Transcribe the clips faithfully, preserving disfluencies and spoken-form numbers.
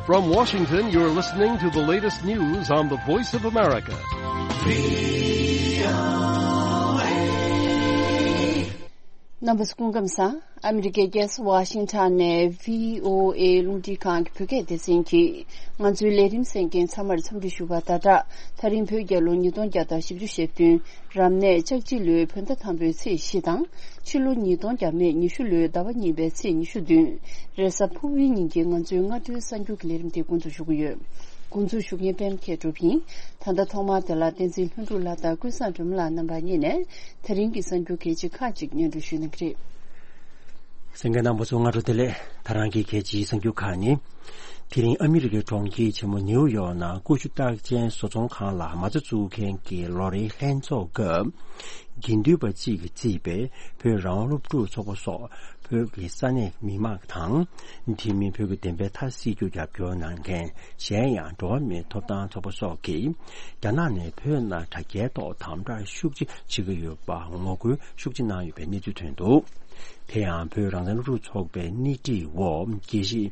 From Washington, you're listening to the latest news on the Voice of America. རྣམ་པ་ཚོ་སྐུ་ཁམས་བཟང་། ཨ་མི་རི་ཀའི་རྒྱལ་ས་ཝ་ཤིང་ཊོན་ནས་བྷི་ཨོ་ཨེ་རླུང་འཕྲིན་ཁང་གི་བོད་སྐད་སྡེ་ཚན་གྱིས་ང་ཚོའི་ལས་རིམ་གསན་མཁན་ཚང་མར་འཚམས་འདྲི་ཞུ་བ་དང་སྦྲགས། ད་རིང་བོད་རྒྱལ་ལོ་ཉིས་སྟོང་བརྒྱ་དང་བཞི་བཅུ་ཞེ་བདུན། རབ་གནས་ལྕགས་བྱི་ལོའི་བོད་ཟླ་དང་པོའི་ཚེས་བཞི་དང་། ཕྱི་ལོ་ཉིས་སྟོང་བརྒྱ་མེད་ཉི་ཤུ་ལོའི་ཟླ་བ་གཉིས་པའི་ཚེས་ཉི་ཤུ་བདུན། རེས་གཟའ་ཕུར་བུའི་ཉིན་གྱི་ང་ཚོའི་སྔ་དྲོའི་གསར་འགྱུར་གྱི་ལས་རིམ་དེ་འགོ་འཛུགས་ཞུ་གི་ཡོད། འགོ་འཛུགས་ཞུ་མཁན་པད་མ་མཁས་གྲུབ་ཡིན། ད་ལྟ་ཐོག་མར་དེ་ལ་བསྟན་འཛིན་ལྷུན་གྲུབ་ལགས་དང་ཀུན་བཟང་སྒྲོལ་མ་ལགས་རྣམ་པ་གཉིས་ནས་དེ་རིང་གི་གསར་འགྱུར་གལ་ཆེ་ཁག་ཅིག་སྙན་སྒྲོན་ཞུ་གནང་གི་རེད། གསན་མཁན་རྣམ་པ་ཚོ་སྔ་དྲོ་བདེ་ལེགས། ད་རང་གི་གལ་ཆེའི་གསར་འགྱུར་ཁག་ནི། དེ་རིང་ཨ་མི་རི་ཀའི་གྲོང་ཁྱེར་ཆེན་མོ་ནེའུ་ཡོག་ནང་ཀུ་ཤུ་རྟགས་ཅན་བཟོ་ཚོང་ཁང་ལ་མ་རྩ་བཙུགས་མཁན་གྱི་ལོ་རེའི་ལྷན་ཚོགས་སྐབས། དགེ་འདུན་པ་གཅིག་གིས་གཙོས་པའི་བོད་རང་དབང་སློབ་ཕྲུག་ཚོགས་པ་སོགས་བོད་ཀྱི་ས་གནས་མི་མང་དང་། དེ་མིན་བོད་ཀྱི་བདེན་པའི་མཐའ་གསལ་རྒྱུར་རྒྱབ་སྐྱོར་གནང་མཁན་གཞན་ཡང་འགྲོ་བ་མིའི་ཐོབ་ཐང་ཚོགས་པ་སོགས་ཀྱིས་རྒྱ་ནག་ནས་བོད་ནང་དྲ་རྒྱའི་ཐོག་དམ་དྲག་ཤུགས་ཆེ་བྱེད་ཀྱི་ཡོད་པ་ངོ་རྒོལ་ཤུགས་ཆེ་གནང་ཡོད་པའི་གནས་ཚུལ་ཐོན་འདུག་དེ་ཡང་བོད་རང་བཙན་སློབ་ཕྲུག་ཚོགས་པའི་སྣེ་ཁྲིད་འོག་དགེ་བཤེས་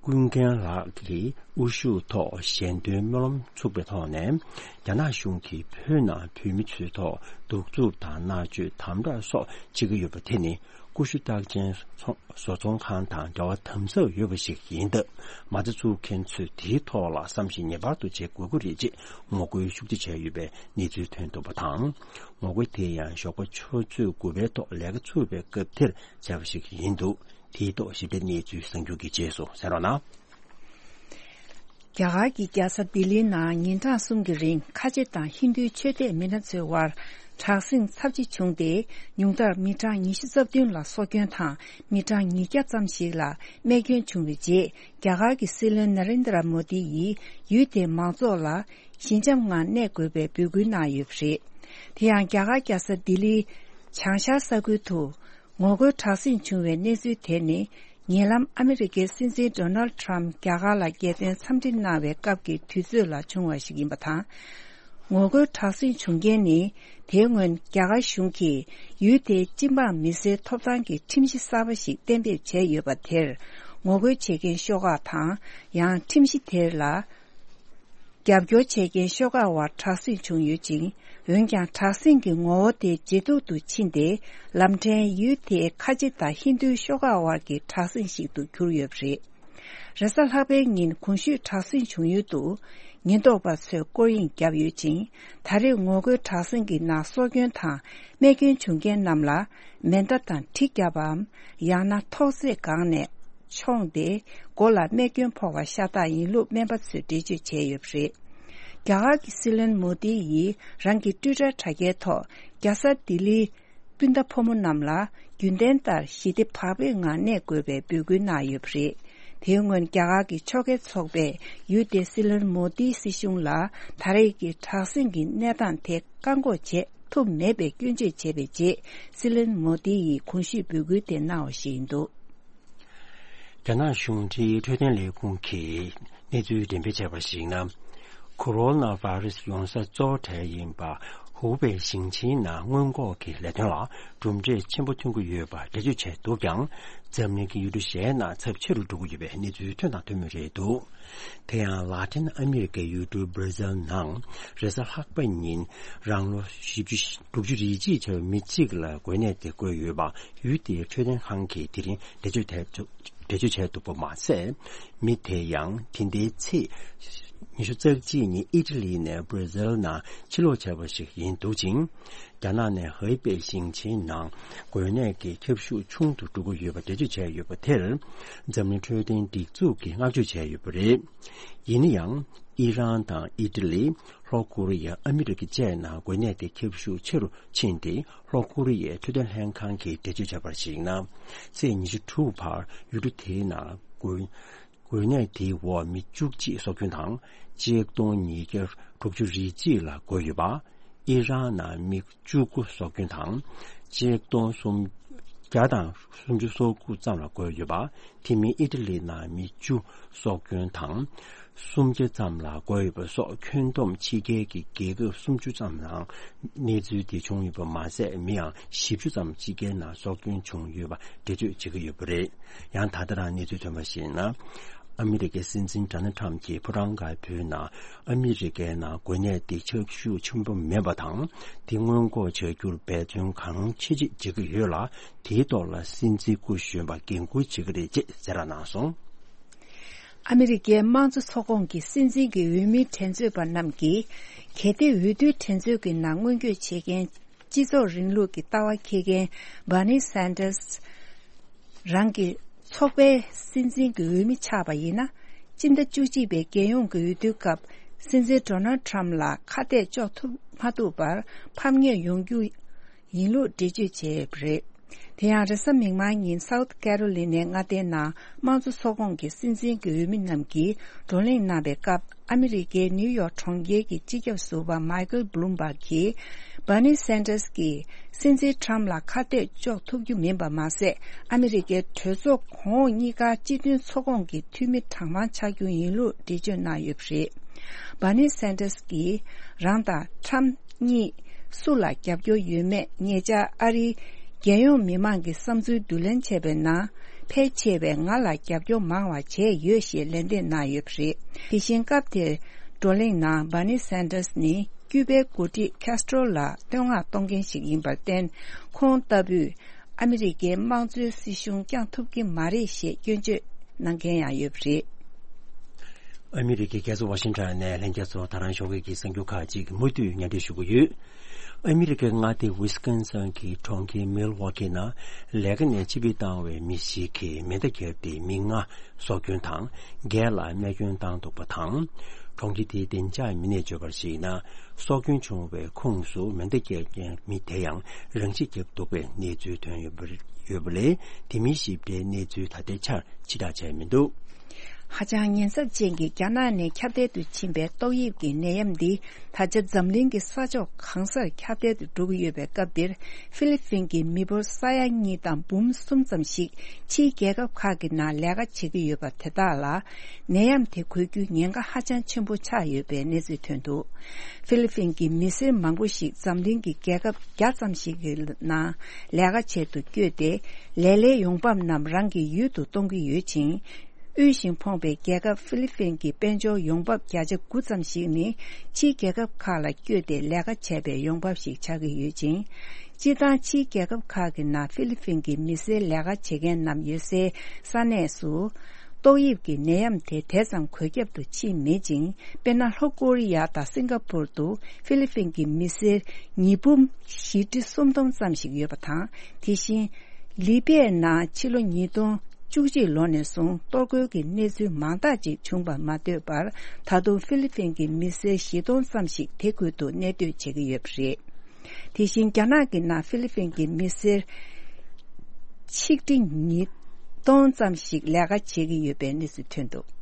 ཀུན་མཁྱེན་ལགས་ཀྱིས་དབུ་བཞུགས་ཐོག་ཞལ་འདོན་སྨོན་ལམ་ཚུགས་པའི་ཐོག་ནས། རྒྱ་ནག་གཞུང་གིས་བོད་ནང་བོད་མི་ཚོའི་ཐོག་གདུག་རྩུབ་དང་མནར་གཅོད་དམ་དྲག་སོགས་བྱེད་ཀྱི་ཡོད་པ་དེ་ནི་ཀུ་ཤུ་རྟགས་ཅན་ཚོང་བཟོ་ཚོང་ཁང་དང་འབྲེལ་བ་དམ་ཟབ་ཡོད་པ་ཞིག་ཡིན་སྟབས། མ་རྩ་བཙུགས་མཁན་ཚོས་དེའི་ཐོག་ལ་བསམ་གཞིག་ངེས་པར་དུ་བྱེད་དགོས་ཀྱི་རེད་ཅེས་ངོ་རྒོལ་ཤུགས་ཆེ་བྱས་ཡོད་པའི་གནས་ཚུལ་ཐོན་འདུག་པ་དང་། ངོ་རྒོལ་དེ་ཡང་ཞོགས་པ་ཆུ་ཚོད་དགུ་པའི་ཐོག་ལས་ཀ་ཚུགས་པའི་སྐབས་དེར་བྱས་པ་ཞིག་ཡིན་འདུག་དེའི་ཐོག་ཞིབ་ཕྲའི་གནས་ཚུལ་གསར་འགྱུར་གྱི་རྗེས་སུ་གསན་རོགས་གནང་། རྒྱ་གར་གྱི་རྒྱལ་ས་ལྡི་ལིའི་ནང་ཉིན་གྲངས་གསུམ་གྱི་རིང་ཁ་ཆེ་དང་ཧིན་རྡུའི་ཆོས་དད་མི་སྣ་ཚོའི་དབར་དྲག་ཟིང་ཚབས་ཆེ་བྱུང་སྟེ། ཉུང་མཐར་མི་གྲངས་ཉི་ཤུ་རྩ་བདུན་ལ་སྲོག་སྐྱོན་དང་མི་གྲངས་ཉིས་བརྒྱ་ཙམ་ཞིག་ལ་རྨས་སྐྱོན་བྱུང་བའི་རྗེས། རྒྱ་གར་གྱི་སྲིད་བློན་ན་རེན་དྲ་མོ་དི་ཡིས་ཡུལ་དེའི་མང་ཚོགས་ལ་ཞི་འཇམ་ངང་གནས་དགོས་པའི་འབོད་སྐུལ་གནང་ཡོད་པ་རེད། དེ་ཡང་རྒྱ་གར་རྒྱལ་ས་ལྡི་ལིའི་བྱང་ཤར་ས་ཁུལ་དུ། ངོ་རྒོལ་དྲག་ཟིང་བྱུང་བའི་གནས་ཚུལ་དེ་ནི། ཉེ་ལམ་ཨ་མི་རི་ཀའི་སྲིད་འཛིན་ཌོ་ནལ་ཊྲམ་རྒྱ་གར་ལ་རྒྱལ་དོན་འཚམས་འདྲི་གནང་བའི་སྐབས་ཀྱི་དུས་ཚོད་ལ་བྱུང་བ་ཞིག་ཡིན་པ་དང་། ངོ་རྒོལ་དྲག་ཟིང་བྱུང་རྐྱེན་ནི། དེའི་སྔོན་རྒྱ་གར་གཞུང་གིས་ཡུལ་དེའི་སྤྱི་འབངས་མི་སེར་ཐོབ་ཐང་གི་ཁྲིམས་གཞི་གསར་པ་ཞིག་གཏན་འབེབས་བྱས་ཡོད་པ་དེར། ངོ་རྒོལ་བྱེད་མཁན་ཤོག་ཁག་དང་། ཡང་ཁྲིམས་གཞི་དེར་ལ། རྒྱབ་སྐྱོར་བྱེད་མཁན་ཤོག་ཁག་དབར་དྲག་ཟིང་བྱུང་ཡོད་ཅིང་། འོན་ཀྱང་དྲག་ཟིང་གི་ངོ་བོ་དེ་ཇེ་སྡུག་ཏུ་ཕྱིན་ཏེ། ལམ་ཕྲན་ཡུལ་དེའི་ཁ་ཆེ་དང་ཧིན་རྡུའི་ཤོག་ཁག་དབར་གྱི་དྲག་ཟིང་ཞིག་ཏུ་གྱུར་ཡོད་པ་རེད། རེས་གཟའ་ལྷག་པའི་ཉིན་གོང་ཞུས་དྲག་ཟིང་བྱུང་ཡུལ་དུ། ཉེན་རྟོག་པ་ཚོས་སྐོར་གཡེང་བརྒྱབ་ཡོད་ཅིང་། ད་རེས་ངོ་རྒོལ་དྲག་ཟིང་གི་ནང་སྲོག་སྐྱོན་དང་རྨས་སྐྱོན་བྱུང་མཁན་རྣམས་ལ། མེ་མདའ་དང་གྲི་བརྒྱབ་པའམ། ཡང་ན་ཐོག་བརྩེགས་སྒང་ནས། མཆོངས་ཏེ། མགོ་ལ་རྨས་སྐྱོན་ཕོག་པ་ཤ་སྟག་ཡིན་ལུགས་སྨན་པ་ཚོས་འགྲེལ་བརྗོད་བྱས་ཡོད་པ་རེད། རྒྱ་གར་གྱི་སྲིད་བློན་མོ་དི་ཡིས་རང་གི་ཊུའི་ཊར་དྲ་རྒྱའི་ཐོག་རྒྱལ་ས་ལྡི་ལིའི་སྤུན་ཟླ་ཕོ་མོ་རྣམས་ལ་རྒྱུན་ལྡན་ལྟར་ཞི་བདེ་བག་ཕེབས་ངང་གནས་དགོས་པའི་འབོད་སྐུལ་གནང་ཡོད་པ་རེད། དེའི་སྔོན་རྒྱ་གར་གྱི་ཕྱོགས་འགལ་ཚོགས་པས་ཡུལ་དེའི་སྲིད་བློན་མོ་དིའི་སྲིད་གཞུང་ལ་ད་རེས་ཀྱི་དྲག་ཟིང་གི་གནས་སྟངས་དེ་བཀག་འགོག་བྱེད་ཐུབ་མེད་པའི་སྐྱོན་བརྗོད་བྱས་པའི་རྗེས། སྲིད་བློན་མོ་དི་ཡིས་གོང་ཞུས་འབོད་སྐུལ་དེ་གནང་བ་ཞིག་ཡིན་འདུག་རྒྱ་ནག་གཞུང་འབྲེལ་འཕྲོད་བསྟེན་ལས་ཁུངས་ཀྱིས་གནས་ཚུལ་འགྲེམས་སྤེལ་བྱས་པར་གཞིགས་ན། ཁོ་རོ་ན་བྷ་རེ་སི་ཡོང་ས་གཙོ་བོ་གྲས་ཡིན་པ་ཧུའུ་པེ་ཞིང་ཆེན་ནང་སྔོན་འགོག་གི་ལས་དོན་ལ་གྲུབ་འབྲས་ཆེན་པོ་ཐོན་གྱི་ཡོད་པ་འགྲེལ་བརྗོད་བྱས་འདུག་ཀྱང་། འཛམ་གླིང་གི་ཡུལ་གྲུ་གཞན་ན་ཚབས་ཆེ་རུ་འགྲོ་གི་ཡོད་པའི་གནས་ཚུལ་ཐོན་དང་ཐོན་མུས་རེད་འདུག་དེ་ཡང་ལ་ཏིན་ཨ་མི་རི་ཀའི་ཡུལ་གྲུ་བྷར་ཛིལ་ནང་རེས་གཟའ་ལྷག་པ་ཉིན་རང་ལོ་བཞི་བཅུ་དྲུག་ཅུ་རེ་གཅིག་བྱས་པའི་མི་གཅིག་ལ་འགོས་ནད་དེ་འགོས་ཡོད་པ་ཡུལ་དེའི་འཕྲོད་བསྟེན་ཁང་གིས་དེ་རིང་འགྲེལ་བརྗོད་དེ། འགྲེལ་བརྗོད་བྱས་འདུག་པ་མ་ཟད། མི་དེ་ཡང་དེ་ཟླའི་ཚེས་ཉི་ཤུ་རྩ་གཅིག་ཉིན་ཨི་ཊ་ལི་ནས་བྷར་ཛིལ་ནང་ཕྱིར་ལོག་བྱས་པ་ཞིག་ཡིན་འདུག་ཅིང་། རྒྱ་ནག་ནས་ཧུའུ་པེ་ཞིང་ཆེན་ནང་འགོས་ནད་ཀྱི་ཁྱབ་ཤུགས་ཆུང་དུ་འགྲོ་གི་ཡོད་པ་འགྲེལ་བརྗོད་བྱས་ཡོད་པ་དེར། འཛམ་གླིང་འཕྲོད་བསྟེན་སྒྲིག་འཛུགས་ཀྱིས་བསྔགས་བརྗོད་བྱས་ཡོད་པ་རེད། ཡིན་ན་ཡང་། ཨི་རན་དང་ཨི་ཊ་ལི། ལྷོ་ཀོ་རི་ཡ། ཨ་མི་རི་ཀ་བཅས་ནང་འགོས་ནད་དེ་ཁྱབ་ཤུགས་ཆེ་རུ་ཕྱིན་ཏེ། ལྷོ་ཀོ་རི་ཡའི་འཕྲོད་བསྟེན་ལྷན་ཁང་གིས་འགྲེལ་བརྗོད་བྱས་པར་གཞིགས་ན། ཚེས་ཉི་ཤུ་དྲུག་བར་ཡུལ་གྲུ་དེའི་ནང་འགོས་འགོས་ནད་དེའི་འོག་མི་བཅུ་གཅིག་སྲོག་སྐྱོན་དང་། གཅིག་སྟོང་ཉིས་བརྒྱ་དྲུག་ཅུ་རེ་གཅིག་ལ་འགོས་ཡོད་པ། ཨི་རན་ནང་མི་བཅུ་དགུ་སྲོག་སྐྱོན་དང་། གཅིག་སྟོང་སུམ་བརྒྱ་དང་སུམ་ཅུ་སོ་དགུ་ཙམ་ལ་འགོས་ཡོད་པ། དེ་མིན་ཨི་ཊ་ལི་ནང་མི་བཅུ་སྲོག་སྐྱོན་དང་། སུམ་བརྒྱ་ཙམ་ལ་འགོས་ཡོད་པ་སོགས་ཁྱོན་བསྡོམས་ཕྱི་རྒྱལ་གྱི་རྒྱལ་ཁབ་སུམ་ཅུ་ཙམ་ནང་གནས་ཚུལ་དེ་བྱུང་ཡོད་པ་མ་ཟད། མི་ཡང་བཞི་བཅུ་ཙམ་ཕྱི་རྒྱལ་ནང་སྲོག་སྐྱོན་བྱུང་ཡོད་པ་འགྲེལ་བརྗོད་བྱེད་ཀྱི་ཡོད་པ་རེད། ཡང་ད་ལྟ་རང་གནས་ཚུལ་ཐོན་པར་གཞིགས་ན། ཨ་མི་རི་ཀའི་སྲིད་འཛིན་ཌོ་ནལ་ཊམ་གྱིས་ཕོ་བྲང་དཀར་པོའི་ནང་ཨ་མི་རི་ཀའི་ནང་འགོས་ནད་འདི་ཁྱབ་ཤུགས་ཆེན་པོ་མིན་པ་དང་། འདི་སྔོན་འགོག་བྱ་རྒྱུར་འབད་བརྩོན་གང་ཆེ་ཆེ་བྱེད་ཀྱི་ཡོད་ལ། དེའི་ཐོག་ལ་སྲིད་འཛིན་སྐུ་གཞོན་པ་འགན་འཁུར་བྱེད་ཀྱི་རེད་ཅེས་གསལ་བསྒྲགས་གནང་སོང་། ཨ་མི་རི་ཀའི་དམངས་གཙོ་ཚོགས་ཁོངས་ཀྱི་སྲིད་འཛིན་གྱི་འོས་མིའི་འགྲན་རྩོད་པ་རྣམས་ཀྱིས། གལ་ཏེ་འོས་བསྡུའི་འགྲན་རྩོད་ཀྱི་ནང་མངོན་བསྐྱོད་བྱེད་མཁན། སྤྱི་ཚོགས་རིང་ལུགས་ཀྱི་ལྟ་བ་འཁྱེར་མཁན་Bernie Sanders རང་གི་ཚོགས་པའི་སྲིད་འཛིན་གྱི་འོས་མི་ཆགས་པ་ཡིན་ན། སྤྱི་ཟླ་བཅུ་གཅིག་པའི་རྒྱལ་ཡོངས་ཀྱི་འོས་བསྡུའི་སྐབས། སྲིད་འཛིན་Donald Trump ལ་ཁ་གཏད་གཅོག་ཐུབ་མ་ཐུབ་པར་ཕམ་ཉེས་ཡོང་རྒྱུ་ཡིན་ལུགས་འགྲེལ་བརྗོད་བྱས་ཡོད་པ་རེད། དེ་ཡང་རེས་གཟའ་མིག་དམར་ཉིན་South Carolina ནས་མངའ་སྡེའི་ནང་དམངས་གཙོ་ཚོགས་ཁོངས་ཀྱི་སྲིད་འཛིན་གྱི་འོས་མི་རྣམས་ཀྱིས་བགྲོ་གླེང་གནང་བའི་སྐབས། ཨ་མི་རི་ཀའི་ནིའུ་ཡོག་གྲོང་ཁྱེར་གྱི་སྤྱི་ཁྱབ་ཟུར་པ་Michael Bloomberg གིས། Bernie Sanders གྱིས་སྲིད་འཛིན་Trump ལ་ཁ་གཏད་གཅོག་ཐུབ་རྒྱུ་མིན་པ་མ་ཟད། ཨ་མི་རི་ཀའི་གྲོས་ཚོགས་གོང་འོག་གཉིས་ཀ་སྤྱི་མཐུན་ཚོགས་ཁོངས་ཀྱི་འཐུས་མི་གྲངས་མང་ཆགས་རྒྱུ་ཡིན་ལུགས་འགྲེལ་བརྗོད་གནང་ཡོད་པ་རེད། Bernie Sanders གྱིས་རང་དང་Trump གཉིས་སུ་ལ་རྒྱབ་སྐྱོར་ཡོད་མེད། ཉེ་ཆར་ཨ་རིའི་རྒྱལ་ཡོངས་མི་མང་གི་བསམ་ཚུལ་བསྡུ་ལེན་བྱས་པའི་ནང་། ཕལ་ཆེ་བས་ང་ལ་རྒྱབ་སྐྱོར་མང་བ་བྱས་ཡོད་ཞེས་ལན་འདེབས་གནང་ཡོད་པ་རེད། དེ་བཞིན་སྐབས་དེར་བགྲོ་གླེང་ནང་Bernie Sanders ནི་ཀྱུ་པའི་འགོ་ཁྲིད་Castro ལ་བསྟོད་བསྔགས་གཏོང་མཁན་ཞིག་ཡིན་པར་བརྟེན། ཁོང་ལྟ་བུས་ཨ་མི་རི་ཀའི་དམངས་གཙོའི་སྲིད་གཞུང་བསྐྱངས་ཐུབ་ཀྱི་མ་རེད་ཞེས་སྐྱོན་བརྗོད་གནང་མཁན་ཡང་ཡོད་པ་རེད། ཨ་མི་རི་ཀའི་རྒྱལ་ས་ཝ་ཤིང་ཊོན་ནས་ལྷན་རྒྱས་ཚོ་ད་རང་ཞོགས་ཀྱི་གསར་འགྱུར་ཁག་ཅིག་མུ་མཐུད་སྙན་སྒྲོན་ཞུ་གི་ཡོད། ཨ་མི་རི་ཀའི་མངའ་སྡེ་ཝི་སི་ཀོན་སིན་གྱི་གྲོང་ཁྱེར་མིལ་ཝོ་ཀི་ནང་ལས་ཀ་ནས་ཕྱིར་འབུད་བཏང་བའི་མི་ཞིག་གིས་མེ་མདའ་བརྒྱབ་སྟེ་མི་ལྔ་སྲོག་སྐྱོན་དང་། བརྒྱད་ལ་རྨས་སྐྱོན་བཏང་འདུག་པ་དང་། གྲོང་ཁྱེར་དེའི་བདེ་འཇགས་མི་སྣས་བརྗོད་པར་གཞིགས་ན། སྲོག་སྐྱོན་བྱུང་བའི་ཁོངས་སུ་མེ་མདའ་བརྒྱབ་མཁན་མི་དེ་ཡང་རང་ཤི་བརྒྱབ་འདུག་པའི་གནས་ཚུལ་ཐོན་ཡོད་པ་ཡོད་པ་ལས། དེ་མིན་ཞིབ་ཕྲའི་གནས་ཚུལ་ད་ལྟའི་ཆར་ཕྱིར་བསྒྲགས་བྱས་མི་འདུག། ཧ་ཅང་ཉེན་ཚབས་ཅན་གྱི་རྒྱ་ནག་ནས་ཁྱབ་གདལ་དུ་ཕྱིན་པའི་ཏོག་དབྱིབས་ཀྱི་ནད་ཡམས་འདི། ད་ཆ་འཛམ་གླིང་གི་ས་ཕྱོགས་གང་སར་ཁྱབ་གདལ་དུ་འགྲོ་གི་ཡོད་པའི་སྐབས་འདིར། ཧྥི་ལི་ཕིན་གྱི་མི་འབོར་ས་ཡ་གཉིས་དང་འབུམ་གསུམ་ཙམ་ཞིག་ཕྱིའི་རྒྱལ་ཁབ་ཁག་གི་ནང་ལས་ཀ་བྱེད་ཀྱི་ཡོད་པ་དེ་དག་ལ། ནད་ཡམས་དེ་འགོས་རྒྱུའི་ཉེན་ཁ་ཧ་ཅང་ཆེན་པོ་ཆགས་ཡོད་པའི་གནས་ཚུལ་ཐོན་འདུག། ཧྥི་ལི་ཕིན་གྱི་མི་སེར་མང་པོ་ཞིག་འཛམ་གླིང་གི་རྒྱལ་ཁབ་བརྒྱ་ཙམ་ཞིག་གི་ནང་ལས་ཀ་བྱེད་དུ་བསྐྱོད་དེ། ལས་སླའི་ཡོང་འབབ་རྣམས་རང་གི་ཡུལ་དུ་གཏོང་གི་ཡོད་ཅིང་། དབུལ་ཞིང་ཕོངས་པའི་རྒྱལ་ཁབ་ཧྥི་ལི་ཕིན་གྱི་དཔལ་འབྱོར་ཡོང་འབབ་བརྒྱ་ཆ་དགུ་ཙམ་ཞིག་ནི་ཕྱིའི་རྒྱལ་ཁབ་ཁག་ལ་བསྐྱོད་དེ་ལས་ཀ་བྱས་པའི་ཡོང་འབབ་ཞིག་ཆགས་ཀྱི་ཡོད་ཅིང་། སྤྱིར་བཏང་ཕྱིའི་རྒྱལ་ཁབ་ཁག་གི་ནང་ཧྥི་ལི་ཕིན་གྱི་མི་སེར་ལས་ཀ་བྱེད་མཁན་རྣམས་ཡོད་སའི་ས་གནས་སུ། ཏོག་དབྱིབས་ཀྱི་ནད་ཡམས་དེ་དེ་ཙམ་འགོས་ཁྱབ་ཏུ་ཕྱིན་མེད་ཅིང་། དཔེར་ན། ལྷོ་ཀོ་རི་ཡ་དང་སིང་ག་པུར་དུ་ཧྥི་ལི་ཕིན་གྱི་མི་སེར་ཉིས་འབུམ་བཞི་ཁྲི་སུམ་སྟོང་ཙམ་ཞིག་ཡོད་པ་དང་། དེ་བཞིན། ལི་པའི་ནང་ཕྱི་ལོ་ཉིས་སྟོང་བཅུ་གཅིག་ལོ་ནས་བཟུང་གཏོར་རྒོལ་གྱི་གནས་ཚུལ་མང་དག་ཅིག་བྱུང་བར་མ་ལྟོས་པར། ད་དུང་ཧྥི་ལི་ཕིན་གྱི་མི་སེར་བཞི་སྟོང་ཙམ་ཞིག་དེ་ཁུལ་དུ་གནས་སྡོད་བྱེད་ཀྱི་ཡོད་པ་རེད། དེ་བཞིན་རྒྱ་ནག་གི་ནང་ཧྥི་ལི་ཕིན་གྱི་མི་སེར་ཆིག་ཁྲི་ཉིས་སྟོང་ཙམ་ཞིག་ལས་ཀ་བྱེད་ཀྱི་ཡོད་པའི་གནས་ཚུལ་ཐོན་འདུག།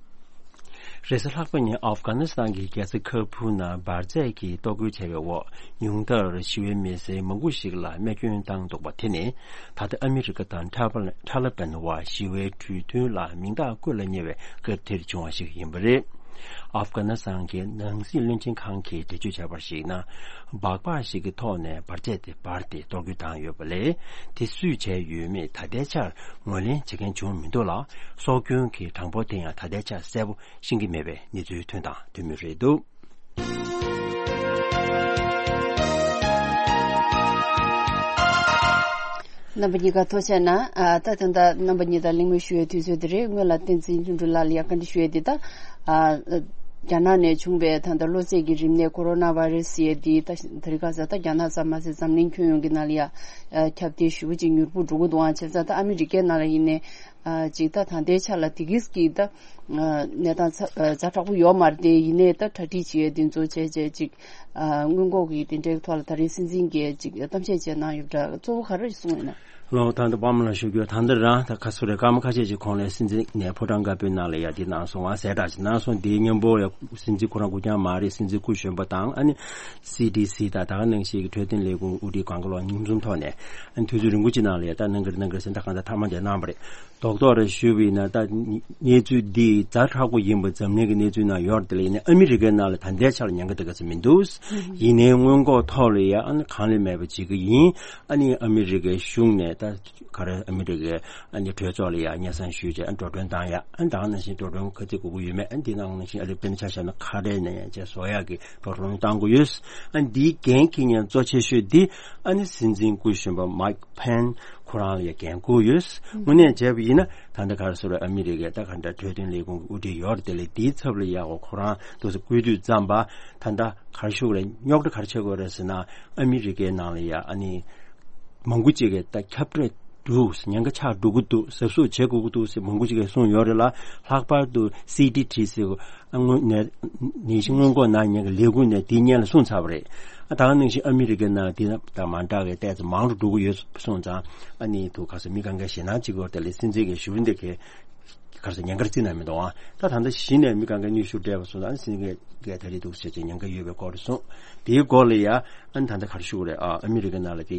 རེས་གཟའ་ལྷག་པ་ཉིན་ཨབ་གྷ་ནི་སི་ཐན་གྱི་རྒྱལ་ས་ཁ་བུ་ན་འབར་རྫས་ཀྱིས་གཏོར་རྒོལ་བྱས་པའི་འོག་ཉུང་མཐར་ཞི་བའི་མི་སེར་མང་པོ་ཞིག་ལ་རྨས་སྐྱོན་བཏང་འདུག་པ་དེ་ནི། ད་ལྟ་ཨ་མི་རི་ཀ་དང་ཐ་ལ་ཐ་ལ་པན་བར་ཞི་བའི་གྲོས་མཐུན་ལ་མིང་རྟགས་བཀོད་ལ་ཉེ་བའི་སྐབས་དེར་བྱུང་བ་ཞིག་ཡིན་པ་རེད། ཨབ་གྷ་ནི་སི་ཐན་གྱི་ནང་སྲིད་བློན་ཆེན་ཁང་གིས་འགྲེལ་བརྗོད་བྱས་པར་གཞིགས་ན། སྦག་སྦག་ཞིག་གི་ཐོག་ནས་འབར་རྫས་དེ་འབར་ཏེ་གཏོར་རྒོལ་བཏང་ཡོད་པ་ལས། དེ་སུས་བྱས་ཡོད་མེད་ད་ལྟའི་ཆར་ངོས་ལེན་བྱེད་མཁན་བྱུང་མི་འདུག་ལ། སྲོག་སྐྱོན་གྱི་གྲངས་འབོར་དེ་ཡང་ད་ལྟའི་ཆར་གསལ་པོ་ཤེས་ཀྱི་མེད་པའི་གནས་ཚུལ་ཐོན་དང་ཐོན་མུས་རེད་འདུག། རྣམ་པ་གཉིས་ཀ་ཐུགས་རྗེ་གནང་། ཨ། ད་ད་ལྟ་རྣམ་པ་གཉིས་དང་གླེང་མོལ་ཞུ་བའི་དུས་ཚོད་འདི་རེད། སྔོན་ལ་བསྟན་འཛིན་ལྷུན་གྲུབ་ལགས་ལ་ཡང་བཀའ་འདྲི་ཞུ་ཡས་འདི་ད། ཨ། རྒྱ་ནག་ནས་བྱུང་བའི་ད་ལྟ་གློ་ཚད་ཀྱི་རིམས་ནད་ཀོ་རོ་ན་བྷ་རེ་སི་ཟེར་ཡས་འདི་ད་དེ་རིང་ཁ་སང་ད་རྒྱ་ནག་ཙམ་མ་ཟད་འཛམ་གླིང་ཁྱོན་ཡོངས་ཀྱི་ནང་ལ་ཡང་ཁྱབ་གདལ་ཞེ་པོ་ཅིག་མྱུར་པོ་འགྲོ་གི་འདུག་ཨང་། བྱས་ཙང་ད་ཨ་མི་རི་ཀའི་ནང་ལ་ཡིན་ནའི། ཨ། ཅིག་ད་ད་ལྟའི་ཆ་ལ་དེ་གིས་ཀྱིས་ད་གནས་སྟངས་ཛ་ཛ་དྲག་པོ་ཡོད་མ་རེད་དེ། ཡིན་ནའི་ད་གྲ་སྒྲིག་བྱེད་ཡས་འདི་ཚོ་བྱས་བྱས་ཅིག། ཨ། སྔོན་འགོག་གི་དེ་འདྲའི་ཐོག་ལ་ད་རེས་སྲིད་འཛིན་གྱིས་ཅིག་གཏམ་བཤད་བྱས་གནང་ཡོད་པ་འདྲ། གཙོ་བོ་ག་རེ་གསུངས་ཡོད་ན། ལོ། ད་ལྟ་པར་མ་ལ་ཞུ་རྒྱུ། ད་ལྟ་རང་ད་ཁ་སོ་རེ་སྐར་མ་ཁ་ཤས་ཅིག་གོང་ལ་སྲིད་འཛིན་ནས་ཕོ་བྲང་དཀར་པོའི་ནང་ལ་ཡ་དེ་གནང་སོང་བ་གསལ་བསྒྲགས་ཅིག་གནང་སོང་། དེའི་མཉམ་པོ་ཡ་སྲིད་འཛིན་ཁོ་རང་སྐུ་རྐྱང་མ་རེད། སྲིད་འཛིན་སྐུ་གཞོན་པ་དང་། ཨ་ནི་སི་ཌི་སི་དང་ད་ག་ནང་བཞིན་གྱི་འཕྲོད་བསྟེན་ལས་ཁུངས་དབུ་ཁྲིད་གང་ག་ལོག་མཉམ་འཛོམས་ཐོག་ནས། ཨ་ནི་དུས་ཚོད་རིང་པོ་ཅིག་ནང་ལ་ཡ་ད་གནང་གི་རེད་གནང་གི་རེད་ཟེར་ད་གང་ལྟར་མཐའ་མ་དེ་གནང་བ་རེད། རྡོག་རྡོག་རེ་ཞུས་པ་ཡིན་ན། ད་གནས་ཚུལ་འདི་ཛ་དྲག་པོ་ཡིན་པ་འཛམ་གླིང་གི་གནས་ཚུལ་ནང་ཡོད་རེད། དེ་ལ་ཡིན་ནའི་ཨ་མི་རི་ཀའི་ནང་ལ་ད་ལྟའི་ཆར་ཉེན་ཁ་དེ་ག་ཚོད་མི་འདུག་ཡིན་ནའི་སྔོན་འགོག་ཐོག་ལ་ཡ་ཨ་ནི་གང་ལས་མེད་པ་བྱེད་ཀྱི་ཡིན། ཨ་ནི་ཨ་མི་རི་ཀའི་གཞུང་ནས་ད་ག་རེ་ཨ་མི་རི་ཀའི་ཨ་ནི་གྲོས་ཚོགས་ལ་ཡ་སྙན་སེང་ཞུས་བྱས་ཨ་ནི་འགྲོ་གྲོན་བཏང་ཡ། ཨ་ནི་ད་ག་ནང་བཞིན་འགྲོ་གྲོན་ག་ཚོད་དགོས་ཀྱི་ཡོད་མེད། ཨ་ནི་འདི་ནང་ནང་བཞིན་ཨ་རི་དཔེར་ན་ཆ་བཞག་ན་ཁ་བྲལ་ནས་ཡ་བྱས་བཟོ་ཡག་གི་འགྲོ་གྲོན་བཏང་དགོས་ཡོད། ཨ་ནི་འདིའི་འགན་འཁྱེར་མཁན་གཙོ་ཆེ་ཤོས་འདི་ཨ་ནི་སྲིད་འཛིན་སྐུ་གཞོན་པ་མཱིག་ཕེན་ཁོ་རང་ལ་ཡ་འགན་འཁུར་ཡོད། དངོས་གནས་བྱས་པ་ཡིན་ན་ད་ལྟ་ག་རེ་ཟེར་རེད། ཨ་མི་རི་ཀའི་ད་ག་འདྲ་འཕྲོད་བསྟེན་ལས་ཁུངས་ཀྱི་དབུ་ཁྲིད་ཡོད་རེད། དེ་ལས་དེའི་ཚབ་ལ་ཡ་འོ་ཁོ་རང་འདུག་སེ་སྐུལ་དུས་ཙམ་པ་ད་ལྟ་ག་རེ་ཞུ་དགོས་རེད། རྙོག་དྲ་ག་རེ་ཆགས་ཀྱི་ཡོད་རེད་ཟེར་ན། ཨ་མི་རི་ཀའི་ནང་ལ་ཡ་ཨ་ནི་མང་པོ་ཅིག་གིས་ད་ཁྱབ་བརྡལ་འདུག་ཉེན་ཁ་ཆགས་འགྲོ་གི་འདུག་གཟབ་གཟབ་བྱེད་དགོས་ཀྱི་འདུག་ཟེར་མང་པོ་ཅིག་གིས་གསུངས་ཡོད་རེད་ལ། ལྷག་པར་དུ་སི་ཌི་ཊི་ཟེར་ཨ་སྔོན་ནས་ནད་གཞི་སྔོན་འགོག་གནང་མཁན་གྱི་ལས་ཁུངས་ནས་དེའི་སྔོན་ལ་གསུངས་ཚར་བ་རེད། ཨ་ད་ག་ནང་བཞིན་ཨ་མི་རི་ཀའི་ནང་དེ་དང་མ་འདྲ་བའི་ཏོག་ཙམ་མང་རུ་འགྲོ་གི་ཡོད་སོང་ཙང་ཨ་ནི་དུ་ག་ས་མི་གང་གའི་ཞེད་སྣང་བྱེད་ཀྱི་ཡོད་རེད། དེ་ལས་སྲིད་འཛིན་གྱི་ཞུ་འདི་གའི་ག་རེ་ཟེར་ཉེན་ཁར་བརྩི་ན་མི་འདུག་ཨ་ད་ད་ལྟ་གཞི་ནས་མི་གང་གའི་ནུས་ཤུགས་སྤྲད་པ་སོང་ཙང་ཨ་ནི་སྲིད་འཛིན་གྱི་གའི་ད་རེས་འདུག་ཟེར་གྱི་ཉེན་ཁ་ཡོད་པའི་སྐོར་རེད་གསུངས། དེའི་སྐོར་ལ་ཡ་ཨ་ནི་ད་ལྟ་ག་རེ་ཞུ་དགོས་རེད། ཨ་ཨ་མི་རི་ཀའི་ནང་ལ་དེ་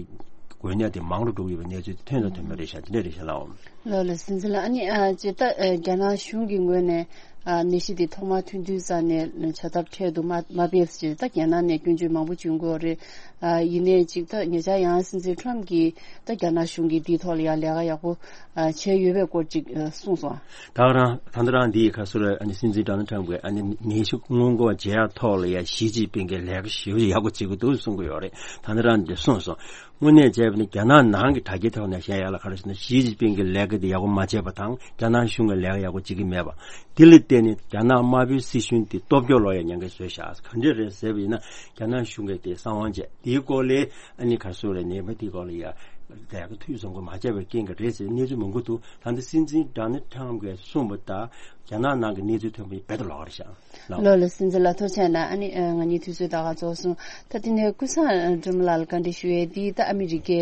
འགོས་ནད་དེ་མང་རུ་འགྲོ་གི་ཡོད་པའི་གནས་ཚུལ་དེ་ཐོན་དང་ཐོན་མེད་རེད་ཤག་དེ་འདྲ་རེད་ཤག་ལགས། ལགས་ལགས། སྲིད་འཛིན་ལགས། ཨ་ནི་ཨ་ཅེ་ད་ཨ་རྒྱ་ནག་གཞུང་གི་ངོས་ནས་ཨ་ནད་གཞི་དེ་ཐོག་མར་ཐོན་དུས་ཙམ་ནས་བྱ་ཐབས་འཕྲལ་དུ་མ་མ་སྤེལ་ཟེར་ད་རྒྱ་ནག་ནས་སྐྱོན་བརྗོད་མང་པོ་བྱུང་གི་ཡོད་རེད། ཨ་ཡིན་ནའི་ཅིག་ད་ཉེ་ཆར་ཡང་སྲིད་འཛིན་ཁྲོམ་གྱིས་ད་རྒྱ་ནག་གཞུང་གིས་འདིའི་ཐོག་ལ་ཡང་ལས་ཀ་ཡག་པོ་ཨ་བྱས་ཡོད་པའི་སྐོར་ཅིག་ཨ་གསུངས་སོང་། ད་རང་ད་ལྟ་རང་འདིའི་ཁ་སོ་ར་ཨ་ནི་སྲིད་འཛིན་ཌོ་ནལ་ཁྲམ་གྱིས་ཨ་ནི་ནད་གཞི་སྔོན་འགོག་བྱེད་ཡག་ཐོག་ལ་ཡང་ཞི་ཅིན་ཕིང་གིས་ལས་ཀ་ཞེ་པོ་ཡག་པོ་བྱེད་ཀྱི་འདུག་གསུང་གི་ཡོད་རེད། ད་ལྟ་རང་འདི་གསུངས་སོང་། དངོས་གནས་བྱས་པ་ནི་རྒྱ་ནག་ནང་གི་དྲ་རྒྱའི་ཐོག་ནས་བཤད་ཡག་ལ་ག་རེ་ཟེར་ན། ཞི་ཅིན་ཕིང་གི་ལས་ཀ་དེ་ཡག་པོ་མ་བྱས་པ་དང་རྒྱ་ནག་གཞུང་གི་ལས་ཀ་ཡག་པོ་བྱེད་ཀྱི་མེད་པ། དེ་ལ་བརྟེན་ནས་རྒྱ་ནག་དམར་པོའི་སྲིད་གཞུང་དེ་སྟོབས་སྐྱོ་ལོག་ཡ་ཉེན་ཁ་བཟོས་བཞག་ག་འདྲས་རེད་ཟེར་བ་ཡིན་ན། རྒྱ་ནག་གཞུང་གིས་དེ་གསང་བ་བྱས། དེའི་སྐོར་ལས་ཨ་ནི་ག་རེ་ཟེར་རེད། ནད་པ་དེའི་སྐོར་ལ་ཡ་ལས་ཀ་འཐུས་ཚང་པོ་མ་བྱས་པའི་རྐྱེན་གྱིས་རེད་ཟེར་གནས་ཚུལ་མང་པོ་འདུག་ད་ལྟ་སྲིད་འཛིན་ཌོ་ནལ་ཁྲམ་གྱིས་གསུངས་པ་ལྟར་རྒྱ་ནག་ནང་གི་གནས་ཚུལ་ཐོན་པ་ཡིན་རྦད་དེ་ལོགས་ཀ་རེད་ཤག་ལགས། ལགས་ལགས། སྲིད་འཛིན་ལགས་ཐུགས་རྗེ་གནང་། ཨ་ནི་ཨ་ང་གཉིས་དུས་ཚོད་ད་ག་རྫོགས་སོང་། ད་དེ་ནས་ཀུན་བཟང་སྒྲོལ་མ་ལགས་ལ་བཀའ་འདྲི་ཞུ་ཡས་འདི་ད་ཨ་མི་རི་ཀའི་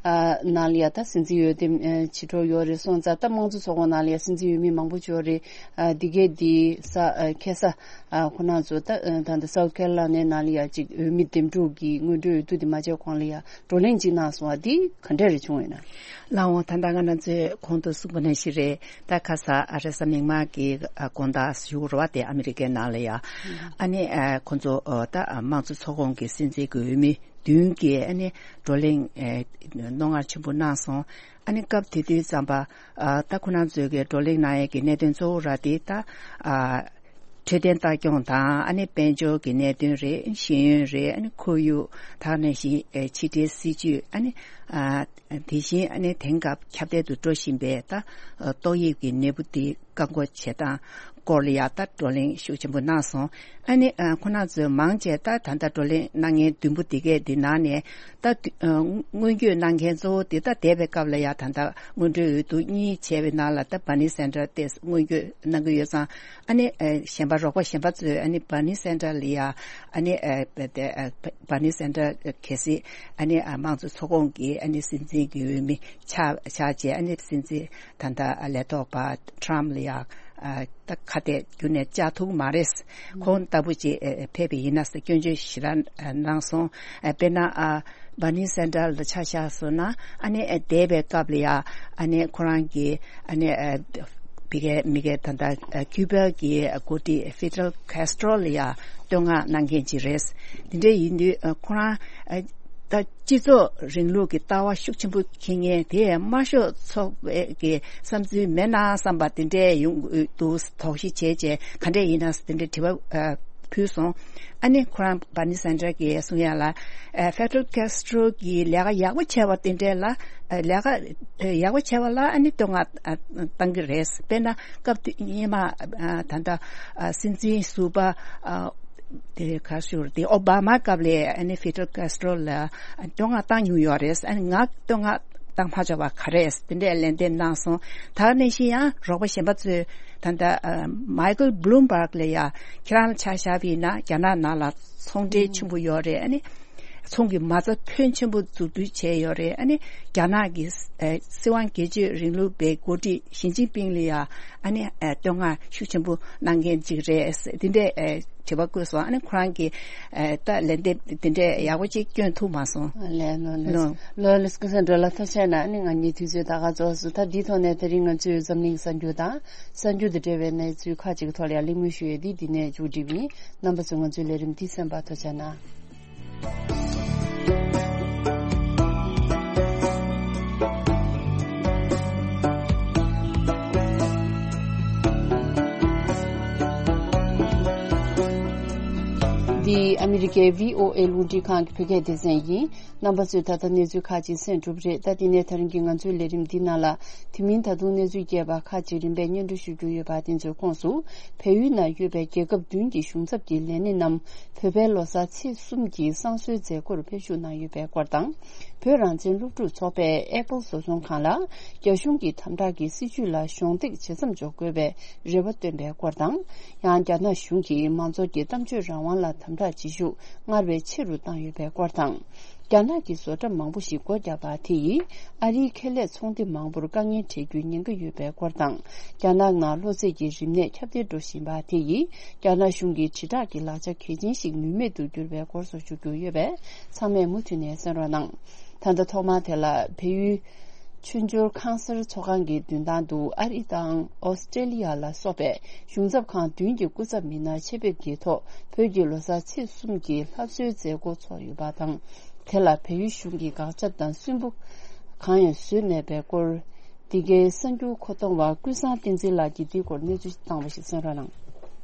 ཨ་ནང་ལ་ཡ་ད་སྲིད་འཛིན་འོས་འདེམས་ཨ་བྱེད་འགྲོ་ཡོད་རེད་སོང་ཙང་། ད་དམངས་གཙོ་ཚོགས་ཁོངས་ནང་ལ་ཡ་སྲིད་འཛིན་འོས་མི་མང་པོ་ཅིག་ཡོད་རེད། ཨ་འདི་གས་འདི་ས་ཨ་ཁ་ས་ཨ་ཁོ་རང་ཚོ་ད་ཨ་ད་ད་སའུ་ཐ་ཁེ་རོ་ལ་ཡ་ནའི་ནང་ལ་ཡ་ཅིག་འོས་མི་འདེམས་སྒྲུག་གི་སྔོན་འགྲོའི་འོས་བསྡུ་འདི་མ་བྱས་གོང་ལ་ཡ་བགྲོ་གླེང་ཅིག་གནང་སོང་བ་འདི་ག་འདྲས་རེ་བྱུང་ཡོད་ན། ལགས་འོང་། ད་ལྟ་ང་རང་ཚོས་གོང་དུ་གསུངས་པ་ནང་བཞིན་རེད། ད་ཁ་ས་ཨ་རེ་ས་མིག་དམར་གྱི་ཨ་དགོང་དག་ཞུ་རུ་བ་དེ་ཨ་མི་རི་ཀའི་ནང་ལ་ཡ། ཨ་ནི་ཨ་ཁོང་ཚོ་ཨ་ད་ཨ་དམངས་གཙོ་ཚོགས་ཁོངས་ཀྱི་སྲིད་འཛིན་གྱི་འོས་མི་བདུན་གྱིས་ཨ་ནི་བགྲོ་གླེང་ཨེ་རྣོ་ངར་ཆེན་པོ་གནང་སོང་། ཨ་ནི་སྐབས་དེ་དུས་ཙམ་པ་ཨ་ད་ཁོ་རང་ཚོས་ཀྱི་བགྲོ་གླེང་གནང་ཡས་ཀྱི་གནད་དོན་གཙོ་བོ་ར་དེ་ད་ཨ་འཕྲོད་བསྟེན་ལྟ་སྐྱོང་དང་ཨ་ནི་དཔལ་འབྱོར་གྱི་གནད་དོན་རེད། ཤེས་ཡོན་རེད། ཨ་ནི་ཁོར་ཡུག་དེ་ནང་བཞིན་ཨེ་ཕྱི་འབྲེལ་སྲིད་ཇུས། ཨ་ནི་ཨ་དེ་བཞིན་ཨ་ནི་དེང་སྐབས་ཁྱབ་གདལ་དུ་འགྲོ་བཞིན་པའི་ད་ཨ་ཏོག་དབྱིབས་ཀྱི་ནད་འབུ་དེ་བཀག་འགོག་བྱེད་སྟངས་སྐོར་ལ་ཡ་ད་བགྲོ་གླེང་ཤུགས་ཆེན་པོ་གནང་སོང་། ཨ་ནི་ཨ་ཁོ་རང་ཚོས་མང་ཆེ་ད་ད་ལྟ་བགྲོ་གླེང་གནང་མཁན་བདུན་པོ་དེ་གས་འདི་ནང་ནས་ད་དུ་ཨ་སྔོན་སྐྱོད་གནང་མཁན་གཙོ་བོ་དེ་ད་འདས་པའི་སྐབས་ལ་ཡ་ད་ལྟ་སྔོན་འགྲོའི་འོས་བསྡུ་གཉིས་བྱས་པའི་ནང་ལ་ད་བར་ནི་སན་ཌར་དེ་སྔོན་སྐྱོད་གནང་གི་ཡོད་ཙང་། ཨ་ནི་ཨ་གཞན་པ་རོགས་པ་གཞན་པ་ཚོས་ཨ་ནི་བར་ནི་སན་ཌར་ལ་ཡ་ཨ་ནི་ཨ་དེ་ཨ་བར་ནི་སན་ཌར་གལ་སྲིད་ཨ་ནི་ཨ་དམངས་གཙོ་ཚོགས་ཁོངས་ཀྱི་ཨ་ནི་སྲིད་འཛིན་གྱི་འོས་མི་ཆགས་ཆགས་རྗེས། ཨ་ནི་སྲིད་འཛིན་ད་ལྟ་ལས་ཐོག་པ་ཊམ་ལ་ཡ་ཨ་ད་ཁ་གཏད་རྒྱུན་ནས་བཅག་ཐུབ་མ་རེད། ཁོང་ལྟ་བུ་ཅིག་ཨ་ཕེབས་པ་ཡིན་ན་ཟེར་སྐྱོན་བརྗོད་ཞེ་དྲག་ཨ་གནང་སོང་། ཨ་དཔེར་ན་ཨ་བར་ནི་སན་ཌར་ལ་ཆ་བཞག་སོང་ན། ཨ་ནི་ཨ་འདས་པའི་སྐབས་ལ་ཡ་ཨ་ནི་ཁོ་རང་གི་ཨ་ནི་ཨ་བི་གའི་མི་གའི་ད་ལྟ་ཨ་ཁྱུ་པ་གི་ཨ་འགོ་ཁྲིད་ཧྥི་ཌེལ་ཁེ་སི་ཊྲོ་ལ་ཡ་བསྟོད་བསྔགས་གནང་མཁན་ཅིག་རེད། དེ་འདྲ་ཡིན་དུས་ཨ་ཁོ་རང་ཨ་ད་སྤྱི་ཚོགས་རིང་ལུགས་ཀྱི་ལྟ་བ་ཤུགས་ཆེན་པོ་འཁྱེར་མཁན་དེ་དམར་ཤོག་ཚོགས་པའི་གི་བསམ་ཚུལ་མེད་ན་བསམ་པ་དེ་འདྲས་ཡོང་གི་འདུག་དོགས་གཞི་བྱས་བྱས་ག་འདྲས་ཡིན་ན་དེ་འདྲས་དྲི་བ་ཨ་ཕུལ་སོང་། ཨ་ནི་ཁོ་རང་བར་ནི་སན་ཌར་གྱིས་གསུང་ཡ་ལ། ཨ་ཧྥེ་ཌེལ་ཁེ་སི་ཊྲོ་གིས་ལས་ཀ་ཡག་པོ་བྱས་པ་དེ་འདྲས་ལ་ཨ་ལས་ཀ་ཨ་ཡག་པོ་བྱས་པ་ལ་ཨ་ནི་བསྟོད་བསྔགས་ཨ་བཏང་གི་རེད། དཔེར་ན་སྐབས་དུས་སྔོན་མ་ཨ་ད་ལྟ་ཨ་སྲིད་འཛིན་ཟུར་པ་ཨ་དེ་ག་ཞུ་རེད། དེ་ཨོ་བྷ་མ་སྐབས་ལ་ཨ་ནི་ཧྥེ་ཌེལ་ཁེ་སི་ཊྲོ་ལ་བསྟོད་བསྔགས་བཏང་མྱོང་ཡོད་རེད། ཨ་ནི་ང་བསྟོད་བསྔགས་བཏང་མ་བྱས་པ་ག་རེ་དེ་འདྲས་ལན་འདེབས་གནང་སོང་། ད་ག་ནང་བཞིན་ཡང་རོགས་པ་གཞན་པ་ཚོས་ད་ལྟ་ཨ་མའི་ཀལ་བྷ་ལུམ་བྷག་ལ་ཡ་ཁྱེད་རང་ལ་ཆ་བཞག་པ་ཡིན་ན་རྒྱ་ནག་ནང་ལ་ཚོང་འབྲེལ་ཆེན་པོ་ཡོད་རེད། ཨ་ནི་ ཚོང་གི་མ་རྩ་ཕོན་ཆེན་པོ་འཛུགས་སྐྲུན་བྱས་ཡོད་རེད། ཨ་ནི་རྒྱ་ནག་གི་ཨ་སྲིད་དབང་སྒེར་གཅོད་རིང་ལུགས་པའི་འགོ་ཁྲིད་ཞི་ཅིན་ཕིང་ལ་ཡང་ཨ་ནི་ཨ་བསྟོད་བསྔགས་ཤུགས་ཆེན་པོ་གནང་མཁན་ཅིག་རེད། འདི་འདྲའི་ཨ་དྲི་བ་བཀོད་སོང་། ཨ་ནི་ཁོ་རང་གིས་ཨ་ད་ལན་འདེབས་འདི་འདྲའི་ཡག་པོ་ཅིག་སྐྱོན་ཐུབ་མ་སོང་། ལགས་ལགས་ལགས་ལགས་ལགས་སྐུ་ཞབས་འགྲོ་ལ་ཐུགས་རྗེ་གནང་། ཨ་ནི་ང་གཉིས་དུས་ཚོད་ད་ག་རྫོགས་སོང་། ད་འདིའི་ཐོག་ནས་དེ་རིང་ང་ཚོས་འཛམ་གླིང་གསར་འགྱུར་དང་གསར་འགྱུར་དང་འབྲེལ་བའི་གནས་ཚུལ་ཁག་ཅིག་གི་ཐོག་ལ་ཡང་གླེང་མོལ་ཞུ་ཡས་འདི་འདི་ནས་མཇུག་སྒྲིལ་བ་ཡིན། རྣམ་པ་ཚོས་ང་ཚོའི་ལས་རིམ་འདི་གསན་པར་ཐུགས་རྗེ་གནང་། འདི་ཨ་མི་རི་ཀའི་བྷི་ཨོ་ཨེ་རླུང་འཕྲིན་ཁང་གི་བོད་སྐད་སྡེ་ཚན་ཡིན། རྣམ་པ་ཚོས་ད་ལྟ་གནས་ཚུལ་ཁག་ཅིག་གསན་གྲུབ་རེད། ད་དེ་ནས་ད་རིང་གི་ང་ཚོའི་ལས་རིམ་འདི་ནང་ལ་དེ་མིན་ད་དུང་གནས་ཚུལ་རྒྱས་པ་ཁག་ཅིག་རིམ་པས་སྙན་སྒྲོན་ཞུ་རྒྱུ་ཡོད་པ། དེ་ཚོའི་ཁོངས་སུ་བལ་ཡུལ་ནང་ཡོད་པའི་རྒྱལ་ཁབ་བདུན་གྱི་གཞུང་ཚབ་ཀྱི་ལས་སྣེ་རྣམས་བོད་པའི་ལོ་གསར་ཚེས་གསུམ་གྱི་བསང་གསོལ་མཛད་སྒོར་ཕེབས་ཞུགས་གནང་ཡོད་པའི་སྐོར་དང་། བོད་རང་བཙན་སློབ་ཕྲུག་ཚོགས་པས་ཨེ་པལ་བཟོ་ཚོང་ཁང་ལ་རྒྱ་གཞུང་གི་དམ་དྲག་གི་སྲིད་བྱུས་ལ་གཞོགས་འདེགས་ཇེ་མཚམས་འཇོག་དགོས་པའི་རེ་བ་བཏོན་པའི་སྐོར་དང་། ཡང་རྒྱ་ནག་གཞུང་གིས་མང་ཚོགས་ཀྱི་གཏམ་བརྗོད་རང་དབང་ལ་དམ་དྲག་བྱེད་ཤུགས་སྔར་བས་ཆེ་རུ་བཏང་ཡོད་པའི་སྐོར་དང་། རྒྱ་ནག་གི་བཟོ་གྲྭ་མང་པོ་ཞིག་སྒོ་བརྒྱབ་པ་དེ་ཡིས་ཨ་རིའི་ཁེ་ལས་ཚོང་སྡེ་མང་པོར་དཀའ་ངལ་འཕྲད་རྒྱུའི་ཉེན་ཁ་ཡོད་པའི་སྐོར་དང་། རྒྱ་ནག་ནང་གློ་ཚད་ཀྱི་རིམས་ནད་ཁྱབ་གདལ་འགྲོ་བཞིན་པ་དེ་ཡིས་རྒྱ་ནག་གཞུང་གི་དྲིལ་བསྒྲགས་ཀྱི་ལག་ཆ་གལ་ཆེན་ཞིག་ནུས་མེད་དུ་གྱུར་བའི་སྐོར་སོགས་ཞུ་རྒྱུ་ཡོད་པས། ཚང་མས་མུ་མཐུད་ནས་གསན་རོགས་གནང་། ད་ལྟ་ཐོག་མར་དེ་ལ་བལ་ཡུལ་ཆོས་འབྱོར་ཁང་གསར་ཚོགས་ཁང་གི་མདུན་ཐང་དུ་ཨ་རི་དང་ཨོ་སི་ཀྲེ་ལི་ཡ་ལ་སོགས་པའི་གཞུང་ཚབ་ཁང་བདུན་གྱི་སྐུ་ཚབ་མི་སྣ་ཆེད་ཕེབས་ཀྱི་ཐོག་བོད་ཀྱི་ལོ་གསར་ཚེས་གསུམ་གྱི་ལྷ་གསོལ་མཛད་སྒོ་ཚོགས་ཡོད་པ་དང་། དེ་ལ་བལ་ཡུལ་གཞུང་གིས་དགག་བྱ་དང་སུན་པོ་གང་ཡང་བཟོས་མེད་པའི་སྐོར། འདི་གའི་གསར་འགྱུར་མཁོ་གཏོང་བ་ཀུན་བཟང་བསྟན་འཛིན་ལགས་ཀྱིས་འདིའི་སྐོར་གནས་ཚུལ་བཏང་བ་ཞིག་གསན་རོགས་གནང་།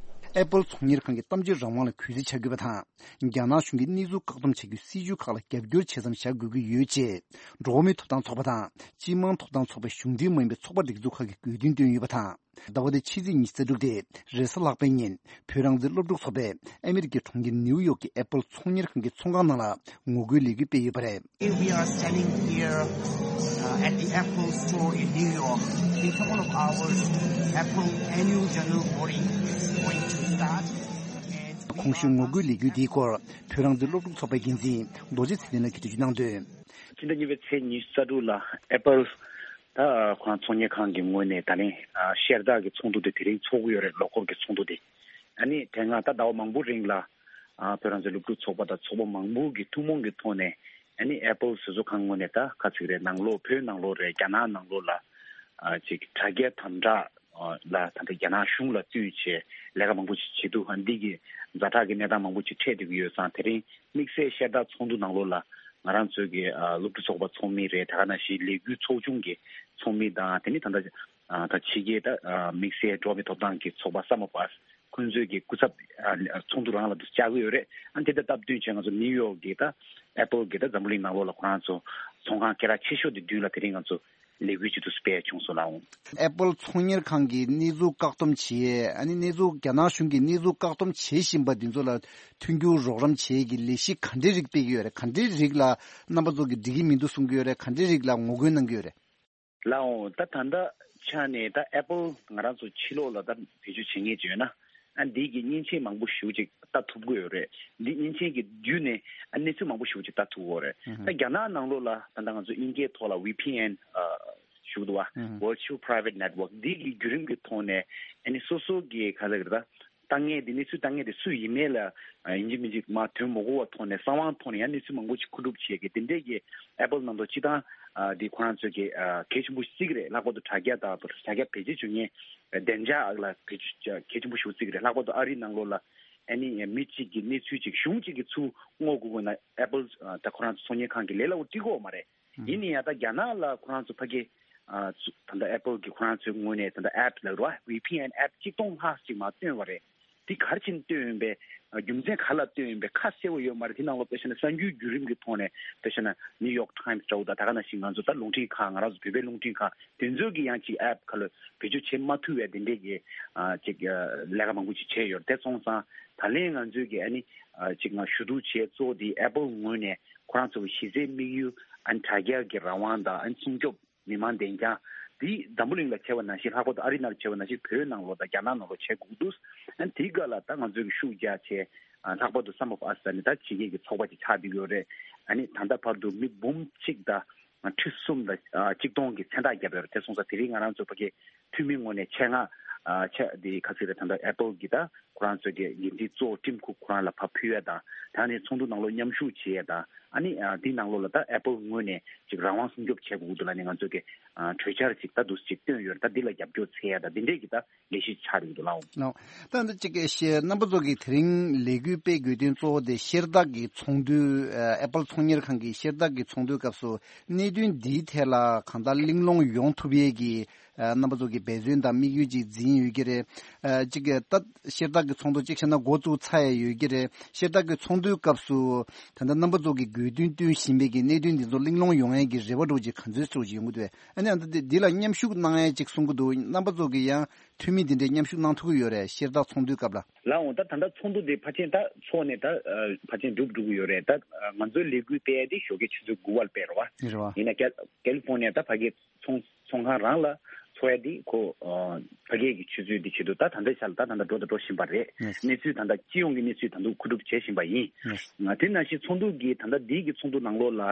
ཨེ་པལ་ཚོང་གཉེར་ཁང་གིས་གཏམ་བརྗོད་རང་དབང་ལ་གུས་བརྩི་བྱ་དགོས་པ་དང་། རྒྱ་ནག་གཞུང་གིས་གནས་ཚུལ་བཀག་སྡོམ་བྱ་རྒྱུའི་སྲིད་ཇུས་ཁག་ལ་རྒྱབ་སྐྱོར་བྱེད་མཚམས་བཞག་དགོས་ཀྱི་ཡོད་ཅེས། འགྲོ་བ་མིའི་ཐོབ་ཐང་ཚོགས་པ་དང་། སྤྱི་དམངས་ཐོབ་ཐང་ཚོགས་པའི་གཞུང་འབྲེལ་མ་ཡིན་པའི་ཚོགས་པ་སྒྲིག་འཛུགས་ཁག་གིས་དགོས་འདུན་བཏོན་ཡོད་པ་དང་། ཟླ་བ་འདིའི་ཕྱི་ཚེས་ཉི་ཤུ་རྩ་དྲུག་སྟེ། རེས་གཟའ་ལྷག་པའི་ཉིན། བོད་རང་བཙན་སློབ་ཕྲུག་ཚོགས་པས་ཨ་མི་རི་ཀའི་གྲོང་ཁྱེར་ནིའུ་ཡོག་གི་ཨེ་པལ་ཚོང་གཉེར་ཁང་གི་ཚོང་ཁང་ནང་ལ་ངོ་རྒོལ་ལས་འགུལ་སྤེལ་ཡོད་པ་རེད། We are standing here, uh, at the Apple store in New York. In a couple of hours, Apple annual general body is going to start. And we གོང་ཞུས་ངོ་རྒོལ་ལས་འགུལ་འདིའི་སྐོར་བོད་རང་བཙན་སློབ་ཕྲུག་ཚོགས་པའི་འགན་འཛིན་རྡོ་རྗེ་ཚེ་བརྟན་ལགས་ཀྱིས་འགྲེལ་བརྗོད་གནང་དོན། ཕྱི་ཟླ་གཉིས་པའི་ཚེས་ཉི་ཤུ་རྩ་དྲུག་ལ་ཨེ་པལ་ད་ཁོ་རང་ཚོང་གཉེར་ཁང་གི་ངོས་ནས་ད་ལན་ཤེར་བདག་གི་ཚོགས་འདུ་དེ་དེ་རིང་ཚོགས་ཀྱི་ཡོད་རེད། ལོ་འཁོར་གྱི་ཚོགས་འདུ་དེ། ཨ་ནི་དེ་སྔ་ད་ཟླ་བ་མང་པོ་རིང་ལ་ཨ་བོད་རང་བཙན་སློབ་ཕྲུག་ཚོགས་པ་དང་ཚོགས་པ་མང་པོ་གི་ཐུན་མོང་གི་ཐོག་ནས་ཨ་ནི་ཨེ་པལ་བཟོ་ཚོང་ཁང་ངོས་ནས་ད་ག་ཚིག་རེད། ནང་ལོགས་བོད་ནང་ལོགས་རེད། རྒྱ་ནག་ནང་ལོགས་ལ་ཨ་ཅིག་དྲ་རྒྱའི་དམ་དྲག་ལ་ད་ལྟ་རྒྱ་ནག་གཞུང་ལ་བསྟུན་བྱས་ལས་ཀ་མང་པོ་ཅིག་བྱེད་འདུག་ཨ་འདི་གི་ཛ་དྲག་གི་གནས་སྟངས་མང་པོ་ཅིག་འཕྲད་བསྡད་ཀྱི་ཡོད་ཙང་། དེ་རིང་དམིགས་བསལ་ཤེར་བདག་ཚོགས་འདུ་ནང་ལོགས་ལ་ང་རང་ཚོའི་གི་ཨ་སློབ་ཕྲུག་ཚོགས་པ་ཚོགས་མི་རེད། དེ་ག་ནང་བཞིན་ལས་འགུལ་ཚོགས་ཆུང་གི་ཚོགས་མི་དང་། དེ་ནི་ད་ལྟ་ཨ་ད་ཕྱི་རྒྱལ་ད་ཨ་དམིགས་བསལ་འགྲོ་བ་མིའི་ཐོབ་ཐང་གི་ཚོགས་པ་ས་མ་པ་ཁོང་ཚོའི་གི་སྐུ་ཚབ་ཨ་ཚོགས་འདུ་རང་ལ་དུ་བཅར་གི་ཡོད་རེད། ཨ་དེ་དང་སྟབས་བསྟུན་བྱས་ང་ཚོ་ནིའུ་ཡོག་གི་ད་ཨེ་པལ་གི་ད་འཛམ་བུ་གླིང་ནང་ལོགས་ལ་ཁོ་རང་ཚོ་ཚོང་ཁང་སྐད་གྲགས་ཆེ་ཤོས་དེ་མདུན་ལ་དེ་རིང་ང་ཚོ་ལས་འགུལ་ཅིག་ཏུ་སྤེལ་བྱུང་སོང་ལགས། ཨེ་པལ་ཚོང་གཉེར་ཁང་གིས་གནས་ཚུལ་བཀག་སྡོམ་བྱེད། ཨ་ནི་གནས་ཚུལ་རྒྱ་ནག་གཞུང་གིས་གནས་ཚུལ་བཀག་སྡོམ་བྱེད་བཞིན་པ་འདི་ཚོ་ལ་མཐུན་འགྱུར་རོགས་རམ་བྱེད་ཀྱི་ལས་གཞི་ག་འདྲའི་རིགས་སྤེལ་གྱི་ཡོད་རེད། ག་འདྲའི་རིགས་ལ་རྣམ་པ་ཚོ་གིས་འགྲིག་གི་མི་འདུག་གསུང་གི་ཡོད་རེད། ག་འདྲའི་རིགས་ལ་ངོ་རྒོལ་གནང་གི་ཡོད་རེད། ལགས་འོང་། ད་ད་ལྟ་ཆ་ནས་ད་ཨེ་པལ་ང་རང་ཚོ་ཕྱི་ལོགས་ལ་ད་བེད་སྤྱོད་བྱེད་མཁན་ཅིག་ཡོད་ན། ཨ་འདི་གི་མཉེན་ཆས་མང་པོ་ཞེ་པོ་ཅིག་ལྟ་ཐུབ་ཀྱི་ཡོད་རེད། འདི་མཉེན་ཆས་ཀྱི་བརྒྱུད་ནས་ཨ་གནས་ཚུལ་མང་པོ་ཞེ་པོ་ཅིག་ལྟ་ཐུབ་ཀྱི་ཡོད་རེད། ད་རྒྱ་ནག་ནང་ལོགས་ལ་ད་ལྟ་ང་ཚོ་དབྱིན་སྐད་ཐོག་ལ་ཝི་ཕི་ཨེན་ཨ་ཞུ་གི་འདུག་བ། Virtual Private Network འདི་གི་བརྒྱུད་རིམ་གྱི་ཐོག་ནས་ཨ་ནི་སོ་སོ་གི་ག་ལ་གི་རེད་ད། ལྟ་མཁན་དེ་གནས་ཚུལ་ལྟ་མཁན་དེ་སུ་ཡིན་མིན་ལ་ཡིན་གཅིག་མིན་གཅིག་མ་དོན་མ་གོ་བ་ཐོག་ནས་གསང་བའི་ཐོག་ནས་ཡང་གནས་ཚུལ་མང་པོ་ཞིག་མཁོ་སྒྲུབ་བྱེད་མཁན་དེ་འདྲས་ཀྱི་ཨེ་པལ་ནང་དུ་སྤྱི་བཏང་དེ་ཁོ་རང་ཚོས་ཀྱི་གལ་ཆེན་པོ་བརྩི་གི་རེད། ལྷག་པར་དུ་དྲ་རྒྱ་དང་དྲ་རྒྱ་བེད་སྤྱོད་བྱེད་མཁན་བདེ་འཇགས་ལ་བེད་སྤྱོད་གལ་ཆེན་པོ་ཞིག་བརྩི་གི་རེད། ལྷག་པར་དུ་ཨ་རི་ནང་ལོགས་ལ་ཨ་ནི་མི་གཅིག་གི་གནས་ཚུལ་གཅིག་གཞུང་གཅིག་གི་ཚུར་བསྔོག་དགོས་དགོས་ན་ཨེ་པལ་ད་ཁོ་རང་ཚོ་ཚོང་གཉེར་ཁང་གི་ལས་སླ་པོ་འགྲིག་གི་ཡོད་མ་རེད། ཡིན་ན་ཡང་ད་རྒྱ་ནག་ལ་ཁོ་རང་ཚོ་ཕ་གི་ཨ་ཚུ་ད་ལྟ་ཨེ་པལ་གྱི་ཁོ་རང་ཚོའི་ངོས་ནས་ད་ལྟ་ཨེབ་ལབ་རེད་བ། ཝི་ཕི་ཨེན་ཨེབ་གཅིག་སྟོང་ལྷག་ཅིག་མར་བཏོན་པ་རེད། དེ་ག་རེ་བྱས་ནས་བཏོན་ཡོད་པའི་རྒྱུ་མཚན་ག་ལ་བཏོན་ཡོད་པའི་ཁ་གསལ་བོ་ཡོད་མ་རེད། དེ་ནང་ལོགས་དཔེ་བཞག་ན་གསར་འགྱུར་བརྒྱུད་རིམ་གྱི་ཐོག་ནས་དཔེ་བཞག་ན་ནིའུ་ཡོག་ཊའིམ་སི་འདྲ་བོ་དང་ད་ག་ནང་བཞིན་ང་ཚོ་ད་རླུང་འཕྲིན་ཁང་ང་རང་ཚོ་བོད་པའི་རླུང་འཕྲིན་ཁང་དེ་ཚོས་ཀྱི་ཡང་ཅིག་ཨེབ་ཁ་ལ་བེད་སྤྱོད་བྱེད་མ་ཐུབ་པའི་དེ་འདྲས་ཀྱི་ཨ་ཅིག་ཨ་ལས་ཀ་མང་པོ་ཅིག་བྱས་ཡོད་རེད། དེ་སོང་ཙང་ད་ལན་ང་ཚོས་ཀྱི་ཨ་ནི་ཨ་ཅིག་ང་ཞུ་གཏུག་བྱས་གཙོ་བོ་དེ་ཨེ་པལ་ངོས་ནས་ཁོ་རང་ཚོ་གི་གཞི་རྩའི་དམིགས་ཡུལ་ཨ་ནི་དྲ་རྒྱ་གི་རང་དབང་དང་ཨ་ནི་སྲུང་སྐྱོབ་མི་མང་བདེ་འཇགས་ དེ་འཛམ་བུ་གླིང་ལ་བྱས་པ་ནང་བཞིན། ལྷག་པར་དུ་ཨ་རི་ནང་ལ་བྱས་པ་ནང་བཞིན་བོད་ནང་ལོགས་དང་རྒྱ་ནག་ནང་ལོགས་བྱེད་དགོས་འདུག་ཨ་ནི་དེའི་སྐབས་ལ་ད་ང་ཚོས་ཀྱི་ཤུགས་རྒྱག་བྱས། ཨ་ལྷག་པར་དུ་Sum of Us ཟེར་ནས་ད་ཕྱི་རྒྱལ་གྱི་ཚོགས་པ་ཅིག་ཆགས་བསྡད་ཡོད་རེད། ཨ་ནི་ད་ལྟ་བར་དུ་མི་འབུམ་གཅིག་དང་ཁྲི་གསུམ་དང་ཨ་གཅིག་སྟོང་གི་མཚན་རྟགས་བརྒྱབ་ཡོད་རེད། དེ་སོང་ཙང་དེ་རིང་ང་རང་ཚོ་ཕ་གི་འཐུས་མི་ངོས་ནས་ཆེད་མངགས་ཨ་ཆ་དེ་ག་ཚོད་རེད། ད་ལྟ་Apple་གི་ད་ཁོ་རང་ཚོའི་གི་འགན་འཛིན་གཙོ་བོ་Tim Cook་ཁོ་རང་ལ་ཕར་ཕུལ་ཡ་དང་། ད་ནི་ཚོགས་འདུ་ནང་ལོགས་མཉམ་ཞུགས་བྱེད་ཡ་དང་། ཨ་ནི་ཨ་དེའི་ནང་ལོགས་ལ་ད་Apple་ངོས་ནས་ཅིག་རང་དབང་སྲུང་སྐྱོབ་བྱེད་དགོས་འདུག་ལབ་ནས་ང་ཚོས་གི་ཨ་གྲོས་འཆར་ཅིག་ད་འདུག་ཅིག་བཏོན་ཡོད་རེད། ད་འདི་ལ་རྒྱབ་སྐྱོར་འཚོལ་ཡ་དང་འདི་འདྲས་ཀྱི་ད་ལས་གཞི་ཆགས་ཡོད་འདུག་ལགས། ལགས། ད་འདི་གཅིག་གི་ཤེས་རྣམ་པ་ཚོ་གི་དེ་རིང་ལས་འགུལ་སྤེལ་དགོས་དོན་གཙོ་བོ་དེ་ཤེལ་དཀར་གྱི་ཚོགས་འདུ་ཨ་Apple་ཚོང་གཉེར་ཁང་གི་ཤེལ་དཀར་གྱི་ཚོགས་འདུའི་སྐབས་སུ་གནད་དོན་འདིའི་ཐད་ལ་གང་ལྟར་གླེང་སློང་ཡོང་ཐུབ་ཡས་ཀྱི་ཨ་རྣམ་པ་ཚོ་གི་འབད་བརྩོན་དང་དམིགས་ཡུལ་ཅིག་འཛིན་ཡོད་ཀྱི་རེད། ཨ་གཅིག་གི་ད་ཤེལ་དཀར་གྱི་ཚོགས་འདུ་གཅིག་བྱས་ན་འགོ་བཙུགས་ཚར་ཡས་ཡོད་ཀྱི་རེད། ཤེལ་དཀར་གྱི་ཚོགས་འདུའི་སྐབས་སུ་ད་ལྟ་རྣམ་པ་ཚོ་གི་དགོས་འདུན་བཏོན་བཞིན་པའི་གི་གནད་དོན་འདི་ཚོ་གླེང་སློང་ཡོང་ཡས་ཀྱི་རེ་བ་འདྲ་བོ་ཅིག་ག་ཚོད་ཅིག་ཡོང་གི་འདུག་ཨ་ནི་ཨ་ད་འདི་འདི་ལ་མཉམ་ཞུགས་གནང་ཡས་ཅིག་གསུང་གི་འདུག་རྣམ་པ་ཚོ་གི་ཡང་འཐུས་མི་འདི་འདྲའི་མཉམ་ཞུགས་གནང་ཐུབ་ཀྱི་ཡོད་རེད། ཤེལ་དཀར་ཚོགས་འདུའི་སྐབས་ལ། ལགས་འོང་། ད་ད་ལྟ་ཚོགས་འདུ་འདི་ཕལ་ཆེར་ད་ཚོགས་ནས་ད་ཨ་ཕལ་ཆེར་འགྲུབ་འགྲོ་གི་ཡོད་རེད། ད་ཨ་ང་ཚོའི་ལས་འགུལ་སྤེལ་ཡ་དེ་ཞོགས་ཀའི་ཆུ་ཚོད་དགུ་པར་སྤེལ་རེད་བ། རེད་བ། ཡིན་ན་ཀལ་ཀལ་ལི་ཧྥོ་ནི་ཡ་ད་ཕ་གིའི་ཚོང་ཚོང་ཁང་རང་ལ་ཚོགས་ཡ་དེ་ཁོ་ཨ་ཕ་གིའི་གི་ཆུ་ཚོད་དེ་བྱེད་དུས་ད་ད་ལྟའི་ཆ་ལ་ད་ད་ལྟ་འགྲོ་དང་འགྲོ་བཞིན་པ་རེད། ཡེས། གནས་ཚུལ་ད་ལྟ་སྤྱི་ཡོངས་ཀྱི་གནས་ཚུལ་ད་དུང་མཁོ་སྒྲུབ་བྱེད་བཞིན་པ་ཡིན། ཡེས། ང་དེ་ནང་བཞིན་ཚོགས་འདུ་གི་ད་ལྟ་འདིའི་གི་ཚོགས་འདུ་ནང་ལོགས་ལ་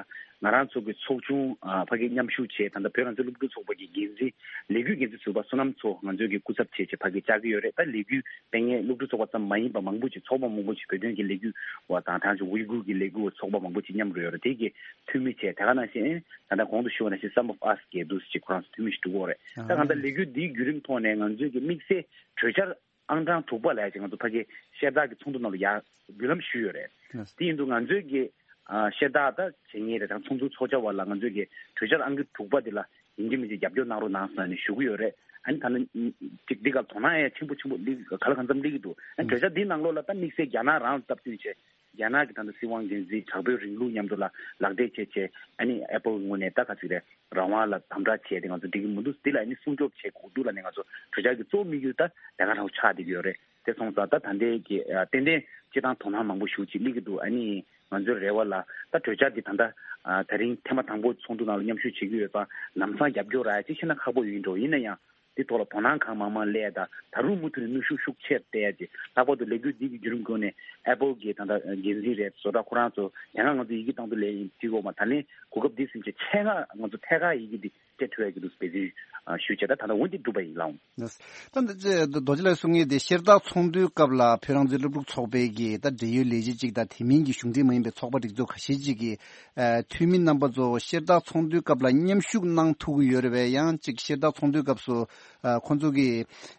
ང་རང་ཚོ་གི་ཚོགས་ཆུང་ཨ་ཕ་གིའི་མཉམ་ཞུགས་བྱས། ད་ལྟ་བོད་རང་བཙན་སློབ་ཕྲུག་ཚོགས་པ་གི་འགན་འཛིན་ལས་འགུལ་འགན་འཛིན་ཟུར་པ་བསོད་ནམས་མཚོ་ང་ཚོའི་གི་སྐུ་ཚབ་བྱས་བྱས་ཕ་གིར་བཅར་གྱི་ཡོད་རེད། ད་ལས་འགུལ་སྤེལ་མཁན་སློབ་ཕྲུག་ཚོགས་པ་ཙམ་མ་ཡིན་པ་མང་པོ་ཅིག་ཚོགས་པ་མང་པོ་ཅིག་བོད་དོན་གྱི་ལས་འགུལ་བ་དང་ད་ཅིག་ཝི་གུར་གྱི་ལས་འགུལ་བ་ཚོགས་པ་མང་པོ་ཅིག་མཉམ་རུ་ཡོད་རེད། དེ་གི་འཐུས་མི་བྱས། དེ་ག་ནང་བཞིན་ད་ལྟ་གོང་དུ་ཞུས་པ་ནང་བཞིན་Sum of Us་གི་འདུག་སེ་ཅིག་ཁོ་རང་ཚོ་འཐུས་མི་ཞིག་འགྲོ་གི་ཡོད་རེད། ད་གང་ལྟར་ལས་འགུལ་འདིའི་བརྒྱུད་རིམ་ཐོག་ནས་ང་ཚོའི་གི་དམིགས་བསལ་གྲོས་འཆར་ཨང་གྲངས་དྲུག་པ་ལ་ཡ་ཅིག་ང་ཚོ་ཕ་གི་ཤེལ་དཀར་གྱི་ཚོགས་འདུ་ནང་ལ་ཡ་བརྒྱུད་ལམ་ཞུས་ཡོད་རེད། ལགས། དེ་ཡིན་དུས་ང་ཚོའི་གི་ཨ་ཤེལ་དཀར་ད་བྱེད་མཁན་རེད། ད་ཚོགས་འདུ་ཚོགས་བཅར་བ་ལ་ང་ཚོའི་གི་གྲོས་འཆར་ཨང་ཀི་དྲུག་པ་དེ་ལ་ཡིན་གཅིག་མིན་གཅིག་རྒྱབ་སྐྱོར་གནང་རོགས་གནང་ཟེར་ནས་ཞུ་གི་ཡོད་རེད། ཨ་ནི་ད་ནི་ཅིག་འདི་ག་དོ་སྣང་ཡ་ཆེན་པོ་ཆེན་པོ་སླེབས་ག་ལ་གང་འཚམ་སླེབས་ཀྱི་འདུག་ཨ་ནི་གྲོས་འཆར་འདིའི་ནང་ལོགས་ལ་ད་དམིགས་བསལ་རྒྱ་ནག་རང་ལ་སྟབས་བསྟུན་བྱས། རྒྱ་ནག་གི་ད་ལྟ་སྲིད་དབང་འཛིན་འཛིན་དྲག་པོའི་རིང་ལུགས་མཉམ་དུ་ལ་ལག་འབྲེལ་བྱས་བྱས། ཨ་ནི་Apple་ངོས་ནས་ད་ག་ཚོད་རེད། རང་དབང་ལ་དམ་དྲག་བྱས་ཏེ་ང་ཚོ་འགྲིག་གི་མི་འདུག་འདི་ལ་ཨ་ནི་སྲུང་སྐྱོབ་བྱེད་དགོས་འདུག་ལབ་ནས་ང་ཚོ་གྲོས་འཆར་གྱི་གཙོ་བོ་དམིགས་ཡུལ་ད་དེ་ག་རང་ཆགས་བསྡད་ཀྱི་ཡོད་རེད། དེ་སོང་ཙང་ད་ད་ལྟའི་གི་ཨ་ཏན་ཏན་སྤྱིར་བཏང་དོ་སྣང་མང་པོ་ཞེ་པོ་ཅིག་སླེབས་ཀྱི་འདུག་ཨ་ནི་ང་ཚོའི་རེ་བ་ལ་ད་གྲོས་འཆར་འདི་ད་ལྟ་ཨ་ད་རིང་ཐེངས་མ་དང་པོ་ཚོགས་འདུ་ནང་ལ་མཉམ་ཞུགས་བྱེད་ཀྱི་ཡོད་པ་ལམ་སང་རྒྱབ་སྐྱོར་རག་ཡ་ཅིག་ཤེས་ན་ཁག་པོ་ཡོད་འགྲོ། ཡིན་ན་ཡང་། དེ་ཐོག་ལ་དོ་སྣང་གང་མང་མང་སླེབས་ཡ་དང་། ད་རུང་མུ་མཐུད་ནས་ནུས་ཤུགས་ཤུགས་ཆེར་སྤེལ་ཡ་ཅིག་ལྷག་པར་དུ་ལས་འགུལ་འདི་གི་བརྒྱུད་རིམ་སྒང་ནས་Apple་གི་ད་ལྟ་འགན་འཛིན་རེད། བཟོ་གྲྭ་ཁོ་རང་ཚོ་དེ་སྔ་ང་ཚོ་ཡི་གེ་བཏང་དུས་ལས་ཡིན་ཅིག་འོག་མ། ད་ལན་གོ་སྐབས་འདི་ཟིན་བྱས་ཆེད་མངགས་ང་ཚོ་ཐད་ཀར་ཡི་གེ་འདི་སྤྲད་ཐུབ་ཡ་གི་འདུག་འབད་བརྩོན་ཞུས་བྱས། ད་ད་ལྟ་འོ་འདི་གྲུབ་པ་ཡིན་ལགས། ད་འདི་རྡོ་རྗེ་ལགས་གསུང་མཁན་དེ་ཤེལ་དཀར་ཚོགས་འདུའི་སྐབས་ལ་བོད་རང་བཙན་སློབ་ཕྲུག་ཚོགས་པའི་གི་ད་འབྲེལ་ཡོད་ལས་བྱེད་ཅིག་དང་། དེ་མིན་གྱི་གཞུང་འབྲེལ་མ་ཡིན་པའི་ཚོགས་པ་སྒྲིག་འཛུགས་ཁ་ཤས་ཅིག་གི་ཨ་འཐུས་མི་རྣམ་པ་ཚོ་ཤེལ་དཀར་ཚོགས་འདུའི་སྐབས་ལ་མཉམ་ཞུགས་གནང་ཐུབ་ཀྱི་ཡོད་རེད་པས། ཡང་ཅིག་ཤེལ་དཀར་ཚོགས་འདུའི་སྐབས་སུ་ཨ་ཁོང་ཚོ་གི་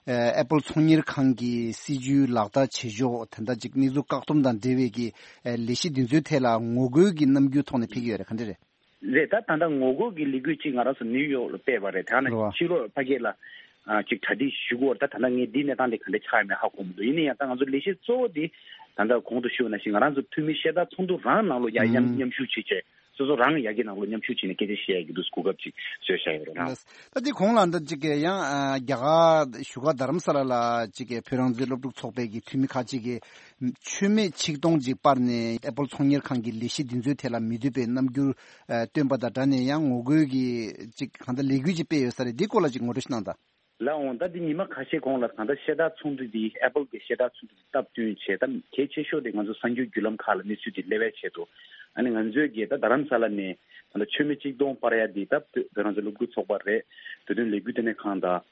ཨ་Apple་ཚོང་གཉེར་ཁང་གི་སྲིད་ཇུས་ལག་བསྟར་བྱེད་ཕྱོགས་དེ་འདྲ་ཅིག་གནས་ཚུལ་བཀག་སྡོམ་དང་འབྲེལ་བའི་གི་ཨ་ལས་གཞི་འདི་ཚོའི་ཐད་ལ་ངོ་རྒོལ་གྱི་རྣམ་འགྱུར་ཐོག་ནས་ཕེབས་ཀྱི་ཡོད་རེད། ག་འདྲ་རེད། རེད། ད་ད་ལྟ་ངོ་རྒོལ་གྱི་ལས་འགུལ་ཅིག་ང་རང་ཚོ་ནིའུ་ཡོག་ལ་སྤེལ་བ་རེད། དེ་ནས་རེད་བ། ཕྱི་ལོགས་ཕ་གི་ལ་ཨ་ཅིག་གྲ་སྒྲིག་ཞུ་གི་ཡོད་རེད། ད་ད་ལྟ་ངས་འདིའི་གནས་སྟངས་དེ་ག་འདྲ་ཆགས་ཡོད་མེད་ཧ་གོ་མི་འདུག་ཡིན་ན་ཡང་ད་ང་ཚོ་ལས་གཞི་གཙོ་བོ་དེ་ད་ལྟ་གོང་དུ་ཞུས་པ་ནང་བཞིན་ང་རང་ཚོ་འཐུས་མི་ཤེལ་དཀར་ཚོགས་འདུ་རང་ནང་ལོགས་ཡར་མཉམ་ཨུམ། མཉམ་ཞུགས་བྱེད་བྱས། སོ་སོ་རང་ཡ་གི་ནང་ལོགས་མཉམ་ཞུགས་བྱས་ནས་སྐད་ཆ་བཤད་ཡ་གི་འདུག་གོ་སྐབས་ཅིག་བཟོས་བཞག་ཡོད་རེད་ལགས། ད་འདི་གོང་ལ་འདི་གཅིག་གི་ཡང་ཨ་རྒྱ་གར་བཞུགས་སྒར་རྡ་རམ་ས་ལ་ལ་གཅིག་གི་བོད་རང་བཙན་སློབ་ཕྲུག་ཚོགས་པའི་གི་འཐུས་མི་ཁག་ཅིག་གིས་མཆོད་མེ་ཆིག་སྟོང་ཅིག་སྤར་ནས་Apple་ཚོང་གཉེར་ཁང་གི་ལས་གཞི་འདི་ཚོའི་ཐད་ལ་མི་འདོད་པའི་རྣམ་འགྱུར་ཨ་སྟོན་པ་དང་སྦྲགས་ནས་ཡང་ངོ་རྒོལ་གྱི་ཅིག་གང་ལྟར་ལས་འགུལ་ཅིག་སྤེལ་ཡོད་ས་རེད། འདི་སྐོར་ལ་ཅིག་ངོ་སྤྲོད་ཞིག་གནང་དང་། ལགས་འོང་། ད་འདི་ཉི་མ་ཁ་ཤས་གོང་ལ་ད་ལྟ་ཤེལ་དཀར་ཚོགས་འདུ་འདི་Apple་གི་ཤེལ་དཀར་ཚོགས་འདུ་སྟབས་བསྟུན་བྱས། ད་གལ་ཆེ་ཤོས་དེ་ང་ཚོ་གསར་འགྱུར་བརྒྱུད་ལམ་ཁག་ལ་གནས་ཚུལ་འདི་སླེབས་པའི་ཆེད་དུ། ཨ་ནི་ང་ཚོའི་གི་ད་རྡ་རམ་ས་ལ་ནས་ད་ལྟ་མཆོད་མེ་ཆིག་སྟོང་སྤར་ཡ་འདི་ད་བོད་རང་བཙན་སློབ་ཕྲུག་ཚོགས་པ་རེད། བོད་དོན་ལས་འགུལ་ལྟེ་གནས་ཁང་དང་།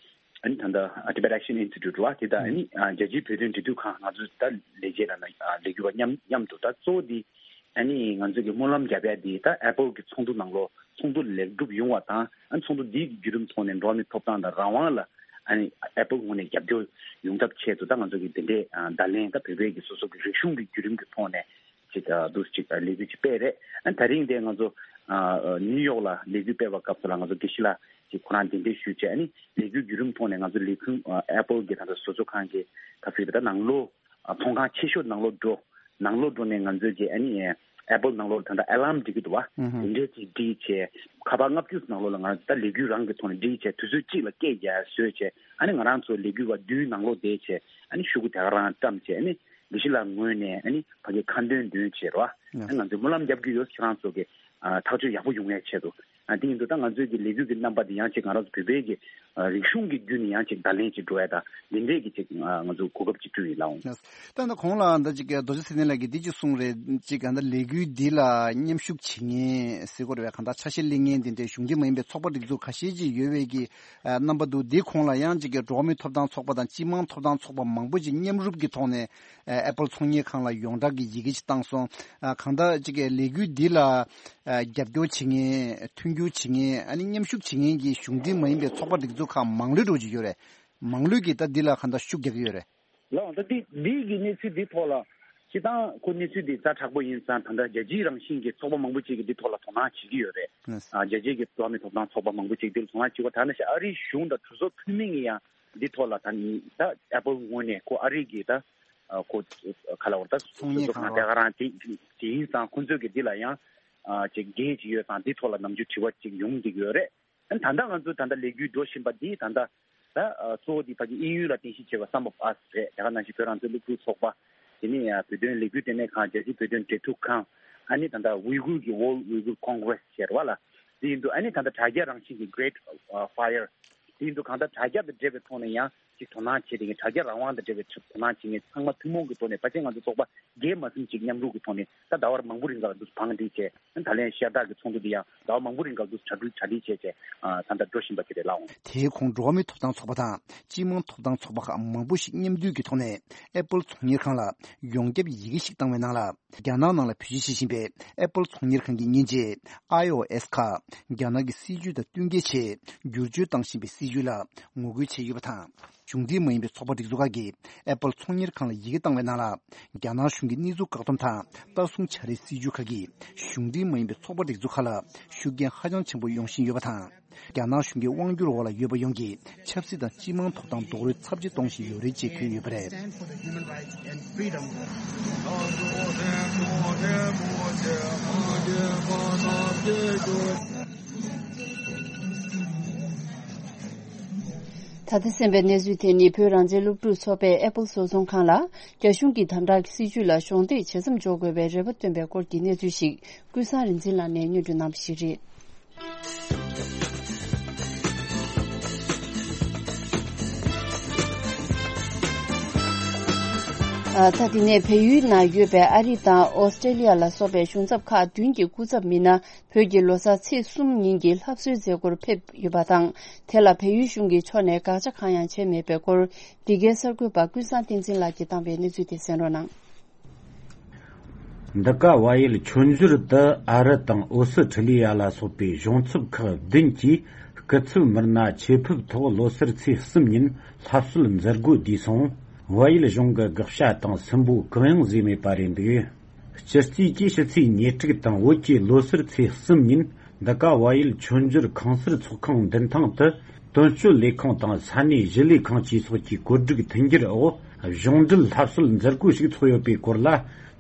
ཨ་ནི་ད་ལྟ་Tibet Action Institute་རེད་བ། དེ་དང་ཨ་ནི་རྒྱལ་སྤྱིའི་བོད་དོན་འབྲེལ་མཐུད་ཁང་། ང་ཚོ་ད་ལས་བྱེད་ལ་ན་ལས་འགུལ་བ་མཉམ་མཉམ་དུ་ད་གཙོ་བོ་འདི་ཨ་ནི་ང་ཚོ་གི་སྨོན་ལམ་རྒྱབ་ཡ་འདི་ད་Apple་གི་ཚོགས་འདུ་ནང་ལོགས་ཚོགས་འདུ་ལེགས་གྲུབ་ཡོང་བ་དང་། ཨ་ནི་ཚོགས་འདུ་འདིའི་བརྒྱུད་རིམ་ཐོག་ནས་འགྲོ་བ་མིའི་ཐོབ་ཐང་དང་རང་དབང་ལ་ཨ་ནི་Apple་ངོས་ནས་རྒྱབ་སྐྱོར་ཡོང་ཐབས་ཆེད་དུ་ད་ང་ཚོ་གི་འདི་འདྲའི་བརྡ་ལན། ད་བོད་པའི་གི་སོ་སོ་གི་རིག་གཞུང་གི་བརྒྱུད་རིམ་གྱི་ཐོག་ནས་ཅིག་འདུག་ཅིག་ལས་འགུལ་ཅིག་སྤེལ་རེད། ཨ་ནི་ད་རིང་དེ་ང་ཚོ་ནིའུ་ཡོག་ལ་ལས་འགུལ་སྤེལ་བའི་སྐབས་སུ་ལ་ང་ཚོ་དགེ་བཤེས་ལགས་ཀྱིས་ཁོ་རང་གདན་འདྲེན་ཞུས་བྱས། ཨ་ནི་ལས་འགུལ་བརྒྱུད་རིམ་ཐོག་ནས་ང་ཚོ་ལས་ཁུངས་Apple་གི་ད་ལྟ་བཟོ་ཚོགས་ཁང་གི་ད་ཚིག་རེད། ད་ནང་ལོགས་ཚོང་ཁང་ཆེ་ཤོས་ནང་ལོགས་འགྲོ། ནང་ལོགས་འགྲོ་ནས་ང་ཚོས་ཀྱི་ཨ་ནི་Apple་ནང་ལོགས་ད་ལྟ་ཨ་ལམ་སྒྲིག་གི་འདུག་བ། ཨུ་ཧུ། དེ་འདྲས་ཅིག་སྒྲིག་བྱས། ཁ་པར་ལྔ་བཅུ་ནང་ལོགས་ལ་ང་ད་ལས་འགུལ་རང་གི་ཐོག་ནས་སྒྲིག་བྱས། དུས་ཚོད་གཅིག་ལ་སྐད་རྒྱག་བཟོས་བྱས། ཨ་ནི་ང་རང་ཚོ་ལས་འགུལ་བ་བདུན་ནང་ལོགས་བསྡད་བྱས། ཨ་ནི་ཤོག་གུ་དེ་ག་རང་བཀྲམ་བྱས། ཨ་ནི་དགེ་བཤེས་ལགས་ངོས་ནས་ཨ་ནི་ཕ་གི་ཁ་འདོན་འདོན་བྱས་རོ། ཨ་ནི་ང་ཚོས་སྨོན་ལམ་རྒྱབ་ཀྱི་ཡོད། ཁྱེད་རང་ཚོ་གི་ཨ་ཐག་གཅོད་ཡག་པོ་ཡོང་ཡའི་ཆེད་དུ། ཨ་དེ་ཡིན་དུས་ད་ང་ཚོའི་གི་ལས་འགུལ་གྱི་རྣམ་པ་དེ་ཡང་ཅིག་ང་རང་ཚོ་བོད་པའི་གི་ཨ་རིག་གཞུང་གི་བརྒྱུད་ནས་ཡང་ཅིག་བརྡ་ལན་ཅིག་འགྲོ་ཡ་ད་འདི་འདྲའི་གི་ཅིག་ཨ་ང་ཚོ་གོ་སྐབས་ཅིག་བསྐྲུན་ཡིན་ལགས་འོང་། ད་ད་གོང་ལ་ད་ཅིག་རྡོ་རྗེ་ཚེ་བརྟན་ལགས་ཀྱིས་འདི་ཅིག་གསུངས་རེད། ཅིག་ག་ད་ལས་འགུལ་འདི་ལ་མཉམ་ཞུགས་བྱེད་མཁན་ཟེར་དགོས་རེད་པས། གང་ལྟར་ཆ་ཤས་ལེན་མཁན་འདི་འདྲའི་གཞུང་འབྲེལ་མ་ཡིན་པའི་ཚོགས་པ་སྒྲིག་འཛུགས་ཁ་ཤས་ཅིག་ཡོད་པའི་གི་ཨ་རྣམ་པ་འདུག་འདི་གོང་ལ་ཡང་ཅིག་གི་འགྲོ་བ་མིའི་ཐོབ་ཐང་ཚོགས་པ་དང་སྤྱི་དམངས་ཐོབ་ཐང་ཚོགས་པ་མང་པོ་ཅིག་མཉམ་རུབ་ཀྱི་ཐོག་ནས་ཨ་ཨེ་པལ་ཚོང་གཉེར་ཁང་ལ་ཡོངས་གྲགས་ཀྱི་ཡི་གེ་ཅིག་བཏང་སོང་། ཨ་གང་ལྟར་ཅིག་གི་ལས་འགུལ་འདི་ལ་ཨ་རྒྱབ་སྐྱོར་བྱེད་མཁན། མཐུན་འགྱུར་བྱེད་མཁན། ཨ་ནི་མཉམ་ཞུགས་བྱེད་མཁན་གྱི་གཞུང་འབྲེལ་མ་ཡིན་པའི་ཚོགས་པ་སྒྲིག་འཛུགས་ཁག་མང་ལོས་འགྲོ་གི་ཡོད་རེད། མང་ལོས་ཀྱིས་ད་འདི་ལ་གང་ལྟར་ཤུགས་རྒྱག་གི་ཡོད་རེད། ལགས་འོང་། ད་འདི་འདི་གི་གནས་ཚུལ་འདི་ཐོག་ལ་སྤྱིར་བཏང་ཁོ་གནས་ཚུལ་འདི་ཛ་དྲག་པོ་ཡིན་ཙང་། ད་ལྟ་རྒྱལ་སྤྱིའི་རང་བཞིན་གྱི་ཚོགས་པ་མང་པོ་ཅིག་གིས་འདི་ཐོག་ལ་དོ་སྣང་བྱེད་ཀྱི་ཡོད་རེད། ཨ་རྒྱལ་སྤྱིའི་གི་འགྲོ་བ་མིའི་ཐོབ་ཐང་ཚོགས་པ་མང་པོ་ཅིག་འདི་ལ་དོ་སྣང་བྱེད་པ། ད་ནང་བཞིན་ཨ་རིའི་གཞུང་དང་གྲོས་ཚོགས་འཐུས་མི་གིས་ཡང་འདི་ཐོག་ལ་ད་ད་ཨེ་པལ་ངོས་ནས་ཁོ་ཨ་རི་གི་ད་ཨ་ཁོ་ག་ལ་བར་ད་ཚོང་གཉེར་ཁང་ཁང་ལྟ་ག་རང་དེ་དེ་ཡིན་ཙང་། ཁོ་ཚོས་གི་འདི་ལ་ཡང་ཨ་ཅིག་འགན་ཅིག་ཡོད་ཙང་། འདི་ཐོག་ལ་ནམ་རྒྱུན་དྲི་བ་ཅིག་ཡོང་བསྡད་ཀྱི་ཡོད་རེད། ཨ་ནི་ད་ལྟ་ང་ཚོ་ད་ལྟ་ལས་འགུལ་འགྲོ་བཞིན་པ་འདི་ད་ལྟ་ད་ཨ་གཙོ་བོ་འདི་ཕ་གི་དབྱིན་ཡུལ་ལ་རྟེན་གཞི་བྱས་པ་Some of Us རེད། དེ་ག་ནང་བཞིན་བོད་རང་བཙན་སློབ་ཕྲུག་ཚོགས་པ། དེ་ནས་ཨ་བོད་དོན་ལས་འགུལ་ལྟེ་གནས་ཁང་། རྒྱལ་སྤྱིའི་བོད་དོན་འབྲེལ་མཐུད་ཁང་། ཨ་ནི་ད་ལྟ་ཝི་གུར་གྱི་World Uyghur Congress ཟེར་བ་ལ། དེ་ཡིན་དུས་ཨ་ནི་ད་ལྟ་དྲ་རྒྱ་རང་བཞིན་གྱི་Great Fire དེ་ཡིན་དུས་གང་ལྟར་དྲ་རྒྱ་དང་འབྲེལ་བའི་ཐོག་ནས་ཡང་ཅིག་དོ་སྣང་བྱེད་དེ། དྲ་རྒྱ་རང་དབང་དང་འབྲེལ་བའི་དོ་སྣང་བྱེད་མཁན་ཚང་མ་ཐུན་མོང་གི་ཐོག་ནས་ཕལ་ཆེར་ང་ཚོ་ཚོགས་པ་བརྒྱད་མ་ཟིན་ཅིག་མཉམ་རུབ་ཀྱི་ཐོག་ནས་ད་ཟླ་བ་མང་པོ་རིང་ག་ལ་འདུག་བང་སྒྲིག་བྱས། ད་ལན་ཤར་སྟག་གི་ཚོགས་འདུ་འདི་ཡང་ཟླ་བ་མང་པོ་རིང་ག་ལ་འདུག་གྲ་སྒྲིག་གྲ་སྒྲིག་བྱས་བྱས་ད་ལྟ་འགྲོ་བཞིན་པ་དེ་རེད་ལགས་འོང་། དེའི་གོང་འགྲོ་བ་མིའི་ཐོབ་ཐང་ཚོགས་པ་དང་སྤྱི་དམངས་ཐོབ་ཐང་ཚོགས་པ་ཁག་མང་པོ་ཞིག་མཉམ་འདུས་ཀྱི་ཐོག་ནས་ཨེ་པལ་ཚོང་གཉེར་ཁང་ལ་ཡོངས་ཁྱབ་ཡི་གེ་ཞིག་བཏང་བའི་ནང་ལ། རྒྱ་ནག་ནང་ལ་བེད་སྤྱོད་བྱེད་བཞིན་པའི་ཨེ་པལ་ཚོང་གཉེར་ཁང་གི་མཉེན་ཆས་ཨའི་ཨོ་ཨེས་ཁག་རྒྱ་ནག་གི་སྲིད་ཇུས་དང་བསྟུན་མཁས་ཆེད་བསྒྱུར་བཅོས་བཏང་བཞིན་པའི་སྲིད་ཇུས་ལ་ངོ་རྒོལ་བྱས་ཡོད་པ་དང་། གཞུང་འབྲེལ་མ་ཡིན་པའི་ཚོགས་པ་སྒྲིག་འཛུགས་ཁག་གིས་ཨེ་པལ་ཚོང་གཉེར་ཁང་ལ་ཡི་གེ་བཏང་བའི་ནང་ལ། རྒྱ་ནག་གཞུང་གི་གནས་ཚུལ་བཀག་སྡོམ་དང་ལྟ་སྲུང་བྱ་རའི་སྲིད་ཇུས་ཁག་གིས་གཞུང་འབྲེལ་མ་ཡིན་པའི་ཚོགས་པ་སྒྲིག་འཛུགས་ཁག་ལ་ཤུགས་རྐྱེན་ཧ་ཅང་ཆེན་པོ་ཡོང་བཞིན་ཡོད་པ་དང་། རྒྱ་ནག་གཞུང་གི་དབང་སྒྱུར་འོག་ལ་ཡོད་པ་ཡོངས་ཀྱིས་ཆབ་སྲིད་དང་སྤྱི་དམངས་ཐོབ་ཐང་རྡོག་རོལ་ཚབས་ཆེ་གཏོང་བཞིན་ཡོད་རེད་ཅེས་འཁོད་ཡོད་པ་རེད། ད་ལྟ་གསན་པའི་གནས་ཚུལ་དེ་ནི་བོད་རང་བཙན་སློབ་ཕྲུག་ཚོགས་པས་ཨེ་པལ་བཟོ་ཚོང་ཁང་ལ་རྒྱ་གཞུང་གི་དམ་དྲག་གི་སྲིད་བྱུས་ལ་གཞོགས་འདེགས་བྱེད་མཚམས་འཇོག་དགོས་པའི་རེ་བ་བཏོན་པའི་སྐོར་གྱི་གནས་ཚུལ་ཞིག་ཀུན་བཟང་རིག་འཛིན་ལགས་ནས་སྙན་སྒྲོན་གནང་བ་ཞིག་རེད། ཨ། ད་དེ་ནས་བལ་ཡུལ་ནང་ཡོད་པའི་ཨ་རི་དང་ཨོ་སི་ཀྲེ་ལི་ཡ་ལ་སོགས་པའི་གཞུང་ཚབ་ཁག་བདུན་གྱི་སྐུ་ཚབ་མི་སྣ་བོད་ཀྱི་ལོ་གསར་ཚེས་གསུམ་ཉིན་གྱི་ལྷ་གསོལ་མཛད་སྒོར་ཕེབས་ཡོད་པ་དང་། དེ་ལ་བལ་ཡུལ་གཞུང་གི་ཕྱོགས་ནས་དགག་བྱ་གང་ཡང་བྱས་མེད་པའི་སྐོར། འདི་གའི་གསར་འགོད་པ་ཀུན་བཟང་བསྟན་འཛིན་ལགས་ཀྱིས་བཏང་བའི་གནས་ཚུལ་དེ་གསན་རོགས་གནང་། འདི་ག་བལ་ཡུལ་མཆོད་འཇོར་དུ་ཨ་རི་དང་ཨོ་སི་ཁྲི་ལི་ཡ་ལ་སོགས་པའི་གཞུང་ཚབ་ཁག་བདུན་གྱིས་སྐུ་ཚབ་མི་སྣ་ཆེད་ཕེབས་ཐོག་ལོ་གསར་ཚེས་གསུམ་ཉིན་ལྷ་གསོལ་མཛད་སྒོ་བསྡུས་སོང་། བལ་ཡུལ་གཞུང་གི་དགག་བྱ་དང་སུན་པོ་གང་ཡང་བཟོས་མེད་པ་རེད་འདུག་སྤྱི་རྩིས་ཀྱི་ཕྱི་ཚེས་ཉེར་དྲུག་དང་བོད་ཀྱི་ལོ་གསར་ཚེས་གསུམ་ཉིན་འདི་ག་བལ་ཡུལ་མཆོད་འཇོར་ཁང་གསར་ཚོགས་ཁང་མདུན་ཐང་དུ་དོན་གཅོད་ལས་ཁང་དང་ས་གནས་གཞིས་ལས་ཁང་བཅས་སོགས་ཀྱི་བཀོད་སྒྲིག་མཐུན་འགྱུར་འོག་གཞུང་འབྲེལ་ལྷ་གསོལ་མཛད་སྒོ་ཞིག་ཚོགས་ཡོད་པའི་སྐོར་ལ།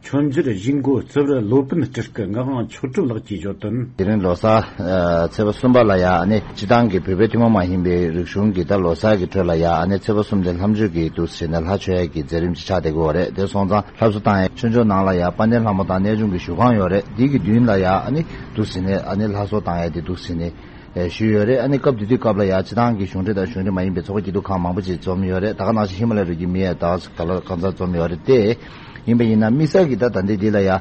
མཆོད་འཇོར་གཞིས་འགོ་རྩིབ་རི་ལོ་པཎ་སྤྲུལ་སྐུ་ངག་དབང་ཆོས་གྲུབ་ལགས་ཀྱིས་བརྗོད་དོན། དེ་རིང་ལོ་གསར་ཨ་ཚེས་པ་གསུམ་པ་ལ་ཡ་ཨ་ནི་སྤྱི་བཏང་གི་བོད་པའི་ཐུན་མོང་མ་ཡིན་པའི་རིག་གཞུང་གི་ད་ལོ་གསར་གྱི་ཁྲོད་ལ་ཡ་ཨ་ནི་ཚེས་པ་གསུམ་དེ་ལྷ་མཆོད་ཀྱི་འདུག་ཟེར་ནས་ལྷ་མཆོད་ཡས་ཀྱི་མཛད་རིམ་ཅིག་ཆགས་བསྡད་ཀྱི་ཡོད་རེད། དེ་སོང་ཙང་ལྷ་གསོལ་བཏང་ཡས་མཆོད་འཇོར་ནང་ལ་ཡ་དཔལ་ལྡན་ལྷ་མོ་དང་གནས་ཆུང་གི་བཞུགས་ཁང་ཡོད་རེད། འདི་གི་མདུན་ལ་ཡ་ཨ་ནི་འདུག་ཟེར་ནས་ཨ་ནི་ལྷ་གསོལ་བཏང་ཡས་དེ་འདུག་ཟེར་ནས་ཨེ་ཞུས་ཡོད་རེད། ཨ་ནི་སྐབས་དེ་དུས་སྐབས་ལ་ཡ་སྤྱི་བཏང་གི་གཞུང་འབྲེལ་དང་གཞུང་འབྲེལ་མ་ཡིན་པའི་ཚོགས་པ་སྐྱིད་སྡུག་ཁག་མང་པོ་ཅིག་འཛོམས་ཡོད་རེད། ད་ག་ནང་བཞིན་ཧི་མ་ལ་ཡའི་རི་རྒྱུད་མི་ཡས་ད་ག་ལ་གང་ཚ་འཛོམས་ཡོད་རེད་དེ། ཡིན་པ་ཡིན་ན་དམིགས་བསལ་གྱི་ད་ད་ལྟའི་འདི་ལ་ཡ་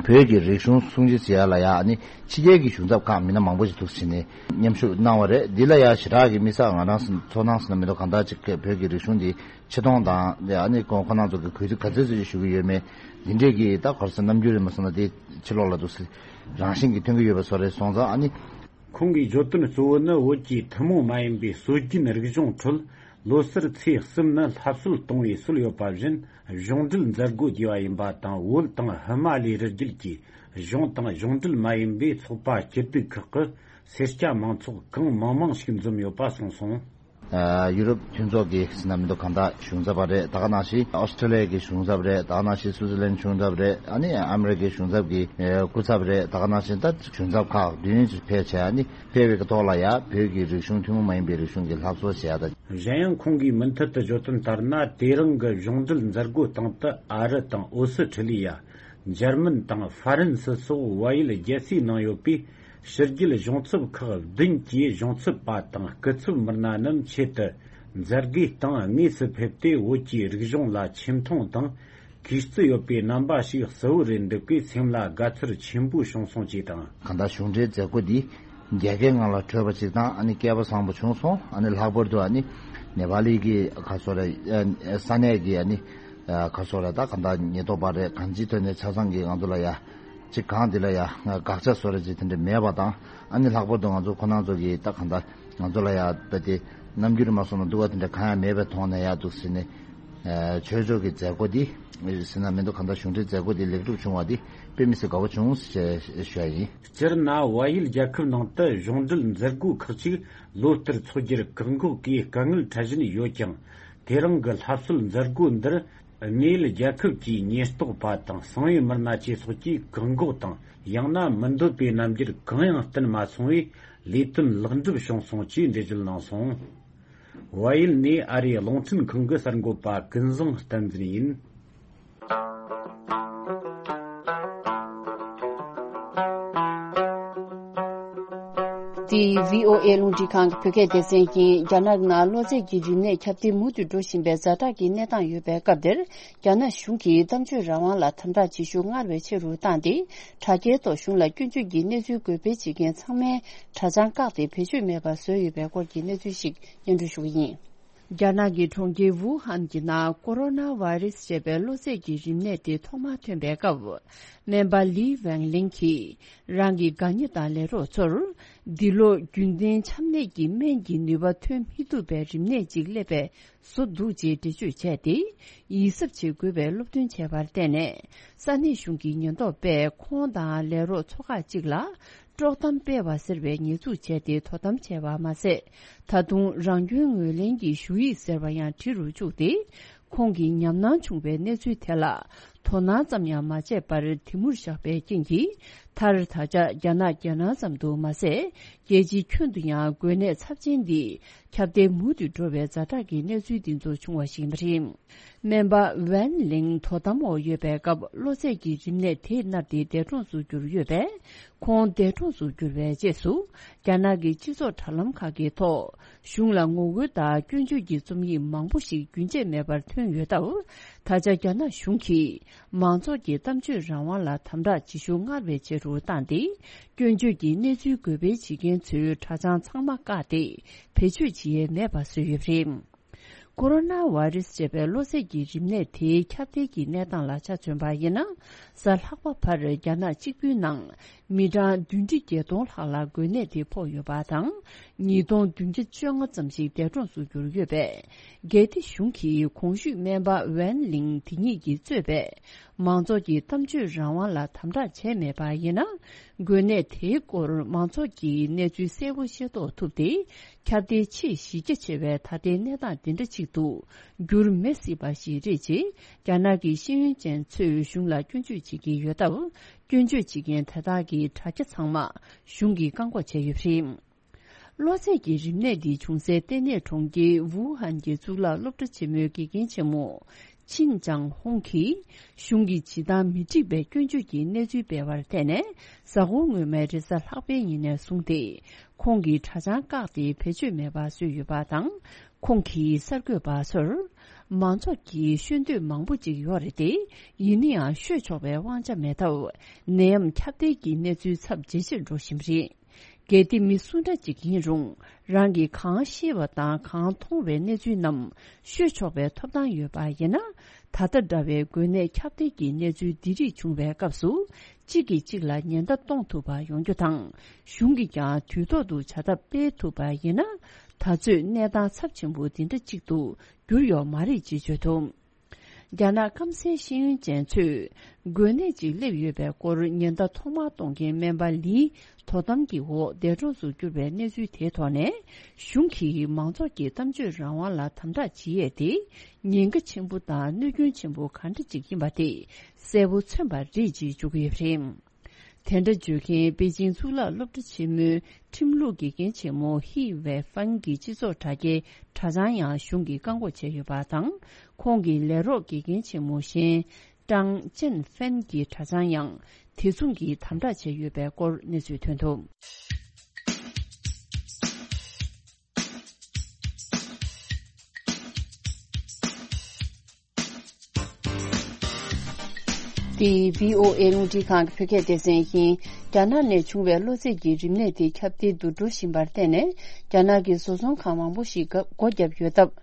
བོད་ཀྱི་རིག་གཞུང་སྲུང་བརྩི་བྱེད་ཡ་ལ་ཡ་ཨ་ནི་ཕྱི་རྒྱལ་གྱི་གཞུང་ཚབ་ཁག་མི་སྣ་མང་པོ་ཞིག་འདུག་ཟེར་ནས་མཉམ་ཞུགས་གནང་བ་རེད། འདི་ལ་ཡ་ཞེ་དྲག་གི་དམིགས་བསལ་ང་རང་ཚོ་ནང་ཟེར་ན་མི་འདུག་གང་ལྟར་ཅིག་བོད་ཀྱི་རིག་གཞུང་འདི་ཆེ་མཐོང་དང་དེ་ཨ་ནི་ཁོང་ཁོ་རང་ཚོ་གི་གུས་བཏུད་ག་ཚོད་ཚོད་ཅིག་ཞུ་གི་ཡོད་མེད་འདི་འདྲས་ཀྱི་ད་ག་རེ་ཟེར་རྣམ་འགྱུར་རེད་མ་སོང་ན་དེ་ཕྱི་ལོགས་ལ་འདུག་ཟེར་རང་བཞིན་གྱིས་ཐོན་གྱི་ཡོད་པ་བཟོ་རེད། སོང་ཙང་ཨ་ནི། ཁོང་གིས་བརྗོད་དོན་གཙོ་བོ་ནི་བོད་ཀྱི་ཐུན་མོང་མ་ཡིན་པའི་སྲོལ་རྒྱུན་རིག་གཞུང་ཁྲོད་ལོ་གསར་ཚེས་གསུམ་ནི་ལྷ་གསོལ་གཏོང་བའི་སྲོལ་ཡོད་པ་བཞིན་གཞུང་འབྲེལ་མཛད་སྒོ་བསྡུས་པ་ཡིན་པ་དང་། བོད་དང་ཧི་མ་ལའི་རི་རྒྱུད་ཀྱི་གཞུང་དང་གཞུང་འབྲེལ་མ་ཡིན་པའི་ཚོགས་པ་སྐྱིད་སྡུག་ཁག་གི་སེར་སྐྱ་མང་ཚོགས་གང་མང་མང་ཞིག་འཛོམས་ཡོད་པ་གསུངས་སོང་། ཨ་ཡུ་རོབ་མཐུན་ཚོགས་ཀྱི་ཟེར་ན་མི་འདུག་གང་ལྟར་གཞུང་ཚབ་པ་རེད། ད་ག་ནང་བཞིན་ཨོ་སི་ཀྲི་ལི་ཡ་གི་གཞུང་ཚབ་རེད། ད་ག་ནང་བཞིན་སུའུ་ཙི་ལན་གཞུང་ཚབ་རེད། ཨ་ནི་ཨ་མི་རི་ཀའི་གཞུང་ཚབ་ཀྱི་ཨེ་སྐུ་ཚབ་རེད། ད་ག་ནང་བཞིན་ད་གཞུང་ཚབ་ཁག་བདུན་ཅིག་ཕེབས་བྱས། ཨ་ནི་ཕེབས་པའི་ཐོག་ལ་ཡ་བོད་ཀྱི་རིག་གཞུང་ཐུན་མོང་མ་ཡིན་པའི་རིག་གཞུང་གི་ལྷ་གསོལ་བྱས་ཡ་ད། གཞན་ཡང་ཁོང་གིས་མུ་མཐུད་དུ་བརྗོད་དོན་ལྟར་ན། དེ་རིང་གི་གཞུང་འབྲེལ་མཛད་སྒོའི་སྟེང་དུ་ཨ་རི་དང་ཨོ་སི་ཁྲི་ལི་ཡ། འཇར་མན་དང་ཧྥ་རན་སི་སོགས་བལ་ཡུལ་རྒྱལ་སའི་ནང་ཡོད་པའི་ ཕྱི་རྒྱལ་གཞུང་ཚབ་ཁག་བདུན་གྱི་གཞུང་ཚབ་པ་དང་སྐུ་ཚབ་མི་སྣ་རྣམས་ཆེད་དུ་མཛད་སྒོའི་སྟེང་དངོས་སུ་ཕེབས་ཏེ། བོད་ཀྱི་རིག་གཞུང་ལ་ཆེ་མཐོང་དང་གུས་བརྩི་ཡོད་པའི་རྣམ་པ་ཞིག་གསལ་བོ་རེ་འདུག་པས། སེམས་ལ་དགའ་ཚོར་ཆེན་པོ་བྱུང་སོང་ཅེས་དང་། གང་ལྟར་གཞུང་འབྲེལ་མཛད་སྒོ་འདི་རྒྱལ་ཁའི་ངང་ལ་གྲོལ་བ་ཅིག་དང་། ཨ་ནི་སྐལ་པ་བཟང་པོ་བྱུང་སོང་། ཨ་ནི་ལྷག་པར་དུ་ཨ་ནི་ནེ་པ་ལི་གི་ག་སོ་རེ། ས་གནས་ཀྱི་ཨ་ནི་ག་སོ་རེ། ད་གང་ལྟར་ཉེན་རྟོག་པ་རེད། གང་ཅིའི་ཐོག་ནས་ཆ་ཚང་གིས་ང་ཚོ་ལ་ཡ་ཅིག་གང་འདི་ལ་ཡ་དགག་བྱ་བཟོ་རེ་ཅིག་དེ་འདྲ་མེད་པ་དང་། ཨ་ནི་ལྷག་པར་དུ་ང་ཚོ་ཁོ་རང་ཚོ་གིས་ད་གང་ལྟར་ང་ཚོ་ལ་ཡ་དཔེ་དེ་རྣམ་འགྱུར་མ་སོང་ན་སྡུག་པ་དེ་འདྲ་གང་ཡང་མེད་པའི་ཐོག་ནས་ཡ་འདུག་ཟེར་ནས། ཆོས་ཕྱོགས་ཀྱི་མཛད་སྒོ་འདི་ཟེར་ན་མི་འདུག་གང་ལྟར་གཞུང་འབྲེལ་མཛད་སྒོ་འདི་ལེགས་གྲུབ་བྱུང་བ་འདི་དཔེ་མི་སྲིད་དགའ་བོ་བྱུང་ཞེས་ཞུ་ཡ་ཡིན། སྤྱིར་ན་བལ་ཡུལ་རྒྱལ་ཁབ་ནང་དུ་གཞུང་འབྲེལ་མཛད་སྒོ་ཁག་ཅིག་ལོ་ལྟར་འཚོགས་རྒྱུར་བཀག་འགོག་གིས་དཀའ་ངལ་འཕྲད་བཞིན་ཡོད་ཀྱང་། དེ་རིང་གི་ལྷ་གསོལ་མཛད་སྒོ་འདིར་དངོས་ཡོད་རྒྱལ་ཁབ་ཀྱི་ཉེན་རྟོག་པ་དང་གསང་བའི་མི་སྣ་བཅས་སོགས་ཀྱིས་བཀག་འགོག་དང་། ཡང་ན་མི་འདོད་པའི་རྣམ་འགྱུར་གང་ཡང་བསྟན་མ་སོང་བས། ལས་དོན་ལེགས་འགྲུབ་བྱུང་སོང་ཅེས་འགྲེལ་བརྗོད་གནང་སོང་། བལ་ཡུལ་ནས་ཨ་རིའི་རླུང་འཕྲིན་ཁང་གི་གསར་འགོད་པ་ཀུན་བཟང་བསྟན་འཛིན་ཡིན། འདི་བྷི་ཨོ་ཨེ་རླུང་འཕྲིན་ཁང་གི་བོད་སྐད་སྡེ་ཚན་ཡིན། རྒྱ་ནག་ནང་གློ་ཚད་ཀྱི་རིམས་ནད་ཁྱབ་གདལ་མུ་མཐུད་འགྲོ་བཞིན་པའི་ཛ་དྲག་གི་གནས་སྟངས་ཡོད་པའི་སྐབས་འདིར། རྒྱ་ནག་གཞུང་གིས་གཏམ་བརྗོད་རང་དབང་ལ་དམ་དྲག་བྱེད་ཤུགས་སྔར་བས་ཆེ་རུ་བཏང་སྟེ། དྲ་རྒྱའི་ཐོག་གཞུང་ལ་སྐྱོན་བརྗོད་ཀྱི་གནས་ཚུལ་འགོད་སྤེལ་བྱེད་མཁན་ཚང་མའི་དྲ་བྱང་བཀག་སྟེ་བེད་སྤྱོད་མེད་པར་བཟོས་ཡོད་པའི་སྐོར་གྱི་གནས་ཚུལ་ཞིག་སྙན་སྒྲོན་ཞུ་གི་ཡིན། རྒྱ་ནག་གི་གྲོང་ཁྱེར་ཝུ་ཧན་གྱི་ནང་ཀོ་རོ་ན་བྷ་ཡི་རེ་སི་ཞེས་པའི་གློ་ཚད་ཀྱི་རིམས་ནད་དེ་ཐོག་མར་ཐོན་པའི་སྐབས། སྨན་པ་ལི་ཝེང་ལིང་གིས་རང་གི་དགའ་ཉེ་དང་ལས་རོགས་ཚོར། འདི་ལོ་རྒྱུན་ལྡན་ཆམ་ནད་ཀྱི་སྨན་གྱི་ནུས་པ་ཐོན་མི་ཐུབ་པའི་རིམས་ནད་ཅིག་སླེབས་པའི་བཟོ་འདུག་ཅེས་འགྲེལ་བརྗོད་བྱས་ཏེ། ཡིད་གཟབ་བྱེད་དགོས་པའི་སློབ་སྟོན་བྱས་པར་བརྟེན་ནས། ས་གནས་གཞུང་གི་ཉེན་རྟོག་པས་ཁོང་དང་ལས་རོགས་ཚོ་ཁག་ཅིག་ལ། དཀྲོག་གཏམ་སྤེལ་བ་ཟེར་བའི་ཉེས་འཛུགས་བྱས་ཏེ་དོ་དམ་བྱས་པ་མ་ཟད། ད་དུང་རང་སྐྱོན་ངོས་ལེན་གྱི་ཞུ་ཡིག་ཟེར་བ་ཡང་བྲིས་རུ་བཅུག་སྟེ། ཁོང་གིས་ཉམས་སྣང་བྱུང་བའི་གནས་ཚུལ་དེ་ལ་དོ་སྣང་ཙམ་ཡང་མ་བྱས་པར་དེ་མུར་བཞག་པའི་རྐྱེན་གྱིས། མཐར་ད་ཆ་རྒྱ་ནག་རྒྱལ་ནང་ཙམ་དུ་མ་ཟད། རྒྱལ་སྤྱིའི་ཁྱོན་དུ་ཡང་འགོས་ནད་ཚབས་ཆེན་འདི་ཁྱབ་གདལ་མུ་མཐུད་འགྲོ་བའི་ཛ་དྲག་གི་གནས་ཚུལ་འདི་ཚོ་བྱུང་བ་ཞིག་ཡིན་པ་རེད། སྨན་པ་ཝན་ལིང་དོ་དམ་འོག་ཡོད་པའི་སྐབས། གློ་ཚད་ཀྱི་རིམས་ནད་དེ་མནར་ཏེ་འདས་གྲོངས་སུ་གྱུར་ཡོད་པས། ཁོང་འདས་གྲོངས་སུ་གྱུར་བའི་རྗེས་སུ། རྒྱ་ནག་གི་སྤྱི་ཚོགས་དྲ་ལམ་ཁག་གི་ཐོག་གཞུང་ལ་ངོ་རྒོལ་དང་སྐྱོན་བརྗོད་ཀྱི་རྩོམ་ཡིག་མང་པོ་ཞིག་རྒྱུན་ཆད་མེད་པར་ཐོན་ཡོད་སྟབས། ད་ཆ་རྒྱ་ནག་གཞུང་གིས་མང་ཚོགས་ཀྱི་གཏམ་བརྗོད་རང་དབང་ལ་དམ་དྲག་བྱེད་ཤུགས་སྔར་བས་ཆེ་རུ་བཏང་སྟེ། སྐྱོན་བརྗོད་ཀྱི་གནས་ཚུལ་འགོད་སྤེལ་བྱེད་མཁན་ཚོའི་དྲ་བྱང་ཚང་མ་བཀག་སྟེ། བེད་སྤྱོད་བྱེད་ཡས་མེད་པ་བཟོས་ཡོད་པ་རེད། ཀོ་རོ་ན་བྷ་ཡི་རེ་སི་ཅེས་པའི་གློ་ཚད་ཀྱི་རིམས་ནད་དེའི་ཁྱབ་གདལ་གྱི་གནས་སྟངས་ལ་ཆ་མཚོན་པ་ཡིན་ན། གཟའ་ལྷག་པ་བར་རྒྱ་ནག་གཅིག་པུའི་ནང་མི་གྲངས་བདུན་ཁྲི་བརྒྱད་སྟོང་ལྷག་ལ་འགོས་ནད་དེ་ཕོག་ཡོད་པ་དང་། ཉིས་སྟོང་བདུན་བརྒྱ་བཅོ་ལྔ་ཙམ་ཞིག་འདས་གྲོངས་སུ་གྱུར་ཡོད་པས། རྒྱལ་སྡེ་གཞུང་གིས་གོང་ཞུས་སྨན་པ་ཝན་ལིང་དེ་ཉིད་ཀྱིས་གཙོས་པའི་མང་ཚོགས་ཀྱི་གཏམ་བརྗོད་རང་དབང་ལ་དམ་དྲག་བྱས་མེད་པ་ཡིན་ན། འགོས་ནད་དེའི་སྐོར་མང་ཚོགས་ཀྱིས་གནས་ཚུལ་གསལ་པོ་ཤེས་རྟོགས་ཐུབ་སྟེ། ཁྱབ་གདལ་ཆེས་གཞི་རྒྱ་ཆེ་བའི་ད་ལྟའི་གནས་སྟངས་འདི་འདྲ་ཅིག་ཏུ་འགྱུར་མི་སྲིད་པ་ཞིག་རེད་ཅེས། རྒྱ་ནག་གི་ཤེས་ཡོན་ཅན་ཚོས་གཞུང་ལ་སྐྱོན་བརྗོད་བྱེད་ཀྱི་ཡོད་སྟབས། སྐྱོན་བརྗོད་བྱེད་མཁན་དེ་དག་གི་དྲ་རྒྱ་ཚང་མ་གཞུང་གིས་བཀག་འགོག་བྱས་ཡོད་པ་རེད། གློ་ཚད་ཀྱི་རིམས་ནད་འདི་བྱུང་སའི་ལྟེ་གནས་གྲོང་ཁྱེར་ཝུ་ཧན་གྱི་གཙུག་ལག་སློབ་གྲྭ་ཆེན་མོའི་དགེ་རྒན་ཆེན་མོ་ཆིན་ཅང་ཧུང་གིས། གཞུང་གིས་བྱེད་སྟངས་མི་འགྲིག་པའི་སྐྱོན་བརྗོད་ཀྱི་གནས་ཚུལ་སྤེལ་བར་བརྟེན་ནས། གཟའ་འཁོར་སྔོན་མའི་རེས་གཟའ་ལྷག་པའི་ཉིན་ནས་བཟུང་སྟེ། ཁོང་གི་དྲ་བྱང་བཀག་སྟེ་བེད་སྤྱོད་མེད་པ་བཟོས་ཡོད་པ་དང་། ཁོང་གིས་གསར་འགོད་པ་ཚོར། མང་ཚོགས་ཀྱིས་ཤོད་འདོད་མང་པོ་ཅིག་ཡོད་རེད་དེ། ཡིན་ན་ཡང་ཤོད་ཆོག་པའི་དབང་ཆ་མེད་སྟབས། ནད་ཡམས་ཁྱབ་གདལ་གྱི་གནས་ཚུལ་ཚབས་ཇེ་ཆེར་འགྲོ་བཞིན་པ་རེད། གལ་ཏེ་མི་སུ་འདྲ་ཅིག་ཡིན་རུང་། རང་གིས་གང་ཤེས་པ་དང་གང་མཐོང་བའི་གནས་ཚུལ་རྣམས་ཤོད་ཆོག་པའི་ཐོབ་ཐང་ཡོད་པ་ཡིན་ན། ད་ལྟ་འདྲ་བའི་འགོས་ནད་ཁྱབ་གདལ་གྱི་གནས་ཚུལ་འདི་རིགས་བྱུང་བའི་སྐབས་སུ། གཅིག་གིས་གཅིག་ལ་ཉེན་བརྡ་གཏོང་ཐུབ་པ་ཡོང་རྒྱུ་དང་། གཞུང་གིས་ཀྱང་དུས་ཐོག་ཏུ་བྱ་ཐབས་སྤེལ་ཐུབ་པ་ཡིན་ན། ད་ཚོད་གནས་སྟངས་ཚབས་ཆེན་པོ་འདི་འདྲ་གཅིག་ཏུ་འགྱུར་ཡོད་མ་རེད་ཅེས་བརྗོད་འདུག་རྒྱ་ནག་སྐམ་སའི་ཤེས་ཡོན་ཅན་ཚོས་འགོས་ནད་ཅིག་སླེབས་ཡོད་པའི་སྐོར་ཉེན་བརྡ་ཐོག་མར་གཏོང་མཁན་སྨན་པ་ལིའི་དོ་དམ་གྱི་འོག་འདས་གྲོངས་སུ་གྱུར་པའི་གནས་ཚུལ་དེའི་ཐོག་ནས། གཞུང་གིས་མང་ཚོགས་ཀྱི་གཏམ་བརྗོད་རང་དབང་ལ་དམ་དྲག་བྱེད་ཡས་དེ་ཉེན་ཁ་ཆེན་པོ་དང་གནོད་སྐྱོན་ཆེན་པོ་ག་འདྲ་ཅིག་ཡིན་པ་དེ་གསལ་པོ་མཚོན་པ་རེད་ཅེས་བརྗོད་ཀྱི་ཡོད་པ་རེད། དེ་འདྲ་བརྗོད་མཁན་པེ་ཅིང་གཙུག་ལག་སློབ་གྲྭ་ཆེན་མོའི་ཁྲིམས་ལུགས་དགེ་རྒན་ཆེན་མོ་ཧི་ཝེ་ཧྥན་གྱི་སྤྱི་ཚོགས་དྲ་རྒྱའི་དྲ་བྱང་ཡང་གཞུང་གིས་བཀག་འགོག་བྱས་ཡོད་པ་དང་། ཁོང་གི་ལས་རོགས་དགེ་རྒན་ཆེན་མོ་གཞན་ཀྲང་ཅན་ཧྥན་གྱི་དྲ་བྱང་ཡང་ དེ་མཚུངས་ཀྱིས་དམ་དྲག་བྱས་ཡོད་པའི་སྐོར་གནས་ཚུལ་ཐོན་འདུག། འདི་བྷི་ཨོ་ཨེ་རླུང་འཕྲིན་ཁང་གི་བོད་སྐད་སྡེ་ཚན་ཡིན། རྒྱ་ནག་ནས་བྱུང་བའི་གློ་ཚད་ཀྱི་རིམས་ནད་དེ་ཁྱབ་གདལ་དུ་འགྲོ་བཞིན་པར་བརྟེན་ནས། རྒྱ་ནག་གི་བཟོ་ཚོང་ཁང་མང་པོ་ཞིག་སྒོ་བརྒྱབ་ཡོད་སྟབས།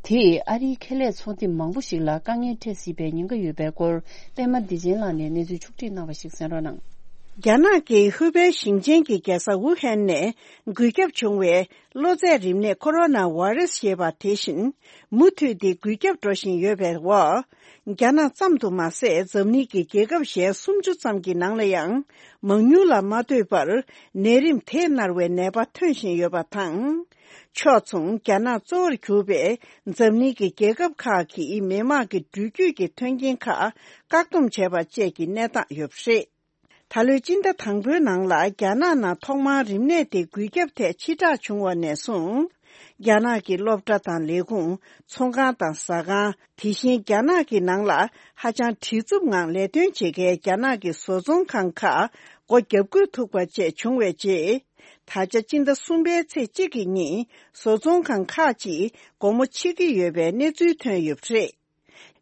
དེས་ཨ་རིའི་ཁེ་ལས་ཚོང་སྡེ་མང་པོ་ཞིག་ལ་དཀའ་ངལ་འཕྲད་སྲིད་པའི་ཉེན་ཁ་ཡོད་པའི་སྐོར། པད་མ་བདེ་ཆེན་ལགས་ནས་གནས་ཚུལ་ཕྱོགས་སྒྲིག་གནང་བ་ཞིག་གསན་རོགས་གནང་། རྒྱ་ནག་གི་ཧུའུ་པེ་ཞིང་ཆེན་གྱི་རྒྱལ་ས་ཝུ་ཧན་ནས་འགོས་ཁྱབ་བྱུང་བའི་གློ་ཚད་རིམས་ནད་ཁོ་རོ་ན་ཝེ་རུ་སི་ཞེས་པ་དེ་བཞིན། མུ་མཐུད་དེ་འགོས་ཁྱབ་འགྲོ་བཞིན་ཡོད་པའི་འོག། རྒྱ་ནག་ཙམ་དུ་མ་ཟད། འཛམ་གླིང་གི་རྒྱལ་ཁབ་གཞན་སུམ་ཅུ་ཙམ་གྱི་ནང་ལ་ཡང་། མང་ཉུང་ལ་མ་ལྟོས་པར། ནད་རིམས་དེས་མནར་བའི་ནད་པ་ཐོན་བཞིན་ཡོད་པ་དང་། ཕྱོགས་མཚུངས། རྒྱ་ནག་གཙོ་བོར་གྱུར་པའི་འཛམ་གླིང་གི་རྒྱལ་ཁབ་ཁག་གིས་མི་དམངས་ཀྱི་འགྲུལ་སྐྱོད་ཀྱི་མཐུན་རྐྱེན་ཁག་བཀག་སྡོམ་བྱས་པ་བཅས་ཀྱི་གནས་སྟངས་ཡོད་པ་རེད། ད་ལོའི་སྤྱི་ཟླ་དང་པོའི་ནང་ལ་རྒྱ་ནག་ནང་ཐོག་མར་རིམས་ནད་དེ་འགོས་ཁྱབ་ཐད་ཕྱིར་བསྒྲགས་བྱུང་བ་ནས་བཟུང་། རྒྱ་ནག་གི་སློབ་གྲྭ་དང་ལས་ཁུངས། ཚོང་ཁང་དང་ཟ་ཁང་། དེ་བཞིན་རྒྱ་ནག་གི་ནང་ལ་ཧ་ཅང་བྲེལ་འཚུབ་ངང་ལས་དོན་བྱེད་མཁན་རྒྱ་ནག་གི་བཟོ་ཚོང་ཁང་ཁག་སྒོ་བརྒྱབ་དགོས་ཐུག་པ་བཅས་བྱུང་བའི་རྗེས། ད་ཆ་སྤྱི་ཟླ་གསུམ་པའི་ཚེས་གཅིག་གི་ཉིན་བཟོ་ཚོང་ཁང་ཁག་ཅིག་སྒོ་མོ་ཕྱེ་གི་ཡོད་པའི་གནས་ཚུལ་ཐོན་ཡོད་པ་རེད།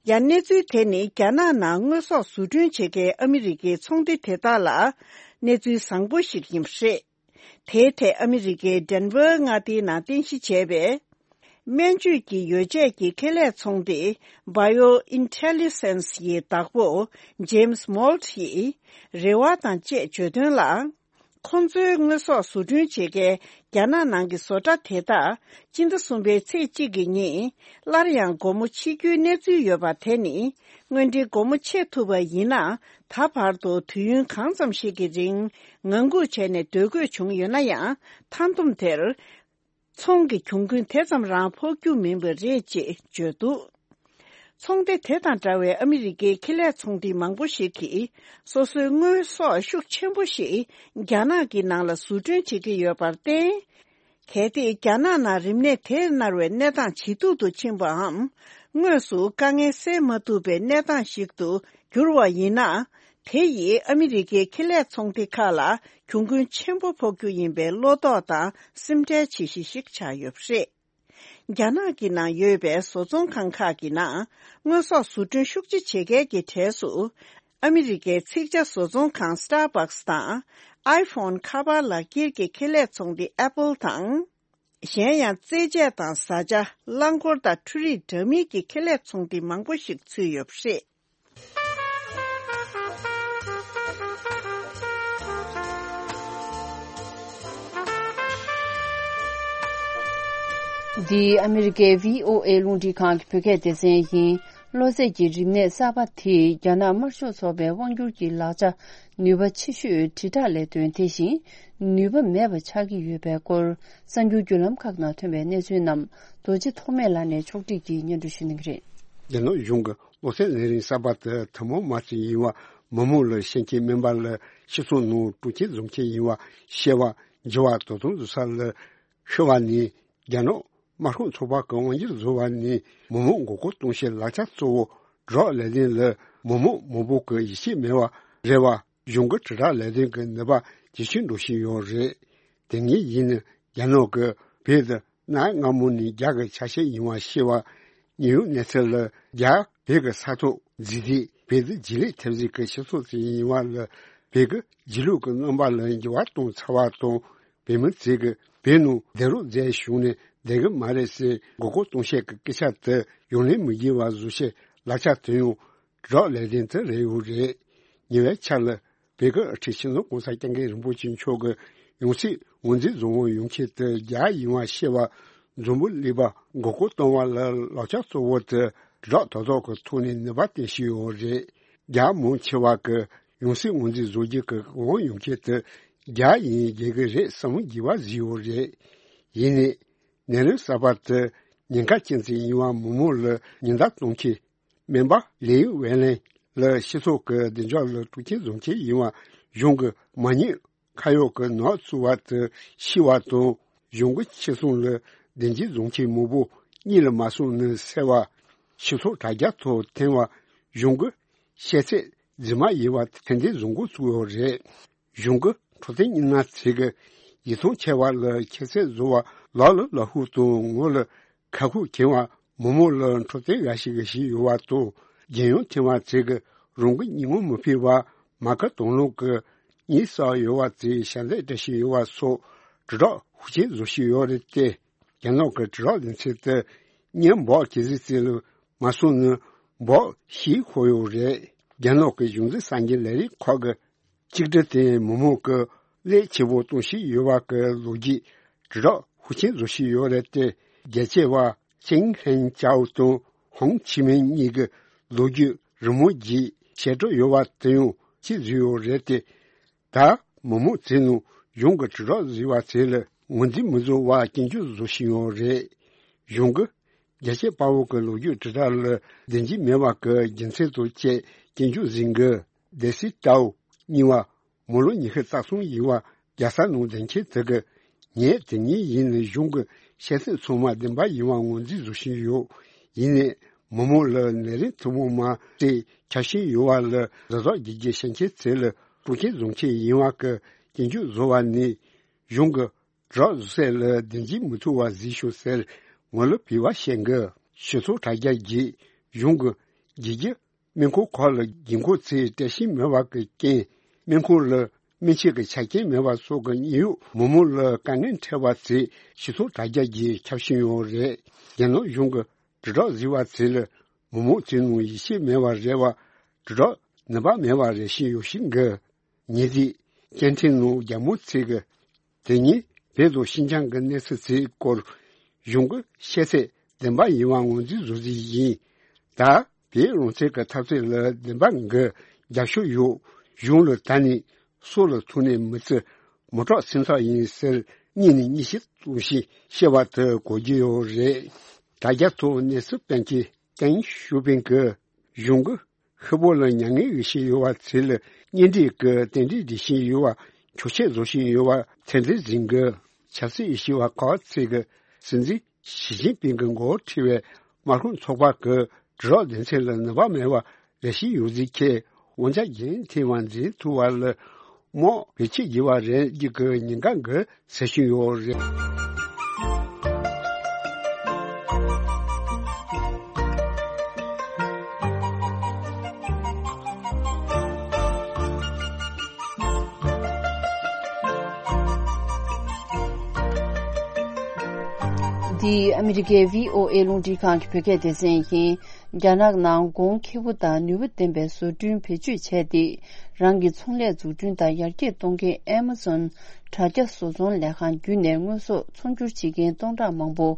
ཡང་གནས་ཚུལ་དེ་ནི་རྒྱ་ནག་ནང་དངོས་ཟོག་བཟོ་སྐྲུན་བྱེད་མཁན་ཨ་མི་རི་ཀའི་ཚོང་སྡེ་དེ་དག་ལ་གནས་ཚུལ་བཟང་པོ་ཞིག་ཡིན་པ་རེད། དེའི་ཐད་ཨ་མི་རི་ཀའི་ཌེན་ཝར་མངའ་སྡེའི་ནང་རྟེན་གཞི་བྱས་པའི་སྨན་བཅོས་ཀྱི་ཡོ་བྱད་ཀྱི་ཁེ་ལས་ཚོང་སྡེ་Bio Intelligence ཡི་བདག་པོ་James Moult ཡིས་རེ་བ་དང་བཅས་བརྗོད་དོན་ལ། ཁོང་ཚོའི་དངོས་ཟོག་བཟོ་སྐྲུན་བྱེད་མཁན་རྒྱ་ནག་ནང་གི་བཟོ་གྲྭ་དེ་དག་སྤྱི་ཟླ་གསུམ་པའི་ཚེས་གཅིག་གི་ཉིན་སླར་ཡང་སྒོ་མོ་ཕྱེ་རྒྱུའི་གནས་ཚུལ་ཡོད་པ་དེ་ནི། སྔོན་འགྲིག་སྒོ་མོ་ཕྱེ་ཐུབ་པ་ཡིན་ན། ད་བར་དུ་དུས་ཡུན་གང་ཙམ་ཞིག་གི་རིང་ངང་སྒུག་བྱས་ནས་སྡོད་དགོས་བྱུང་ཡོད་ན་ཡང་། མཐའ་བསྡོམས་དེར། ཚོང་གི་གྱོང་གུན་དེ་ཙམ་རང་ཕོག་རྒྱུ་མིན་པ་རེད་ཅེས་བརྗོད་འདུག། ཚོང་སྡེ་དེ་དང་འདྲ་བའི་ཨ་མི་རི་ཀའི་ཁེ་ལས་ཚོང་སྡེ་མང་པོ་ཞིག་གིས་སོ་སོའི་དངོས་ཟོག་ཤུགས་ཆེན་པོ་ཞིག་རྒྱ་ནག་གི་ནང་ལ་བཟོ་སྐྲུན་བྱེད་ཀྱི་ཡོད་པར་བརྟེན། གལ་ཏེ་རྒྱ་ནག་ནང་རིམས་ནད་དེས་མནར་བའི་གནས་སྟངས་ཇེ་སྡུག་ཏུ་ཕྱིན་པའམ། དངོས་སུ་དཀའ་ངལ་སེལ་མ་ཐུབ་པའི་གནས་སྟངས་ཤིག་ཏུ་འགྱུར་བ་ཡིན་ན། དེ་ཡིས་ཨ་མི་རི་ཀའི་ཁེ་ལས་ཚོང་སྡེ་ཁག་ལ་གྱོང་གུན་ཆེན་པོ་ཕོག་རྒྱུ་ཡིན་པའི་བློ་དོགས་དང་སེམས་ཁྲལ་བྱེད་གཞི་ཞིག་ཆགས་ཡོད་པ་རེད། རྒྱ་ནག་གི་ནང་ཡོད་པའི་བཟོ་ཚོང་ཁང་ཁག་གི་ནང་དངོས་ཟོག་བཟོ་སྐྲུན་ཤུགས་ཆེ་བྱེད་མཁན་གྱི་གྲས་སུ། ཨ་མི་རི་ཀའི་ཚིག་ཇ་བཟོ་ཚོང་ཁང་Starbucks དང་། iPhone ཁ་པར་ལག་འཁྱེར་གྱི་ཁེ་ལས་ཚོང་སྡེ་Apple དང་། གཞན་ཡང་རྩེད་ཆས་དང་བཟའ་བཅའ། རླངས་འཁོར་དང་འཕྲུལ་རིག་འདྲ་མིན་གྱི་ཁེ་ལས་ཚོང་སྡེ་མང་པོ་ཞིག་ཚུད་ཡོད་པ་རེད། འདི་ཨ་མི་རི་ཀའི་བྷི་ཨོ་ཨེ་རླུང་འཕྲིན་ཁང་གི་བོད་སྐད་སྡེ་ཚན་ཡིན། གློ་ཚད་ཀྱི་རིམས་ནད་གསར་པ་དེས་རྒྱ་ནག་དམར་ཤོག་ཚོགས་པའི་དབང་སྒྱུར་གྱི་ལག་ཆ་ནུས་པ་ཆེ་ཤོས་དྲིལ་བསྒྲགས་ལས་དོན་དེ་བཞིན་ནུས་པ་མེད་པ་ཆགས་ཀྱི་ཡོད་པའི་སྐོར། གསར་འགྱུར་བརྒྱུད་ལམ་ཁག་ནང་ཐོན་པའི་གནས་ཚུལ་རྣམས་རྡོ་རྗེ་ཐོགས་མེད་ལགས་ནས་ཕྱོགས་བསྒྲིགས་ཀྱིས་སྙན་སྒྲོན་ཞུ་གནང་གི་རེད། རྒྱ་ནག་གཞུང་གི་གློ་ཚད་ནད་རིམས་གསར་པ་དེ་ཐུན་མོང་མ་ཞིག་ཡིན་པ། མི་མང་ལ་ཤན་སྐྱེལ་སྨན་པ་ལ་སྤྱི་ཚོགས་ནང་སྤྲོ་སྐྱིད་འཛོམས་ཆེད་ཡིན་པ། བཤད་པ། འགྱུར་བ་དོ་དམ་བཟོ་ས་ལ་ཤི་བ་ནས། རྒྱ་ནག་དམར་ཤོག་ཚོགས་པ་གི་དབང་སྒྱུར་བཟོ་བ་ནས་མི་མང་མགོ་སྐོར་གཏོང་ཆེད་ལག་ཆ་གཙོ་བོ་ཌོག་ལས་དོན་ལ་མི་མང་མང་པོ་གི་ཡིད་ཆེས་མེད་པ་རེད་བ། གཞུང་གི་དྲིལ་བསྒྲགས་ལས་དོན་གྱི་ནུས་པ་ཇེ་ཆུང་འགྲོ་བཞིན་ཡོད་རེད། དེ་སྔའི་ཡིན་ན་རྒྱ་ནག་གི་བོད་དུ་གནའ་སྔ་མོ་ནས་རྒྱ་གི་ཆ་ཤས་ཡིན་པ་ཤེས་པ། ཉེ་བའི་གནས་ཚུལ་ལ་རྒྱ་བོད་ཀྱི་ས་ཐོག་རྫིག་རྫིག་བོད་དུ་རྗེས་ལུས་ཐེབས་རྩིས་ཀྱི་སྤྱི་ཚོགས་ཅིག་ཡིན་པ་ལ་བོད་ཀྱི་རྗེས་ལུས་ཀྱི་རྣམ་པ་ལ་འགྱུར་བ་གཏོང་ཚར་བ་དང་། བོད་མི་ཚོས་ཀྱི་བོད་ནང་བསྡད་རོགས་མཛད་བྱུང་ནས་བསྡད་ཀྱི་མ་རེད་ཟེར་མགོ་སྐོར་གཏོང་བཤད་ཀྱི་སྐད་ཆ་དེ་ཡོང་ལེན་མི་བྱེད་པ་བཟོ་ཆེད་ལག་ཆ་དེ་ཡང་ཌོག་ལས་དོན་དེ་རེད་ཡོད་རེད། ཉེ་བའི་ཆར་ལ་བོད་ཀྱི་དབུ་ཁྲིད་སྤྱི་ནོར་༸གོང་ས་༸སྐྱབས་མགོན་རིན་པོ་ཆེ་མཆོག་གི་ཡང་སྲིད་ངོས་འཛིན་བཟོ་འོང་ཡོང་ཆེད་དུ་རྒྱ་ཡིན་པ་ཤེས་པ་འཛོམས་པོ་སླེབས་པ་མགོ་སྐོར་གཏོང་བ་ལ་ལག་ཆ་གཙོ་བོ་དེ་ཌོག་དོ་དོག་གི་ཐོག་ནས་ནུས་པ་བཏོན་བཞིན་ཡོད་རེད། རྒྱ་མང་ཆེ་བ་གི་ཡང་སྲིད་ངོས་འཛིན་བཟོ་རྒྱུ་གི་འོང་ཡོང་ཆེད་དུ་རྒྱ་ཡིན་དགོས་ཀྱི་རེད་བསམ་བློ་འགྱུར་བ་བཟོས་ཡོད་རེད། ཡིན་ནའི་ནད་རིམས་གསར་པ་དེ་ཉེན་ཁ་ཅན་ཅིག་ཡིན་པ་མི་མང་ལ་ཉེན་བརྡ་གཏོང་ཆེད། སྨན་པ་ལི་ཝེ་ལན་ལ་སྤྱི་ཚོགས་ཀྱི་བདེ་འཇགས་ལ་སྤྲོ་སྐྱིད་འཛོམས་ཆེད་ཡིན་པ་གཞུང་གི་མ་ཉེས་ཁ་གཡོག་གི་ནག་བཙུགས་པ་དེ་ཤེས་པ་དང་གཞུང་གི་ཕྱི་སྲུང་ལ་བདེ་སྐྱིད་འཛོམས་ཆེད་མང་པོ་གཉིད་ལ་མ་སོང་ནས་བསད་པ། སྤྱི་ཚོགས་དྲ་རྒྱ་ཐོག་འཐེན་པ། གཞུང་གི་བཤད་ཚད་ རྫུན་མ་ཡིན་པ་ཐེར་འདོན་བཟོ་འགོ་ཚུགས་ཡོད་རེད། གཞུང་གི་འཕྲོད་བསྟེན་རྙིང་མ་ཚོས་ཀྱི་ཡིད་ཚིམ་ཆེ་བ་ལ་ཁྱད་ཚད་བཟོ་བ་ལག་ལ་ལག་ཤུབས་དང་ངོ་ལ་ཁ་ཁུག་གྱོན་པ་མི་མང་ལ་འཕྲོད་བསྟེན་འགའ་ཞིག་བྱིན་ཡོད་པ་དང་། རྒྱལ་ཡོངས་ཐེངས་མ་ཚོས་ཀྱི་རང་གི་ཉིན་མོ་མི་ཕེབས་པར་མ་ཁ་དང་བླངས་ཀྱི་གཉིད་སད་ཡོད་པ་ཚོས་ཞལ་འདེབས་བཀྲ་ཤིས་ཡོད་པ་སོགས་དྲིལ་བསྒྲགས་ཤུགས་ཆེན་བཟོ་བཞིན་ཡོད་རེད་དེ། རྒྱ་ནག་གི་དྲིལ་བསྒྲགས་སྡེ་ཚན་དེ་གཉེན་སྦག་གི་གཟི་རྩིས་ལ་མ་སོང་ན་སྦག་ཤེས་ཁོ་ཡོད་རེད། རྒྱ་ནག་གི་གཞུང་འཛིན་གསར་འགྱུར་ལས་རིགས་ཁག་གི་གཅིག་སྒྲིལ་དེ་མི་མང་གི་ཀླད་ཆེ་བོ་གཏོང་བཞིན་ཡོད་པ་གི་ལོ་རྒྱུས་དྲིལ་བསྒྲགས་ཤུགས་ཆེན་བཟོ་བཞིན་ཡོད་རེད་དེ། རྒྱལ་གཅེས་པ་ཅིང་ཧྲེང་ཅའོ་དང་ཧོང་ཆི་མིན་གཉིས་ཀྱི་ལོ་རྒྱུས་རི་མོ་བརྒྱུད་བཤད་གྲྭ་ཡོད་པ་དེ་ཡང་གཅིག་བཟོས་ཡོད་རེད་དེ། ད་མི་མང་ཚོའི་ནང་གཞུང་གི་དྲིལ་བསྒྲགས་བཟོས་པ་ཚོ་ལ་ངོས་འཛིན་མི་བཟོ་བར་སྐྱོན་བརྗོད་བཟོ་བཞིན་ཡོད་རེད། གཞུང་གི་རྒྱལ་གཅེས་དཔའ་བོ་གི་ལོ་རྒྱུས་དྲིལ་བསྒྲགས་ལ་བདེན་འཇིགས་མེད་པ་གི་རྒྱུ་མཚན་དང་བཅས་སྐྱོན་བརྗོད་ཟིན་གི། སྡེ་སྲིད་ཀྲའོ་གཉིས་པ་མི་ལོ་ཉི་ཤུ་རྩ་གསུམ་ཡིན་པ་རྒྱལ་ས་ནང་བསྡད་མཁན་དེ་གི་ངས་དེ་ཉིད་ཡིན་ནི་གཞུང་གི་བཤད་ཚད་ཚང་མ་བདེན་པ་ཡིན་པ་ངོས་འཛིན་བཟོ་བཞིན་ཡོད། ཡིན་ནའི་མི་མང་ལ་ནད་རིམས་ཐུན་མོང་མ་དེ་ཁྱབ་བཞིན་ཡོད་པ་ལ་གཟབ་གཟབ་བྱེད་རྒྱུ་བཤད་མཁན་ཚོ་ལ་སྤྲོ་སྐྱིད་བཟོ་མཁན་ཡིན་པ་གི་སྐྱོན་བརྗོད་བཟོ་བ་ནི། གཞུང་གི་དྲིལ་བསྒྲགས་བཟོ་ས་ལ་བདེན་འཇིགས་མི་ཐུབ་པ་གཟིགས་ཤོག་ཟེར་ངོ་ལ་བོས་པ་བཤད་གི། ཞུ་ཚོགས་དྲ་རྒྱ་བརྒྱུད་གཞུང་གི་རྒྱལ་རྒྱུ་སྨན་ཁང་ཁག་ལ་འགན་འཁུར་ཚོས་བཀྲ་ཤིས་མེད་པ་གི་རྐྱེན། སྨན་ཁང་ལ་སྨན་ཆས་ཀྱི་ཆ་རྐྱེན་མེད་པ་སོགས་ཀྱི་དངོས་ཡོད་མི་མང་ལ་དཀའ་ངལ་འཕྲད་པ་ཚོས་ཞུ་ཚོགས་དྲ་རྒྱ་བརྒྱུད་ཁྱབ་བཞིན་ཡོད་རེད། རྒྱ་ནག་གཞུང་གི་དྲིལ་བསྒྲགས་བཟོས་པ་ཚོ་ལ་མི་མང་ཚོའི་ནང་ཡིད་ཆེས་མེད་པ་རེད་བ། དྲིལ་བསྒྲགས་ནུས་པ་མེད་པ་རེད་བཞིན་ཡོད་བཞིན་གི། ཉེ་དུས་སྐད་འཕྲིན་ནང་རྒྱ་མི་ཚོས་ཀྱི་དེ་ཉིན་བོད་དང་ཤིན་ཅང་གི་གནས་ཚུལ་ཚོའི་སྐོར་གཞུང་གི་བཤད་ཚད་བདེན་པ་ཡིན་པ་ངོས་འཛིན་བཟོ་རྩིས་ཡིན། ད་བོད་རང་བཙན་གྱི་འཐབ་རྩོད་ལ་བདེན་པ་འགའ་རྒྱབ་ཤོག་ཡོད། གཞུང་ལ་ད་ནི་སྲོག་ལ་ཐུག་ནས་མི་བརྩི། མི་སྐྲག་སེམས་ཐག་ཡིན་ཟེར་གཉིས་ནས་གཉིས་ཤིག་གཏོང་ཞིང་བཤད་པ་དེ་གོ་རྒྱུ་ཡོད་རེད། དྲ་རྒྱ་ཐོག་གནས་ཚུལ་སྤེལ་མཁན་ཏེང་ཞུ་ཕིང་གིས་གཞུང་གི་ཤི་བོ་ལ་མྱ་ངན་ཡོད་བཞིན་ཡོད་པ་ཚོ་ལ་གཉེན་སྒྲིག་གི་རྟེན་འབྲེལ་སྒྲིག་བཞིན་ཡོད་པ་འཁྱོག་བཤད་བཟོ་བཞིན་ཡོད་པ་ཚད་འཛིན་ཟིན་གི། ཆབ་སྲིད་ཡོད་བཞིན་པ་ཁག་ཚོས་ཀྱི་སྲིད་འཛིན་ཞི་ཅིན་ཕིང་གི་མགོ་ཁྲིད་པའི་དམག་དཔུང་ཚོགས་པ་གི་དྲིལ་བསྒྲགས་སྡེ་ཚན་ལ་ནུས་པ་མེད་པ་རེ་ཞིག་ཡོད་ཟིག་ཁེ། དབང་ཆ་རྒྱུན་མཐུད་པ་འཛིན་ཐུབ་པ་ལ་དམག་བེད་སྤྱོད་བགྱི་བ་རེད་རྒྱུ་གི་ཉེན་ཁ་འགའ་སེལ་བཞིན་ཡོད་རེད། འདི་ཨ་མི་རི་ཀའི་བྷི་ཨོ་ཨེ་རླུང་འཕྲིན་ཁང་གི་བོད་སྐད་སྡེ་ཚན་ཡིན། རྒྱ་ནག་ནང་གོང་ཁེ་པོ་དང་ནུས་པ་ལྡན་པའི་བཟོ་སྐྲུན་བེད་སྤྱོད་བྱས་ཏེ། རང་གི་ཚོང་ལས་འཛུགས་སྐྲུན་དང་ཡར་རྒྱས་གཏོང་མཁན་Amazon་དྲ་རྒྱ་བཟོ་ཚོང་ལས་ཁང་བརྒྱུད་ནས་དངོས་ཟོག་ཚོང་སྒྱུར་བྱེད་མཁན་སྟོང་ཕྲག་མང་པོ་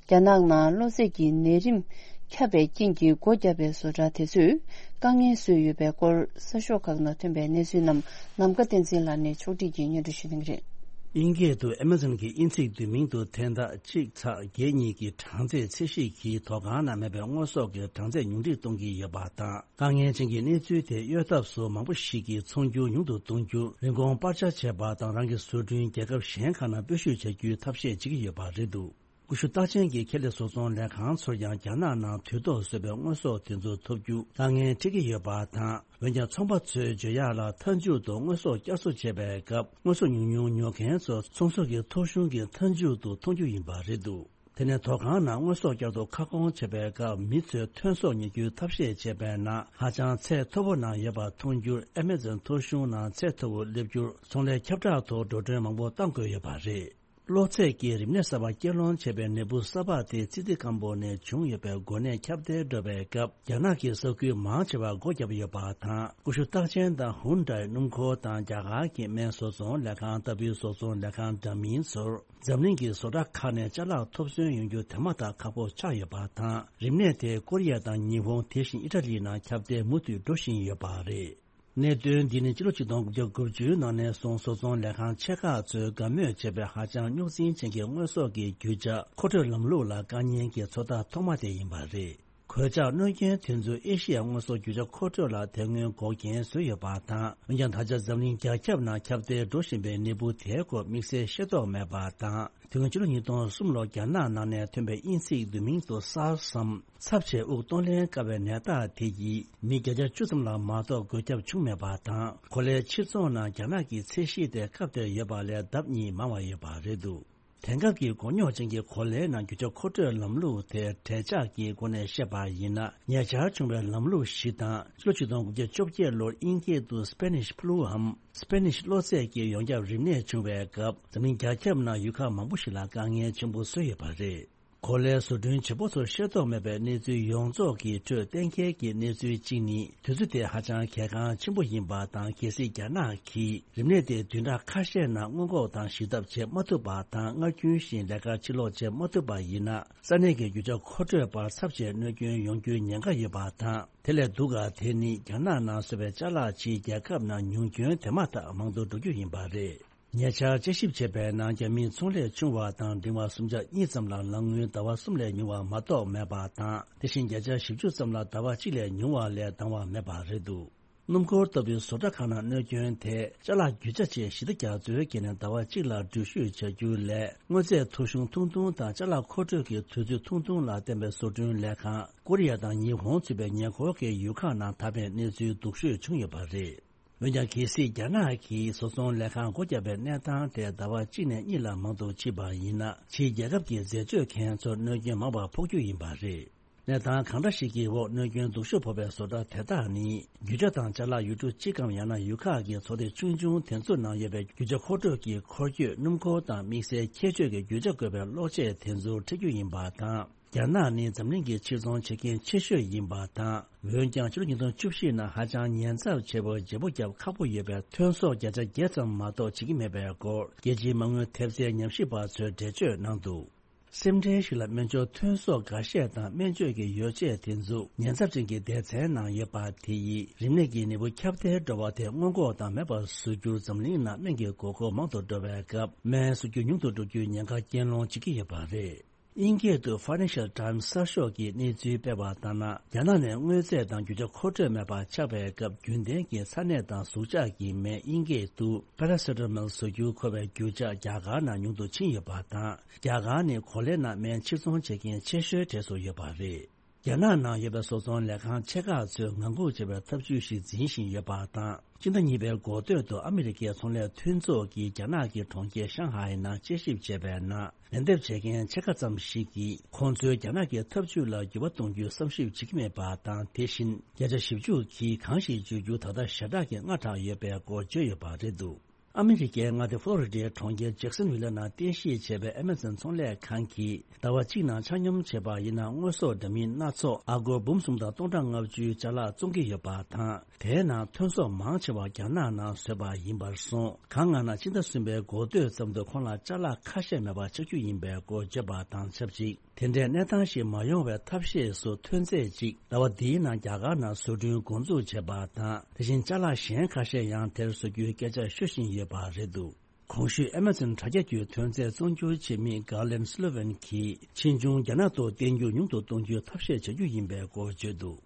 རྒྱ་ནག་ནང་གློ་ཚད་ཀྱི་ནད་རིམས་ཁྱབ་པའི་རྐྱེན་གྱིས་སྒོ་བརྒྱབ་པའི་བཟོ་གྲྭ་དེ་ཚོས་དཀའ་ངལ་བཟོས་ཡོད་པའི་སྐོར་གསར་ཤོག་ཁག་ནང་ཐོན་པའི་གནས་ཚུལ་རྣམས་ནམ་མཁའ་བསྟན་འཛིན་ལགས་ནས་ཕྱོགས་སྒྲིག་གིས་སྙན་སྒྲོན་ཞུ་གནང་གི་རེད། དབྱིན་སྐད་དུ་Amazon་གྱི་དབྱིན་ཚིག་བསྡུས་མིང་དུ་དོན་དག་གཅིག་ཚེག་བརྒྱད་གཉིས་ཀྱི་གྲངས་ཚད་ཚད་གཞི་གིས་དོ་ཁང་ནང་མེད་པའི་དངོས་ཟོག་གི་གྲངས་ཚད་ཉུང་འཕྲི་གཏོང་གི་ཡོད་པ་དང་། དཀའ་ངལ་ཅན་གྱི་གནས་ཚུལ་དེ་གཡོལ་ཐབས་སུ་མང་པོ་ཞིག་གིས་ཚོང་སྒྱུར་ཉུང་དུ་གཏོང་རྒྱུ། རིན་གོང་སྤར་ཆ་བྱེད་པ་དང་རང་གི་བཟོ་སྐྲུན་རྒྱལ་ཁབ་གཞན་ཁག་ནང་སྤོ་བཤུད་བྱ་རྒྱུའི་ཐབས་ཤེས་བྱེད་ཀྱི་ཡོད་པ་རེད་འདུག་ཀུ་ཤུ་རྟགས་ཅན་གྱི་ཁེ་ལས་བཟོ་ཚོང་ལས་ཁང་ཚོར་ཀྱང་རྒྱ་ནག་ནང་དུས་ཐོག་བཟོས་པའི་དངོས་ཟོག་དེ་ཚོ་ཐོབ་རྒྱུ་དཀའ་ངལ་འཕྲད་ཀྱི་ཡོད་པ་དང་། འོན་ཀྱང་ཚོང་པ་ཚོས་བརྗོད་ཡག་ལ་མཐའ་མཇུག་ཏུ་དངོས་ཟོག་བསྐྱར་གསོ་བྱེད་པའི་སྐབས་དངོས་ཟོག་ཉུང་ཉུང་ཉོ་མཁན་ཚོ་ཚོང་ཟོག་གི་ཐོ་གཞུང་གི་མཐའ་མཇུག་ཏུ་མཐོང་རྒྱུ་ཡིན་པ་རེད་འདུག་དེ་ནས་དོ་ཁང་ནང་དངོས་ཟོག་བསྐྱར་དུ་ཁ་སྐོང་བྱེད་པའི་སྐབས་མི་ཚོས་ཐོན་ཟོག་ཉོ་རྒྱུའི་ཐབས་ཤེས་བྱས་པས་ན་ཧ་ཅང་ཚད་མཐོ་པོ་ནང་ཡོད་པ་མཐོང་རྒྱུར་Amazon་ཐོ་གཞུང་ནང་ཚད་མཐོ་པོ་སླེབས་རྒྱུར་ཚོང་ལས་ཁྱབ་བསྒྲགས་ཐོག་འགྲོ་གྲོན་མང་པོ་གཏང་དགོས་ཡོད་པ་རེད། གློ་ཚད་ཀྱི་རིམས་ནད་གསར་པ་སྐྱེད་སློང་བྱེད་པའི་ནད་འབུ་གསར་པ་དེ་ཙི་ཙི་སྐམ་པོ་ནས་བྱུང་ཡོད་པའི་འགོ་ནད་ཁྱབ་གདལ་འགྲོ་བའི་སྐབས་རྒྱ་ནག་གི་ས་ཁུལ་མང་ཆེ་བར་སྒོ་བརྒྱབ་ཡོད་པ་དང་། ཀུ་ཤུ་རྟགས་ཅན་དང་ཧུན་ཌའི་སྣུམ་འཁོར་དང་རྒྱ་གར་གྱི་སྨན་བཟོ་ཚོང་ལས་ཁང་ལྟ་བུའི་བཟོ་ཚོང་ལས་ཁང་འདྲ་མིན་ཚོར་འཛམ་གླིང་གི་བཟོ་གྲྭ་ཁག་ནས་ཅ་ལག་ཐོབ་ཚུན་ཡོང་རྒྱུ་དེ་མ་ཐག་ཁག་པོ་ཆགས་ཡོད་པ་དང་། རིམས་ནད་དེ་ཀོ་རི་ཡ་དང་ཉི་ཧོང་དེ་བཞིན་ཨི་ཊ་ལི་ནང་ཁྱབ་གདལ་མུ་མཐུད་འགྲོ་བཞིན་ཡོད་པ་རེད། གནད་དོན་འདི་ནི་ཕྱི་ལོ་ཆིག་སྟོང་དགུ་བརྒྱ་དགུ་བཅུ་ནང་ནས་བཟུང་བཟོ་ཚོང་ལས་ཁང་ཆེ་ཁག་ཚོས་དགའ་མོས་བྱེད་པའི་ཧ་ཅང་རྙོག་འཛིང་ཅན་གྱི་དངོས་ཟོག་གི་རྒྱུ་ཆ་མཁོ་སྤྲོད་ལམ་ལུགས་ལ་དཀའ་ཉེན་གྱི་ཚོད་ལྟ་ཐོག་མ་དེ་ཡིན་པ་རེད། གོད་ཆག་གནོད་སྐྱོན་དེ་ཚོས་ཨེ་ཤི་ཡ་དངོས་ཟོག་རྒྱུ་ཆ་མཁོ་སྤྲོད་ལ་དེ་སྔོན་འགོག་རྐྱེན་བཟོས་ཡོད་པ་དང་། འོན་ཀྱང་ད་ཆ་འཛམ་གླིང་རྒྱ་ཁྱབ་ནང་ཁྱབ་གདལ་འགྲོ་བཞིན་པའི་ནད་འབུ་དེའི་སྐོར་དམིགས་བསལ་ཤེས་རྟོགས་མེད་པ་དང་། དེ་སྔོན་ཕྱི་ལོ་ཉིས་སྟོང་གསུམ་ལོར་རྒྱ་ནག་ནང་ནས་ཐོན་པའི་དབྱིན་ཚིག་བསྡུས་མིང་དུ་སཱར་སམ་ཚབས་ཆེའི་དབུགས་གཏོང་ལེན་དཀའ་བའི་ནད་རྟགས་དེ་ཡིས་མི་བརྒྱ་ཆ་བཅུ་ཙམ་ལ་མ་གཏོགས་འགོས་ཁྱབ་བྱུང་མེད་པ་དང་། གོ་ལའི་ཕྱིར་ཚོང་ནང་རྒྱ་ནག་གི་ཚད་གཞི་དེ་སྐབས་དེར་ཡོད་པ་ལས་ལྡབ་གཉིས་མང་བ་ཡོད་པ་རེད་འདུག་དེང་སྐབས་ཀྱི་མགོ་རྙོག་ཅན་གྱི་གོ་ལའི་ནང་རྒྱུ་ཆ་མཁོ་སྤྲོད་ལམ་ལུགས་དེ་འབྲེལ་ཆགས་ཀྱི་སྒོ་ནས་བཤད་པ་ཡིན་ན། ཉེ་ཆར་བྱུང་བའི་ལམ་ལུགས་ཤིག་དང་། ཕྱི་ལོ་ཆིག་སྟོང་དགུ་བརྒྱ་བཅོ་བརྒྱད་ལོར་དབྱིན་སྐད་དུ་Spanish fluའམ་Spanish གློ་ཚད་ཀྱི་ཡོངས་ཁྱབ་རིམས་ནད་བྱུང་བའི་སྐབས། འཛམ་གླིང་རྒྱ་ཁྱབ་ནང་ཡུལ་ཁག་མང་པོ་ཞིག་ལ་དཀའ་ངལ་ཆེན་པོ་བཟོས་ཡོད་པ་རེད། གོ་ལའི་བཟོ་སྐྲུན་བྱེད་པོ་ཚོར་ཤེས་རྟོགས་མེད་པའི་གནས་ཚུལ་ཡོངས་རྫོགས་ཀྱི་ཁྲོད་གཏན་འཁེལ་གྱི་གནས་ཚུལ་གཅིག་ནི། དུས་ཚོད་དེ་ཧ་ཅང་གལ་འགངས་ཆེན་པོ་ཡིན་པ་དང་། གལ་སྲིད་རྒྱ་ནག་གིས་རིམས་ནད་དེ་བདུན་ཕྲག་ཁ་ཤས་ནང་སྔོན་འགོག་དང་ཞི་ཐབས་བྱེད་མ་ཐུབ་པ་དང་། སྔར་རྒྱུན་བཞིན་ལས་ཀར་ཕྱིར་ལོག་བྱེད་མ་ཐུབ་པ་ཡིན་ན། ས་གནས་ཀྱི་རྒྱུ་ཆ་མཁོ་སྤྲོད་པར་ཚབས་ཆེའི་གནོད་སྐྱོན་ཡོང་རྒྱུའི་ཉེན་ཁ་ཡོད་པ་དང་། དེ་ལས་སྡུག་ག་དེ་ནི་རྒྱ་ནག་ནང་བཟོས་པའི་ཅ་ལག་ཕྱིའི་རྒྱལ་ཁབ་ནང་ཉུང་སྐྱོན་དེ་མ་ཐག་མང་དུ་འགྲོ་རྒྱུ་ཡིན་པ་རེད། ཉེ་ཆར་དཔྱད་ཞིབ་བྱས་པའི་ནང་། རྒྱ་མིའི་ཚོང་ལས་ཆུང་བ་དང་འབྲིང་བ་སུམ་ཆ་གཉིས་ཙམ་ལ་ལག་དངུལ་ཟླ་བ་གསུམ་ལས་ཉུང་བ་མ་གཏོགས་མེད་པ་དང་། དེ་བཞིན་བརྒྱ་ཆ་བཞི་བཅུ་ཙམ་ལ་ཟླ་བ་གཅིག་ལས་ཉུང་བ་ལས་འདང་བ་མེད་པ་རེད་འདུག་སྣུམ་འཁོར་ལྟ་བུའི་བཟོ་གྲྭ་ཁག་ནང་གནོད་སྐྱོན་དེ། ཅ་ལག་རྒྱུ་ཆ་ཆེད་ཞི་བདེ་རྒྱ་མཚོའི་འགན་ནས་ཟླ་བ་གཅིག་ལ་འགྲུལ་བཞུད་བྱ་རྒྱུ་ལས། དངོས་རྫས་མཐོ་ཤོས་ཐུང་ཐུང་དང་ཅ་ལག་མཁོ་སྤྲོད་ཀྱི་དུས་ཚོད་ཐུང་ཐུང་ལ་བརྟེན་པའི་བཟོ་སྐྲུན་ལས་ཁང་། ཀོ་རི་ཡ་དང་ཉི་ཧོང་ཚུད་པའི་ཉེ་འཁོར་གྱི་ཡུལ་ཁག་ནང་དར་བའི་གནས་ཚུལ་སྡུག་ཤོས་བྱུང་ཡོད་པ་རེད། འོན་ཀྱང་། གལ་སྲིད་རྒྱ་ནག་གིས་བཟོ་ཚོང་ལས་ཁང་སྒོ་བརྒྱབ་པའི་གནས་སྟངས་དེ་ཟླ་བ་གཅིག་ནས་གཉིས་ལ་མང་དུ་ཕྱིན་པ་ཡིན་ན། ཕྱིའི་རྒྱལ་ཁབ་ཀྱི་འཛད་སྤྱོད་མཁན་ཚོར་གནོད་སྐྱོན་མང་བ་ཕོག་རྒྱུ་ཡིན་པ་རེད། གནས་སྟངས་གང་འདྲ་ཞིག་གི་འོག་གནོད་སྐྱོན་སྡུག་ཤོས་ཕོག་པའི་བཟོ་གྲྭ་དེ་དག་ནི། རྒྱུ་ཆ་དང་ཅ་ལག་ཡུལ་གྲུ་གཅིག་གམ་ཡང་ན་ཡུལ་ཁག་གི་ཚོགས་སྡེ་ཆུང་ཆུང་དེ་ཚོའི་ནང་ཡོད་པའི་རྒྱུ་ཆ་མཁོ་སྤྲོད་ཀྱི་འཁོར་སྐྱོད། སྣུམ་འཁོར་དང་དམིགས་བསལ་ཁྱད་ཆོས་ཀྱི་རྒྱུ་ཆ་དགོས་པའི་གློག་ཆས་དེ་ཚོར་འཕྲད་རྒྱུ་ཡིན་པ་དང་། རྒྱ་ནག་ནི་འཛམ་གླིང་གི་ཕྱིར་ཚོང་བྱེད་མཁན་ཆེ་ཤོས་ཡིན་པ་དང་། འོན་ཀྱང་། ཕྱི་ལོ་ཉིས་སྟོང་བཅུ་བཞི་ནང་ཧ་ཅང་ཉེན་ཚབས་ཆེ་བའི་བརྗེ་པོ་རྒྱག་ཁག་པོ་ཡོད་པའི་ཐོན་ཟོག་བརྒྱ་ཆ་བརྒྱད་ཙམ་མ་གཏོགས་བྱེད་ཀྱི་མེད་པའི་སྐོར། རྒྱལ་སྤྱིའི་མ་དངུལ་ཐེབས་རྩའི་ཉམས་ཞིབ་པ་ཚོས་འགྲེལ་བརྗོད་གནང་འདུག་སེམས་ཁྲལ་ཞིག་ལ། སྨན་སྦྱོར་ཐོན་ཟོག་འགའ་ཤས་དང་སྨན་བཅོས་ཀྱི་ཡོ་བྱད་དེ་ཚོ་ཉེན་ཚབས་ཅན་གྱི་སྡེ་ཚན་ནང་ཡོད་པ་དེ་ཡིས། རིམས་ནད་ཀྱི་ནད་འབུ་ཁྱབ་གདལ་འགྲོ་བ་དེ་སྔོན་འགོག་དང་མེད་པར་བཟོ་རྒྱུར། འཛམ་གླིང་ནང་སྨན་གྱི་དགོས་མཁོ་མང་དུ་འགྲོ་བའི་སྐབས། སྨན་བཟོ་རྒྱུ་ཉུང་དུ་འགྲོ་རྒྱུའི་ཉེན་ཁ་རྐྱེན་སློང་བྱེད་ཀྱི་ཡོད་པ་རེད། དབྱིན་སྐད་དུ་Financial Times གསར་ཤོག་གིས་གནས་ཚུལ་སྤེལ་བ་ལྟར་ན། རྒྱ་ནག་ནས་དངོས་རྫས་དང་རྒྱུ་ཆ་མཁོ་སྤྲོད་མེད་པ་ཆགས་པའི་སྐབས། རྒྱུན་ལྡན་གྱི་ཚ་ནད་དང་ཟུག་གཅོག་གི་སྨན། དབྱིན་སྐད་དུ་Paracetamol བཟོ་རྒྱུར་མཁོ་བའི་རྒྱུ་ཆ་རྒྱ་གར་ནང་ཉུང་དུ་ཕྱིན་ཡོད་པ་དང་། རྒྱ་གར་ནི་གོ་ལའི་ནང་སྨན་ཕྱིར་ཚོང་བྱེད་མཁན་ཆེ་ཤོས་གྲས་སུ་ཡོད་པ་རེད། རྒྱ་ནག་ནང་ཡོད་པའི་བཟོ་ཚོང་ལས་ཁང་ཆེ་ཁག་ཚོས་ངང་སྒུག་བྱེད་པའི་ཐབས་ཇུས་ཤིག་འཛིན་བཞིན་ཡོད་པ་དང་། སྤྱི་ཟླ་གཉིས་པའི་འགོ་སྟོད་དུ་ཨ་མི་རི་ཀའི་ཚོང་ལས་མཐུན་ཚོགས་ཀྱིས་རྒྱ་ནག་གི་གྲོང་ཁྱེར་ཤང་ཧའེ་ནང་དཔྱད་ཞིབ་བྱས་པའི་ནང་། ལན་འདེབས་བྱེད་མཁན་ཕྱེད་ཀ་ཙམ་ཞིག་གིས། ཁོང་ཚོས་རྒྱ་ནག་གི་ཐབས་ཇུས་ལ་འགྱུར་བ་གཏོང་རྒྱུའི་བསམ་ཞིབ་བྱེད་ཀྱི་མེད་པ་དང་། དེ་བཞིན་བརྒྱ་ཆ་བཞི་བཅུ་གིས་གང་ཞིག་བརྗོད་རྒྱུ་ད་ལྟ་ཞེ་དྲག་གི་སྔ་དྲགས་ཡོད་པའི་སྐོར་བརྗོད་ཡོད་པ་རེད་འདུག་ཨ་མི་རི་ཀའི་མངའ་སྡེ་ཧྥོ་ལོ་རི་ཌའི་གྲོང་ཁྱེར་ཇེག་སན་ཝིལ་ནང་རྟེན་གཞི་བྱས་པའི་ཨེ་མ་ཛོན་ཚོང་ལས་ཁང་གིས། ཟླ་བ་གཅིག་ནང་ཆ་སྙོམས་བྱས་པ་ཡིན་ན། དངོས་ཟོག་འདྲ་མིན་སྣ་ཚོགས་ཨ་སྒོར་འབུམ་གསུམ་དང་སྟོང་ཕྲག་ལྔ་བཅུའི་ཅ་ལག་བཙོང་གི་ཡོད་པ་དང་། དེའི་ནང་ཐོན་ཟོག་མང་ཆེ་བ་རྒྱ་ནག་ནང་བཟོས་པ་ཡིན་པར་སོང་། གང་ལྔ་ན་ཕྱི་ཟླ་གསུམ་པའི་འགོ་སྟོད་ཙམ་དུ་ཁོང་ལ་ཅ་ལག་ཁ་ཤས་མེད་པ་ཆགས་རྒྱུ་ཡིན་པའི་སྐོར་བརྗོད་པ་དང་ཆབས་ཅིག་དེ་འདྲའི་གནས་སྟངས་ཤིག་མ་ཡོང་བའི་ཐབས་ཤེས་སུ། ཐོན་རྫས་གཅིག་ཟླ་བ་འདིའི་ནང་རྒྱ་གར་ནང་བཟོ་སྐྲུན་འགོ་འཛུགས་བྱས་པ་དང་། དེ་བཞིན་ཅ་ལག་གཞན་ཁ་ཤས་ཡང་དེར་བཟོ་རྒྱུའི་སྐད་ཆ་ཤོད་བཞིན་ཡོད་པ་རེད་འདུག་གོང་ཞུས་ཨེ་མ་ཛོན་དྲ་རྒྱ་བརྒྱུད་ཐོན་རྫས་བཙོང་རྒྱུ་བྱེད་མི་Garland Sullivan གྱིས། ཕྱིས་འབྱུང་རྒྱ་ནག་ཏུ་བསྟན་རྒྱུ་ཉུང་དུ་གཏོང་རྒྱུའི་ཐབས་ཤེས་བྱ་རྒྱུ་ཡིན་པའི་སྐོར་བརྗོད་འདུག་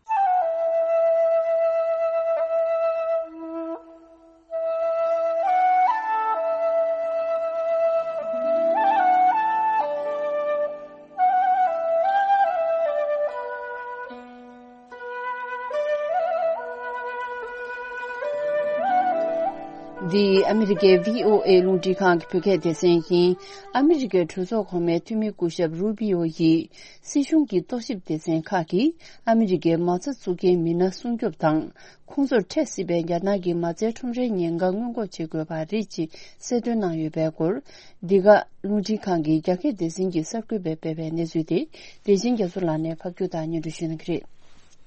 འདི་ཨ་མི་རི་ཀའི་བྷི་ཨོ་ཨེ་རླུང་འཕྲིན་ཁང་གི་བོད་སྐད་སྡེ་ཚན་ཡིན། ཨ་མི་རི་ཀའི་གྲོས་ཚོགས་གོང་མའི་འཐུས་མི་སྐུ་ཞབས་རུ་པི་ཨོ་ཡིས། སྲིད་གཞུང་གི་རྟོག་ཞིབ་སྡེ་ཚན་ཁག་གིས་ཨ་མི་རི་ཀའི་མ་རྩ་བཙུགས་མཁན་མི་སྣ་སྲུང་སྐྱོབ་དང་། ཁོང་ཚོར་འཕྲད་སྲིད་པའི་རྒྱ་ནག་གི་མ་རྩའི་ཁྲོམ་རའི་ཉེན་ཁ་སྔོན་འགོག་བྱེད་དགོས་པ་རེད་ཅེས་གསལ་སྟོན་གནང་ཡོད་པའི་སྐོར། འདི་ག་རླུང་འཕྲིན་ཁང་གི་རྒྱ་སྐད་སྡེ་ཚན་གྱི་གསར་འགོད་པས་སྤེལ་བའི་གནས་ཚུལ་དེ། བདེ་ཆེན་རྒྱ་མཚོ་ལགས་ནས་ཕབ་སྒྱུར་དང་སྙན་སྒྲོན་ཞུ་གནང་གི་རེད།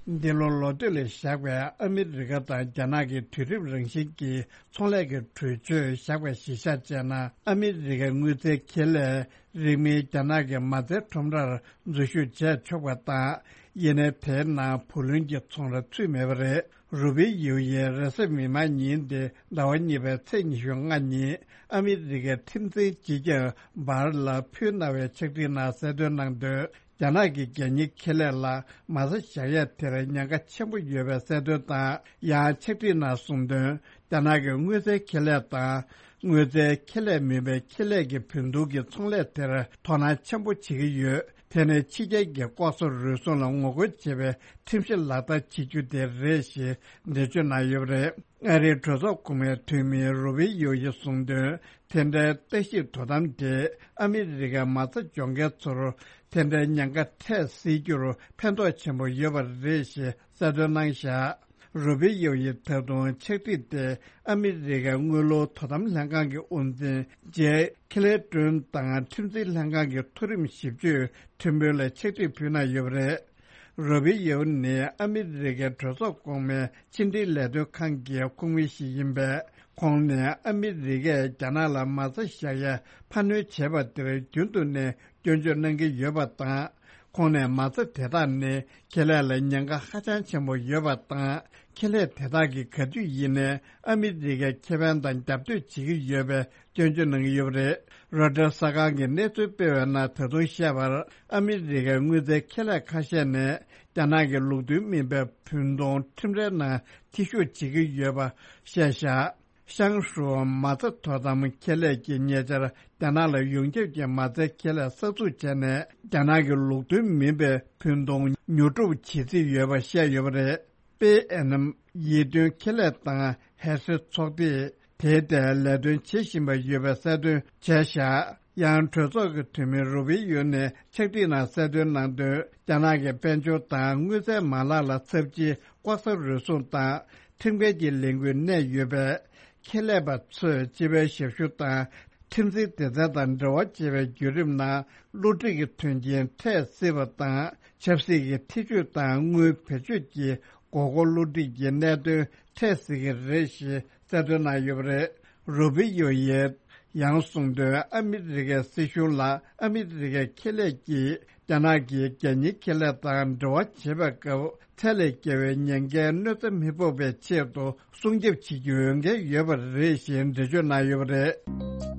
འདི་ལོ་ལོ་སྟོད་ལ་བཞག་པའི་ཨ་མི་རི་ཀ་དང་རྒྱ་ནག་གི་དུས་རབས་རང་བཞིན་གྱི་ཚོང་ལས་ཀྱི་གྲོས་ཆོད་བཞག་པའི་གཞི་བཞག་བྱས་ན། ཨ་མི་རི་ཀའི་དངུལ་རྩའི་ཁེ་ལས་རིང་མིན་རྒྱ་ནག་གི་མ་རྩའི་ཁྲོམ་རར་འཛུལ་ཞུགས་བྱས་ཆོག་པ་དང་། ཡིན་ནའི་དེའི་ནང་བུ་ལོན་གྱི་ཚོང་ར་ཚུད་མེད་པ་རེད། རུ་པི་ཡོ་ཡིས་རེས་གཟའ་མིག་དམར་ཉིན་ཏེ་ཟླ་བ་གཉིས་པའི་ཚེས་ཉི་ཤུ་ལྔ་ཉིན་ཨ་མི་རི་ཀའི་ཁྲིམས་འཛིན་སྤྱི་ཁྱབ་བྷར་ལ་ཕུལ་གནང་བའི་ཕྱག་བྲིས་ནང་གསལ་སྟོན་གནང་དོན། རྒྱ་ནག་གི་རྒྱལ་གཉེར་ཁེ་ལས་ལ་མ་རྩ་བཞག་ཡ་དེར་ཉེན་ཁ་ཆེན་པོ་ཡོད་པའི་གསལ་སྟོན་དང་། ཡང་ཕྱག་བྲིས་ནང་གསུངས་དོན། རྒྱ་ནག་གི་དངུལ་རྩའི་ཁེ་ལས་དང་། དངུལ་རྩའི་ཁེ་ལས་མིན་པའི་ཁེ་ལས་ཀྱི་བོད་འདུག་གི་ཚོང་ལས་དེར་དོ་སྣང་ཆེན་པོ་བྱེད་ཀྱི་ཡོད། དེ་ནི་ཕྱི་རྒྱལ་གྱི་ལྐོག་ཟ་རུལ་སུངས་ལ་ངོ་རྒོལ་བྱེད་པའི་ཁྲིམས་གཞི་ལག་བསྟར་བྱེད་རྒྱུ་དེ་རེད་ཞེས་འགྲེལ་བརྗོད་གནང་ཡོད་པ་རེད། ཨ་རིའི་གྲོས་ཚོགས་གོང་མའི་འཐུས་མི་རུ་བི་ཡོ་ཡིས་གསུངས་དོན། དེ་འདྲའི་ལྟ་ཞིབ་དོ་དམ་དེས་ཨ་མི་རི་ཀའི་མ་རྩ་འཇོག་མཁན་ཚོར་དེ་འདྲའི་ཉེན་ཁ་འཕྲད་སྲིད་རྒྱུར་ཕན་ཐོགས་ཆེན་པོ་ཡོད་པ་རེད་ཞེས་གསལ་སྟོན་གནང་བཞག་རུ་བི་ཡོ་ཡིས་ད་དུང་ཕྱག་བྲིས་ཏེ་ཨ་མི་རི་ཀའི་དངུལ་ལོར་དོ་དམ་ལྷན་ཁང་གི་དབུ་འཛིན་ཇེ་ཁི་ལེ་ཏོན་དང་ཁྲིམས་འཛིན་ལྷན་ཁང་གི་མཐོ་རིམ་ཞིབ་དཔྱོད་ཁྲིམས་དཔོན་ལ་ཕྱག་བྲིས་ཕུལ་གནང་ཡོད་པ་རེད། རུ་བི་ཡོ་ནི་ཨ་མི་རི་ཀའི་གྲོས་ཚོགས་གོང་མའི་ཕྱི་འབྲེལ་ལས་དོན་ཁང་གི་ཁོངས་མི་ཞིག་ཡིན་པས། ཁོང་ནས་ཨ་མི་རི་ཀས་རྒྱ་ནག་ལ་མ་རྩ་བཞག་ཡའི་འཕར་སྣོན་བྱས་པ་དེར་རྒྱུན་དུ་ནས་སྐྱོན་བརྗོད་གནང་གི་ཡོད་པ་དང་། ཁོང་ནས་མ་རྩ་དེ་དག་ནི་ཁེ་ལས་ལ་ཉེན་ཁ་ཧ་ཅང་ཆེན་པོ་ཡོད་པ་དང་། ཁེ་ལས་དེ་དག་གིས་ག་དུས་ཡིན་ནའི་ཨ་མི་རི་ཀའི་ཁེ་ཕན་དང་རྒྱབ་གཏོད་བྱེད་ཀྱི་ཡོད་པའི་སྐྱོན་བརྗོད་གནང་གི་ཡོད་པ་རེད། རོའི་ཊར་གསར་ཁང་གིས་གནས་ཚུལ་སྤེལ་བའི་ནང་ད་དུང་བཤད་པར། ཨ་མི་རི་ཀའི་དངུལ་རྩའི་ཁེ་ལས་ཁ་ཤས་ནས་རྒྱ་ནག་གི་ལུགས་མཐུན་མིན་པའི་བུན་གཏོང་ཁྲིམས་རའི་ནང་འཐུས་ཤོར་བྱེད་ཀྱི་ཡོད་པ་བཤད་བཞག་ཤང་ཧྲུའུ་མ་རྩ་དོ་དམ་ཁེ་ལས་ཀྱིས་ཉེ་ཆར་རྒྱ་ནག་ལ་ཡོངས་ཁྱབ་ཀྱི་མ་རྩའི་ཁེ་ལས་གསར་འཛུགས་བྱས་ནས། རྒྱ་ནག་གི་ལུགས་མཐུན་མིན་པའི་བུན་གཏོང་ཉོ་སྒྲུབ་བྱེད་རྩིས་ཡོད་པ་བཤད་ཡོད་པ་རེད། པེ་ཨེན་ཨེམ་ཡིད་རྟོན་ཁེ་ལས་དང་ཧེ་ཧྲི་ཚོགས་སྡེས་དེའི་ཐད་ལས་དོན་བྱེད་བཞིན་པ་ཡོད་པའི་གསལ་སྟོན་བྱས་བཞག་ཡང་གྲོས་ཚོགས་ཀྱི་འཐུས་མི་རུ་བི་ཡོ་ནས་ཕྱག་བྲིས་ནང་གསལ་སྟོན་གནང་དོན། རྒྱ་ནག་གི་དཔལ་འབྱོར་དང་དངུལ་རྩའི་མ་ལག་ལ་ཚབས་ཆེའི་ལྐོག་ཟ་རུལ་སུངས་དང་ཁྲིམས་འགལ་གྱི་ལས་འགུལ་གནས་ཡོད་པས། ཁེ་ལས་པ་ཚོས་སྤྱི་པའི་ཞབས་ཞུ་དང་ཁྲིམས་འཛིན་སྡེ་ཚན་དང་འབྲེལ་བ་བྱེད་པའི་བརྒྱུད་རིམ་ནང་བསླུ་བྲིད་ཀྱི་དོན་རྐྱེན་འཕྲད་སྲིད་པ་དང་། ཆབ་སྲིད་ཀྱི་ཐེ་བྱུས་དང་དངུལ་བེད་སྤྱོད་ཀྱི་མགོ་སྐོར་བསླུ་བྲིད་ཀྱི་གནད་དོན་འཕྲད་སྲིད་ཀྱི་རེད་ཞེས་གསལ་སྟོན་གནང་ཡོད་པ་རེད། རུ་བི་ཡོ་ཡིས་ཡང་གསུངས་དོན། ཨ་མི་རི་ཀའི་སྲིད་གཞུང་ལ་ཨ་མི་རི་ཀའི་ཁེ་ལས་ཀྱིས་རྒྱ་ནག་གི་རྒྱལ་གཉེར་ཁེ་ལས་དང་འབྲེལ་བ་བྱེད་པའི་སྐབས། ཚད་ལས་བརྒལ་བའི་ཉེན་ཁའི་གནོད་འཚེ་མི་ཕོག་པའི་ཆེད་དུ་སྲུང་སྐྱོབ་བྱེད་རྒྱུའི་འོས་འགན་ཡོད་པ་རེད་ཞེས་འགྲེལ་བརྗོད་གནང་ཡོད་པ་རེད།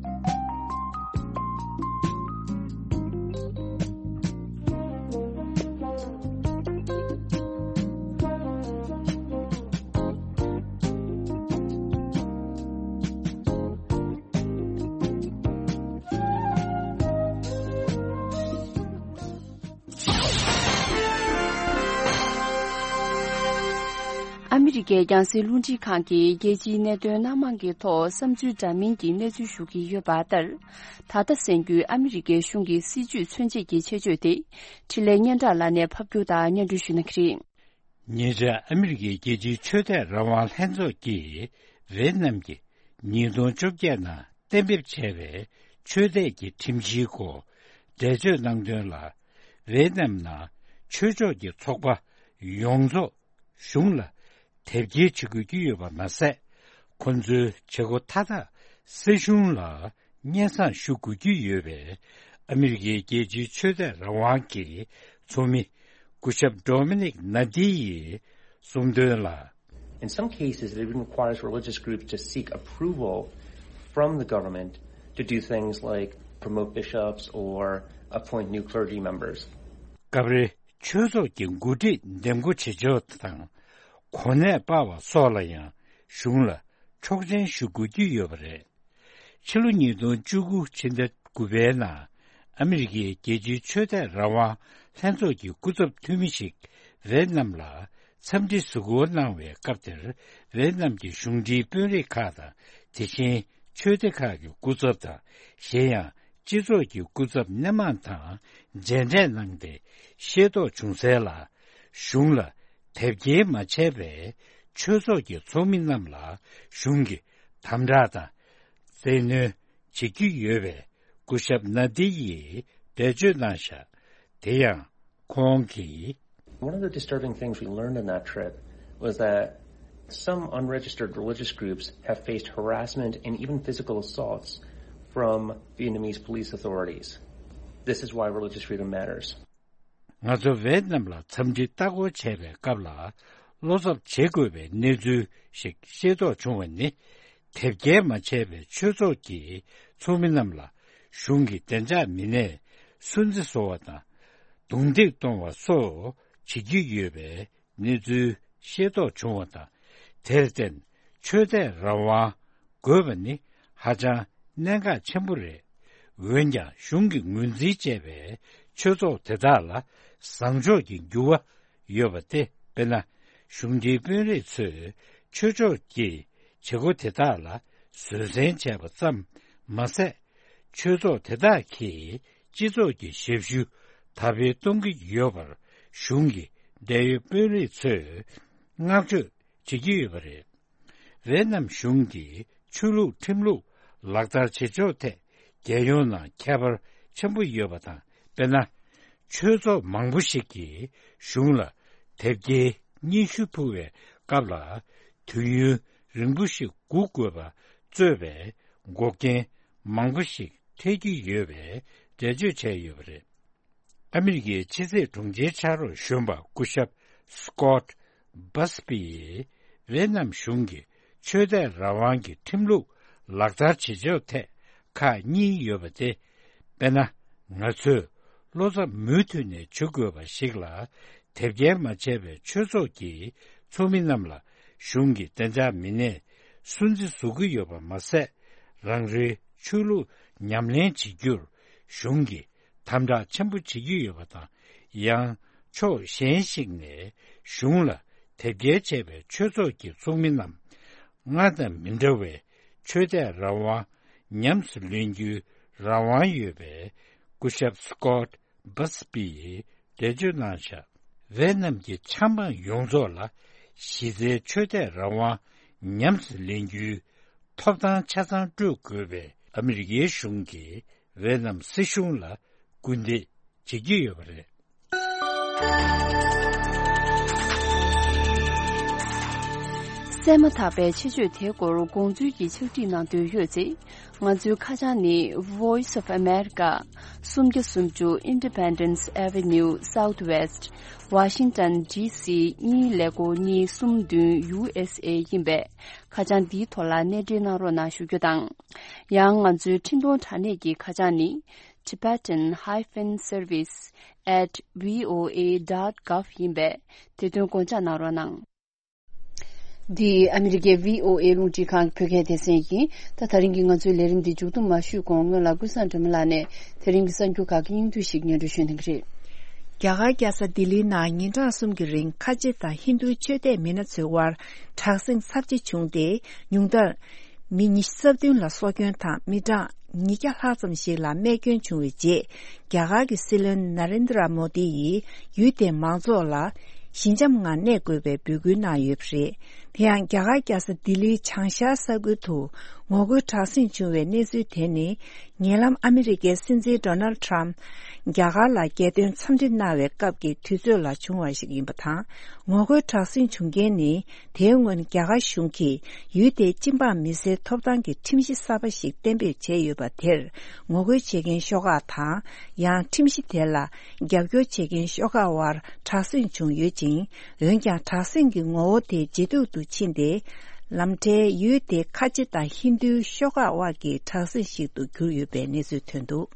ཨ་མི་རི་ཀའི་རྒྱང་སྲིང་རླུང་འཕྲིན་ཁང་གིས་རྒྱལ་སྤྱིའི་གནད་དོན་སྣ་མང་གི་ཐོག་བསམ་ཚུལ་འདྲ་མིན་གྱི་གནས་ཚུལ་ཞུ་གི་ཡོད་པ་ལྟར། ད་ལྟ་གསན་རྒྱུའི་ཨ་མི་རི་ཀའི་གཞུང་གི་སྲིད་ཇུས་མཚོན་བྱེད་ཀྱི་ཆེད་བརྗོད་དེ། འཕྲིན་ལས་སྙན་གྲགས་ལགས་ནས་ཕབ་སྒྱུར་དང་སྙན་སྒྲོན་ཞུ་གནང་གི་རེད། ཉེ་ཆར་ཨ་མི་རི་ཀའི་རྒྱལ་སྤྱིའི་ཆོས་དད་རང་དབང་ལྷན་ཚོགས་ཀྱིས་ཝེ་ཏི་ནམ་གྱི་ཉིས་སྟོང་བཅོ་བརྒྱད་ནང་གཏན་འབེབས་བྱས་པའི་ཆོས་དད་ཀྱི་ཁྲིམས་གཞིའི་སྐོར་འགྲེལ་བརྗོད་གནང་དོན་ལ། ཝེ་ཏི་ནམ་ནང་ཆོས་ཕྱོགས་ཀྱི་ཚོགས་པ་ཡོངས་རྫོགས་གཞུང་ལ་དེབ་སྐྱེལ་བྱེད་དགོས་ཀྱི་ཡོད་པ་མ་ཟད། ཁོ་ཚོའི་བྱེད་སྒོ་མཐའ་དག་སྲིད་གཞུང་ལ་སྙན་སེང་ཞུ་དགོས་ཀྱི་ཡོད་པས། ཨ་མི་རི་ཀའི་རྒྱལ་སྤྱིའི་ཆོས་དད་རང་དབང་གི་ཚོགས་མི་སྐུ་ཞབས་Dominic Nadi ཡིས་གསུངས་དོན་ལ། In some cases, it even requires religious groups to seek approval from the government to do things like promote bishops or appoint new clergy members. སྐབས་རེ་ཆོས་ཚོགས་ཀྱི་འགོ་ཁྲིད་འདེམས་བསྐོ་བྱེད་ཕྱོགས་དང་། གོ་གནས་སྤར་བ་སོགས་ལ་ཡང་གཞུང་ལ་ཆོག་མཆན་ཞུ་དགོས་ཀྱི་ཡོད་པ་རེད། ཕྱི་ལོ་ཉིས་སྟོང་བཅུ་དགུ་ཕྱི་ཟླ་དགུ་པའི་ནང་ཨ་མི་རི་ཀའི་རྒྱལ་སྤྱིའི་ཆོས་དད་རང་དབང་ལྷན་ཚོགས་ཀྱི་སྐུ་ཚབ་འཐུས་མི་ཞིག་ཝེ་ཏི་ནམ་ལ་འཚམས་འདྲི་གཟིགས་སྐོར་གནང་བའི་སྐབས་དེར། ཝེ་ཏི་ནམ་གྱི་གཞུང་འབྲེལ་དཔོན་རིགས་ཁག་དང་། དེ་བཞིན་ཆོས་སྡེ་ཁག་གི་སྐུ་ཚབ་དང་། གཞན་ཡང་སྤྱི་ཚོགས་ཀྱི་སྐུ་ཚབ་སྣེ་མང་དང་མཇལ་འཕྲད་གནང་སྟེ་ཤེས་རྟོགས་བྱུང་གསལ་ལ། གཞུང་ལ་དེབ་སྐྱེལ་མ་བྱས་པའི་ཆོས་ཚོགས་ཀྱི་ཚོགས་མི་རྣམས་ལ་གཞུང་གིས་དམ་དྲག་དང་བཙན་གནོན་བྱེད་ཀྱི་ཡོད་པའི་སྐུ་ཞབས་ན་དི་ཡིས་འགྲེལ་བརྗོད་གནང་བཞག་དེ་ཡང་ཁོང་གིས། One of the disturbing things we learned on that trip was that some unregistered religious groups have faced harassment and even physical assaults from Vietnamese police authorities. This is why religious freedom matters. ང་ཚོ་ཝེ་ཏི་ནམ་ལ་འཚམས་འདྲི་ལྟ་སྐོར་བྱས་པའི་སྐབས་ལ། བློ་འཚབ་བྱེད་དགོས་པའི་གནས་ཚུལ་ཞིག་ཤེས་རྟོགས་བྱུང་བ་ནི། དེབ་སྐྱེལ་མ་བྱས་པའི་ཆོས་ཚོགས་ཀྱི་ཚོགས་མི་རྣམས་ལ་གཞུང་གི་བདེ་འཇགས་མི་སྣས་སུན་གཙེར་བཟོ་བ་དང་ རྡུང་རྡེག་གཏོང་བ་སོགས་བྱེད་ཀྱི་ཡོད་པའི་གནས་ཚུལ་ཤེས་རྟོགས་བྱུང་བ་དང་། དེར་བརྟེན་ཆོས་དད་རང་དབང་དགོས་པ་ནི་ཧ་ཅང་གནད་འགག་ཆེན་པོ་རེད། འོན་ཀྱང་གཞུང་གིས་ངོས་འཛིན་བྱས་པའི་ཆོས་ཚོགས་དེ་དག་ལ་བཟང་ཕྱོགས་ཀྱི་འགྱུར་བ་ཡོད་པ་སྟེ། དཔེར་ན། གཞུང་འབྲེལ་དཔོན་རིགས་ཚོས་ཆོས་ཕྱོགས་ཀྱི་བྱེད་སྒོ་དེ་དག་ལ་བཟོད་བསྲན་བྱས་པ་ཙམ་མ་ཟད། ཆོས་ཚོགས་དེ་དག་གིས་སྤྱི་ཚོགས་ཀྱི་ཞབས་ཞུ་དར་སྤེལ་གཏོང་གི་ཡོད་པར་གཞུང་གི་འབྲེལ་ཡོད་དཔོན་རིགས་ཚོས་བསྔགས་བརྗོད་བྱེད་ཀྱི་ཡོད་པ་རེད། ཝེ་ནམ་གཞུང་གིས་ཆོས་ལུགས་ཁྲིམས་ལུགས་ལག་བསྟར་བྱེད་ཕྱོགས་ཐད་རྒྱལ་ཡོངས་ནང་ཁྱད་པར་ཆེན་པོ་ཡོད་པ་དང་། དཔེར་ན། ཆོས་ཚོགས་མང་པོ་ཞིག་གིས་གཞུང་ལ་དེབ་སྐྱེལ་སྙན་ཞུ་ཕུལ་བའི་སྐབས་ལ་དུས་ཡུན་རིང་པོ་ཞིག་སྒུག་དགོས་པ་གཙོས་པའི་འགོག་རྐྱེན་མང་པོ་ཞིག་འཕྲད་ཀྱི་ཡོད་པའི་འགྲེལ་བརྗོད་བྱས་ཡོད་པ་རེད། ཨ་མི་རི་ཀའི་ཕྱི་སྲིད་དྲུང་ཆེའི་ཕྱག་རོགས་གཞོན་པ་སྐུ་ཞབས་Scott Busby་ཡིས་ཝེ་ནམ་གཞུང་གིས་ཆོས་དད་རང་དབང་གི་ཁྲིམས་ལུགས་ལག་བསྟར་བྱེད་ཕྱོགས་ཐད་ཁག་གཉིས་ཡོད་པ་སྟེ། དཔེར་ན། ང་ཚོས་བློ་འཚབ་མུ་མཐུད་ནས་བྱེད་དགོས་པ་ཞིག་ལ། དེབ་སྐྱེལ་མ་བྱས་པའི་ཆོས་ཚོགས་ཀྱི་ཚོགས་མི་རྣམས་ལ་གཞུང་གི་བདེ་འཇགས་མི་སྣས་སུན་གཙེར་བཟོ་གི་ཡོད་པ་མ་ཟད། རང་རེའི་ཆོས་ལུགས་ཉམས་ལེན་བྱེད་རྒྱུར་གཞུང་གིས་དམ་དྲག་ཆེན་པོ་བྱེད་ཀྱི་ཡོད་པ་དང་། ཡང་ཕྱོགས་གཞན་ཞིག་ནས་གཞུང་ལ་དེབ་སྐྱེལ་བྱས་པའི་ཆོས་ཚོགས་ཀྱི་ཚོགས་མི་རྣམས་སྔར་དང་མི་འདྲ་བའི་ཆོས་དད་རང་དབང་ཉམས་སུ་ལེན་རྒྱུའི་རང་དབང་ཡོད་པའི་སྐུ་ཞབས་Scott Busby་ཡིས་འགྲེལ་བརྗོད་གནང་བཞག་ཝེ་ནམ་གྱི་ཆབ་འབངས་ཡོངས་རྫོགས་ལ་གཞི་རྩའི་ཆོས་དད་རང་དབང་ཉམས་སུ་ལེན་རྒྱུའི་ཐོབ་ཐང་ཆ་ཚང་སྤྲོད་དགོས་པའི་ཨ་མི་རི་ཀའི་གཞུང་གིས་ཝེ་ནམ་སྲིད་གཞུང་ལ་སྐུལ་འདེད་བྱེད་ཀྱི་ཡོད་པ་རེད། གསན་མ་ཐག་པའི་ཆེད་བརྗོད་དེའི་སྐོར་དགོངས་ཚུལ་གྱི་ཕྱག་བྲིས་གནང་འདོད་ཡོད་ཚེ། ང་ཚོའི་ཁ་བྱང་ནི། Voice of America། སུམ་བརྒྱ་སུམ་ཅུ་Independence Avenue Southwest། Washington D C གཉིས་ཀླད་ཀོར་གཉིས་གསུམ་བདུན་U S A ཡིན་པས། ཁ་བྱང་འདིའི་ཐོག་ལ་གནས་འབྲེལ་གནང་རོགས་གནང་ཞུ་རྒྱུ་དང་། ཡང་ང་ཚོའི་འཕྲིན་གཏོང་དྲ་གནས་ཀྱི་ཁ་བྱང་ནི། Tibetan hyphen service at V O A dot gov ཡིན་པས། དེ་དོན་དགོངས་འཇགས་གནང་རོགས་གནང་། འདི་ཨ་མི་རི་ཀའི་V O A རླུང་འཕྲིན་ཁང་གི་བོད་སྐད་སྡེ་ཚན་ཡིན། ད་དེ་རིང་གི་ང་ཚོའི་ལས་རིམ་འདི་མཇུག་བསྡོམས་མ་ཞུས་གོང་སྔོན་ལ་ཀུན་བཟང་སྒྲོལ་མ་ལགས་ནས་དེ་རིང་གི་གསར་འགྱུར་ཁག་གི་སྙིང་བསྡུས་ཤིག་སྙན་སྒྲོན་ཞུ་གནང་གི་རེད། རྒྱ་གར་རྒྱལ་ས་ལྡི་ལིའི་ནང་ཉིན་གྲངས་གསུམ་གྱི་རིང་ཁ་ཆེ་དང་ཧིན་རྡུའི་ཆོས་དད་མི་སྣ་ཚོའི་དབར་དྲག་ཟིང་ཚབས་ཆེ་བྱུང་སྟེ། ཉུང་མཐར་མི་ཉི་ཤུ་རྩ་བདུན་ལ་སྲོག་སྐྱོན་དང་མི་གྲངས་ཉིས་བརྒྱ་ལྷག་ཙམ་ཞིག་ལ་རྨས་སྐྱོན་བྱུང་བའི་རྗེས། རྒྱ་གར་གྱི་སྲིད་བློན་ན་རེན་དྲ་མོ་དི་ཡིས་ཡུལ་དེའི་མང་ཚོགས་ལ་ཞི་འཇམ་ངང་གནས་དགོས་པའི་འབོད་སྐུལ་གནང་ཡོད་པ་རེད། དེ་ཡང་རྒྱ་གར་རྒྱལ་ས་ལྡི་ལིའི་བྱང་ཤར་ས་ཁུལ་དུ་ངོ་རྒོལ་དྲག་ཟིང་བྱུང་བའི་གནས་ཚུལ་དེ་ནི། ཉེ་ལམ་ཨ་མི་རི་ཀའི་སྲིད་འཛིན་ཌོ་ནལ་ཊམ་རྒྱ་གར་ལ་རྒྱལ་དོན་འཚམས་འདྲི་གནང་བའི་སྐབས་ཀྱི་དུས་ཚོད་ལ་བྱུང་བ་ཞིག་ཡིན་པ་དང་། ངོ་རྒོལ་དྲག་ཟིང་བྱུང་རྐྱེན་ནི། དེའི་སྔོན་རྒྱ་གར་གཞུང་གིས་ཡུལ་དེའི་སྤྱི་འབངས་མི་སེར་ཐོབ་ཐང་གི་ཁྲིམས་གཞི་གསར་པ་ཞིག་གཏན་འབེབས་བྱས་ཡོད་པ་དེར་ངོ་རྒོལ་བྱེད་མཁན་ཤོག་ཁག་དང་། ཡང་ཁྲིམས་གཞི་དེ་ལ་རྒྱབ་སྐྱོར་བྱེད་མཁན་ཤོག་ཁག་དབར་དྲག་ཟིང་བྱུང་ཡོད་ཅིང་། འོན་ཀྱང་དྲག་ཟིང་གི་ངོ་བོ་དེ་ཇེ་སྡུག་ཏུ་ཕྱིན་ཏེ། ལམ་འཕྲལ་ཡུལ་དེའི་ཁ་ཆེ་དང་ཧིན་རྡུའི་ཤོག་ཁག་དབར་གྱི་དྲག་ཟིང་ཞིག་ཏུ་གྱུར་ཡོད་པའི་གནས་ཚུལ་ཐོན་འདུག་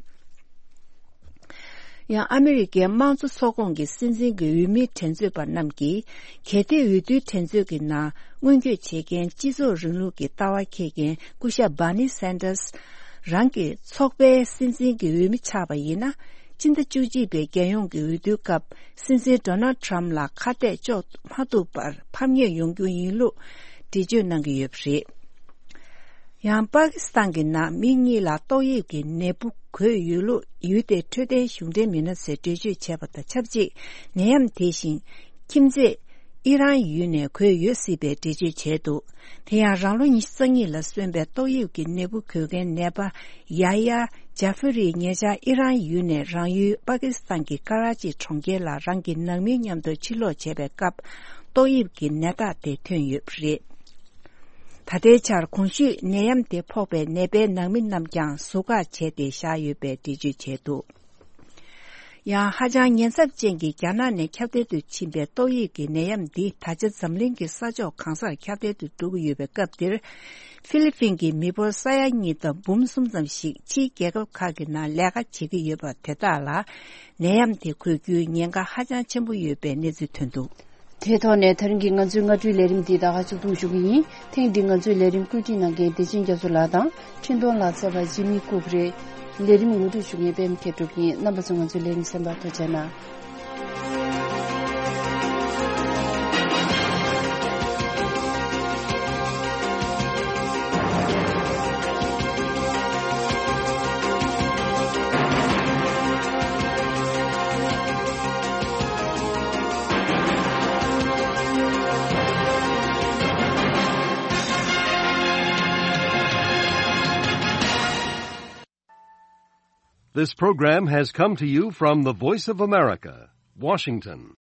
ཡང་ཨ་མི་རི་ཀའི་དམངས་གཙོ་ཚོགས་ཁོངས་ཀྱི་སྲིད་འཛིན་གྱི་འོས་མིའི་འགྲན་རྩོད་པ་རྣམས་ཀྱིས་གལ་ཏེ་འོས་བསྡུའི་འགྲན་རྩོད་ཀྱི་ནང་སྔོན་སྐྱོད་བྱེད་མཁན་སྤྱི་ཚོགས་རིང་ལུགས་ཀྱི་ལྟ་བ་འཁྱེར་མཁན་སྐུ་ཞབས་Bernie Sanders་རང་གི་ཚོགས་པའི་སྲིད་འཛིན་གྱི་འོས་མི་ཆགས་པ་ཡིན་ན། སྤྱི་ཟླ་བཅུ་གཅིག་པའི་རྒྱལ་ཡོངས་ཀྱི་འོས་བསྡུའི་སྐབས་སྲིད་འཛིན་Donald Trump་ལ་ཁ་གཏད་གཅོག་མ་ཐུབ་པར་ཕམ་ཉེས་ཡོང་རྒྱུ་ཡིན་ལུགས་འགྲེལ་བརྗོད་གནང་གི་ཡོད་པ་རེད། ཡང་པ་ཀི་སི་ཐན་གྱི་ནང་མི་གཉིས་ལ་ཏོག་དབྱིབས་ཀྱི་ནད་འབུ་འགོས་ཡོད་ལུགས་ཡུལ་དེའི་འཕྲོད་བསྟེན་གཞུང་འབྲེལ་མི་སྣ་ཚོས་འགྲེལ་བརྗོད་བྱས་པ་དང་ཆབས་ཅིག་ནད་ཡམས་དེ་བཞིན་ཁྱིམ་མཚེས་ཨི་རན་ཡུལ་ནས་འགོས་ཡོད་སྲིད་པའི་འགྲེལ་བརྗོད་བྱས་འདུག་དེ་ཡང་རང་ལོ་ཉི་ཤུ་རྩ་གཉིས་ལ་སོན་པའི་ཏོག་དབྱིབས་ཀྱི་ནད་འབུ་འགོས་མཁན་ནད་པ་ཡ་ཡ་ཇཱ་ཧྥི་རི་ཉེ་ཆར་ཨི་རན་ཡུལ་ནས་རང་ཡུལ་པ་ཀི་སི་ཐན་གྱི་ཀ་ར་ཅི་གྲོང་ཁྱེར་ལ་རང་གི་ནང་མིའི་མཉམ་དུ་ཕྱིར་ལོག་བྱས་པའི་སྐབས་ཏོག་དབྱིབས་ཀྱི་ནད་རྟགས་དེ་ཐོན་ཡོད་པ་རེད། ད་ལྟའི་ཆར་གོང་ཞུས་ནད་ཡམས་དེ་ཕོག་པའི་ནད་པའི་ནང་མི་རྣམས་ཀྱང་ཟུར་བཀག་བྱས་ཏེ་བཞག་ཡོད་པའི་འགྲེལ་བརྗོད་བྱས་འདུག་ཡང་ཧ་ཅང་ཉེན་ཚབས་ཅན་གྱི་རྒྱ་ནག་ནས་ཁྱབ་གདལ་དུ་ཕྱིན་པའི་ཏོག་དབྱིབས་ཀྱི་ནད་ཡམས་འདི་ད་ཆ་འཛམ་གླིང་གི་ས་ཕྱོགས་གང་སར་ཁྱབ་གདལ་དུ་འགྲོ་གི་ཡོད་པའི་སྐབས་འདིར། ཧྥི་ལི་ཕིན་གྱི་མི་འབོར་ས་ཡ་གཉིས་དང་འབུམ་གསུམ་ཙམ་ཞིག་ཕྱིའི་རྒྱལ་ཁབ་ཁག་གི་ནང་ལས་ཀ་བྱེད་ཀྱི་ཡོད་པ་དེ་དག་ལ། ནད་ཡམས་དེ་འགོས་རྒྱུའི་ཉེན་ཁ་ཧ་ཅང་ཆེན་པོ་ཡོད་པའི་གནས་ཚུལ་ཐོན་འདུག་དེའི་ཐོག་ནས་ད་རིང་གི་ང་ཚོའི་སྔ་དྲོའི་ལས་རིམ་འདི་ད་ག་ཚོད་ཐུང་ཞུ་གི་ཡིན། ཐེངས་འདི་ང་ཚོའི་ལས་རིམ་བཀོད་སྒྲིག་གནང་མཁན་བདེ་ཆེན་རྒྱ་མཚོ་ལགས་དང་འཕྲིན་གཏོང་ལག་རྩལ་བ་ཇི་མི་ཀུག་རེད། ལས་རིམ་ངོ་སྤྲོད་ཞུ་མཁན་པད་མ་མཁས་གྲུབ་ཡིན། རྣམ་པ་ཚོ་ང་ཚོའི་ལས་རིམ་གསན་པར་ཐུགས་རྗེ་གནང་། This program has come to you from the Voice of America, Washington.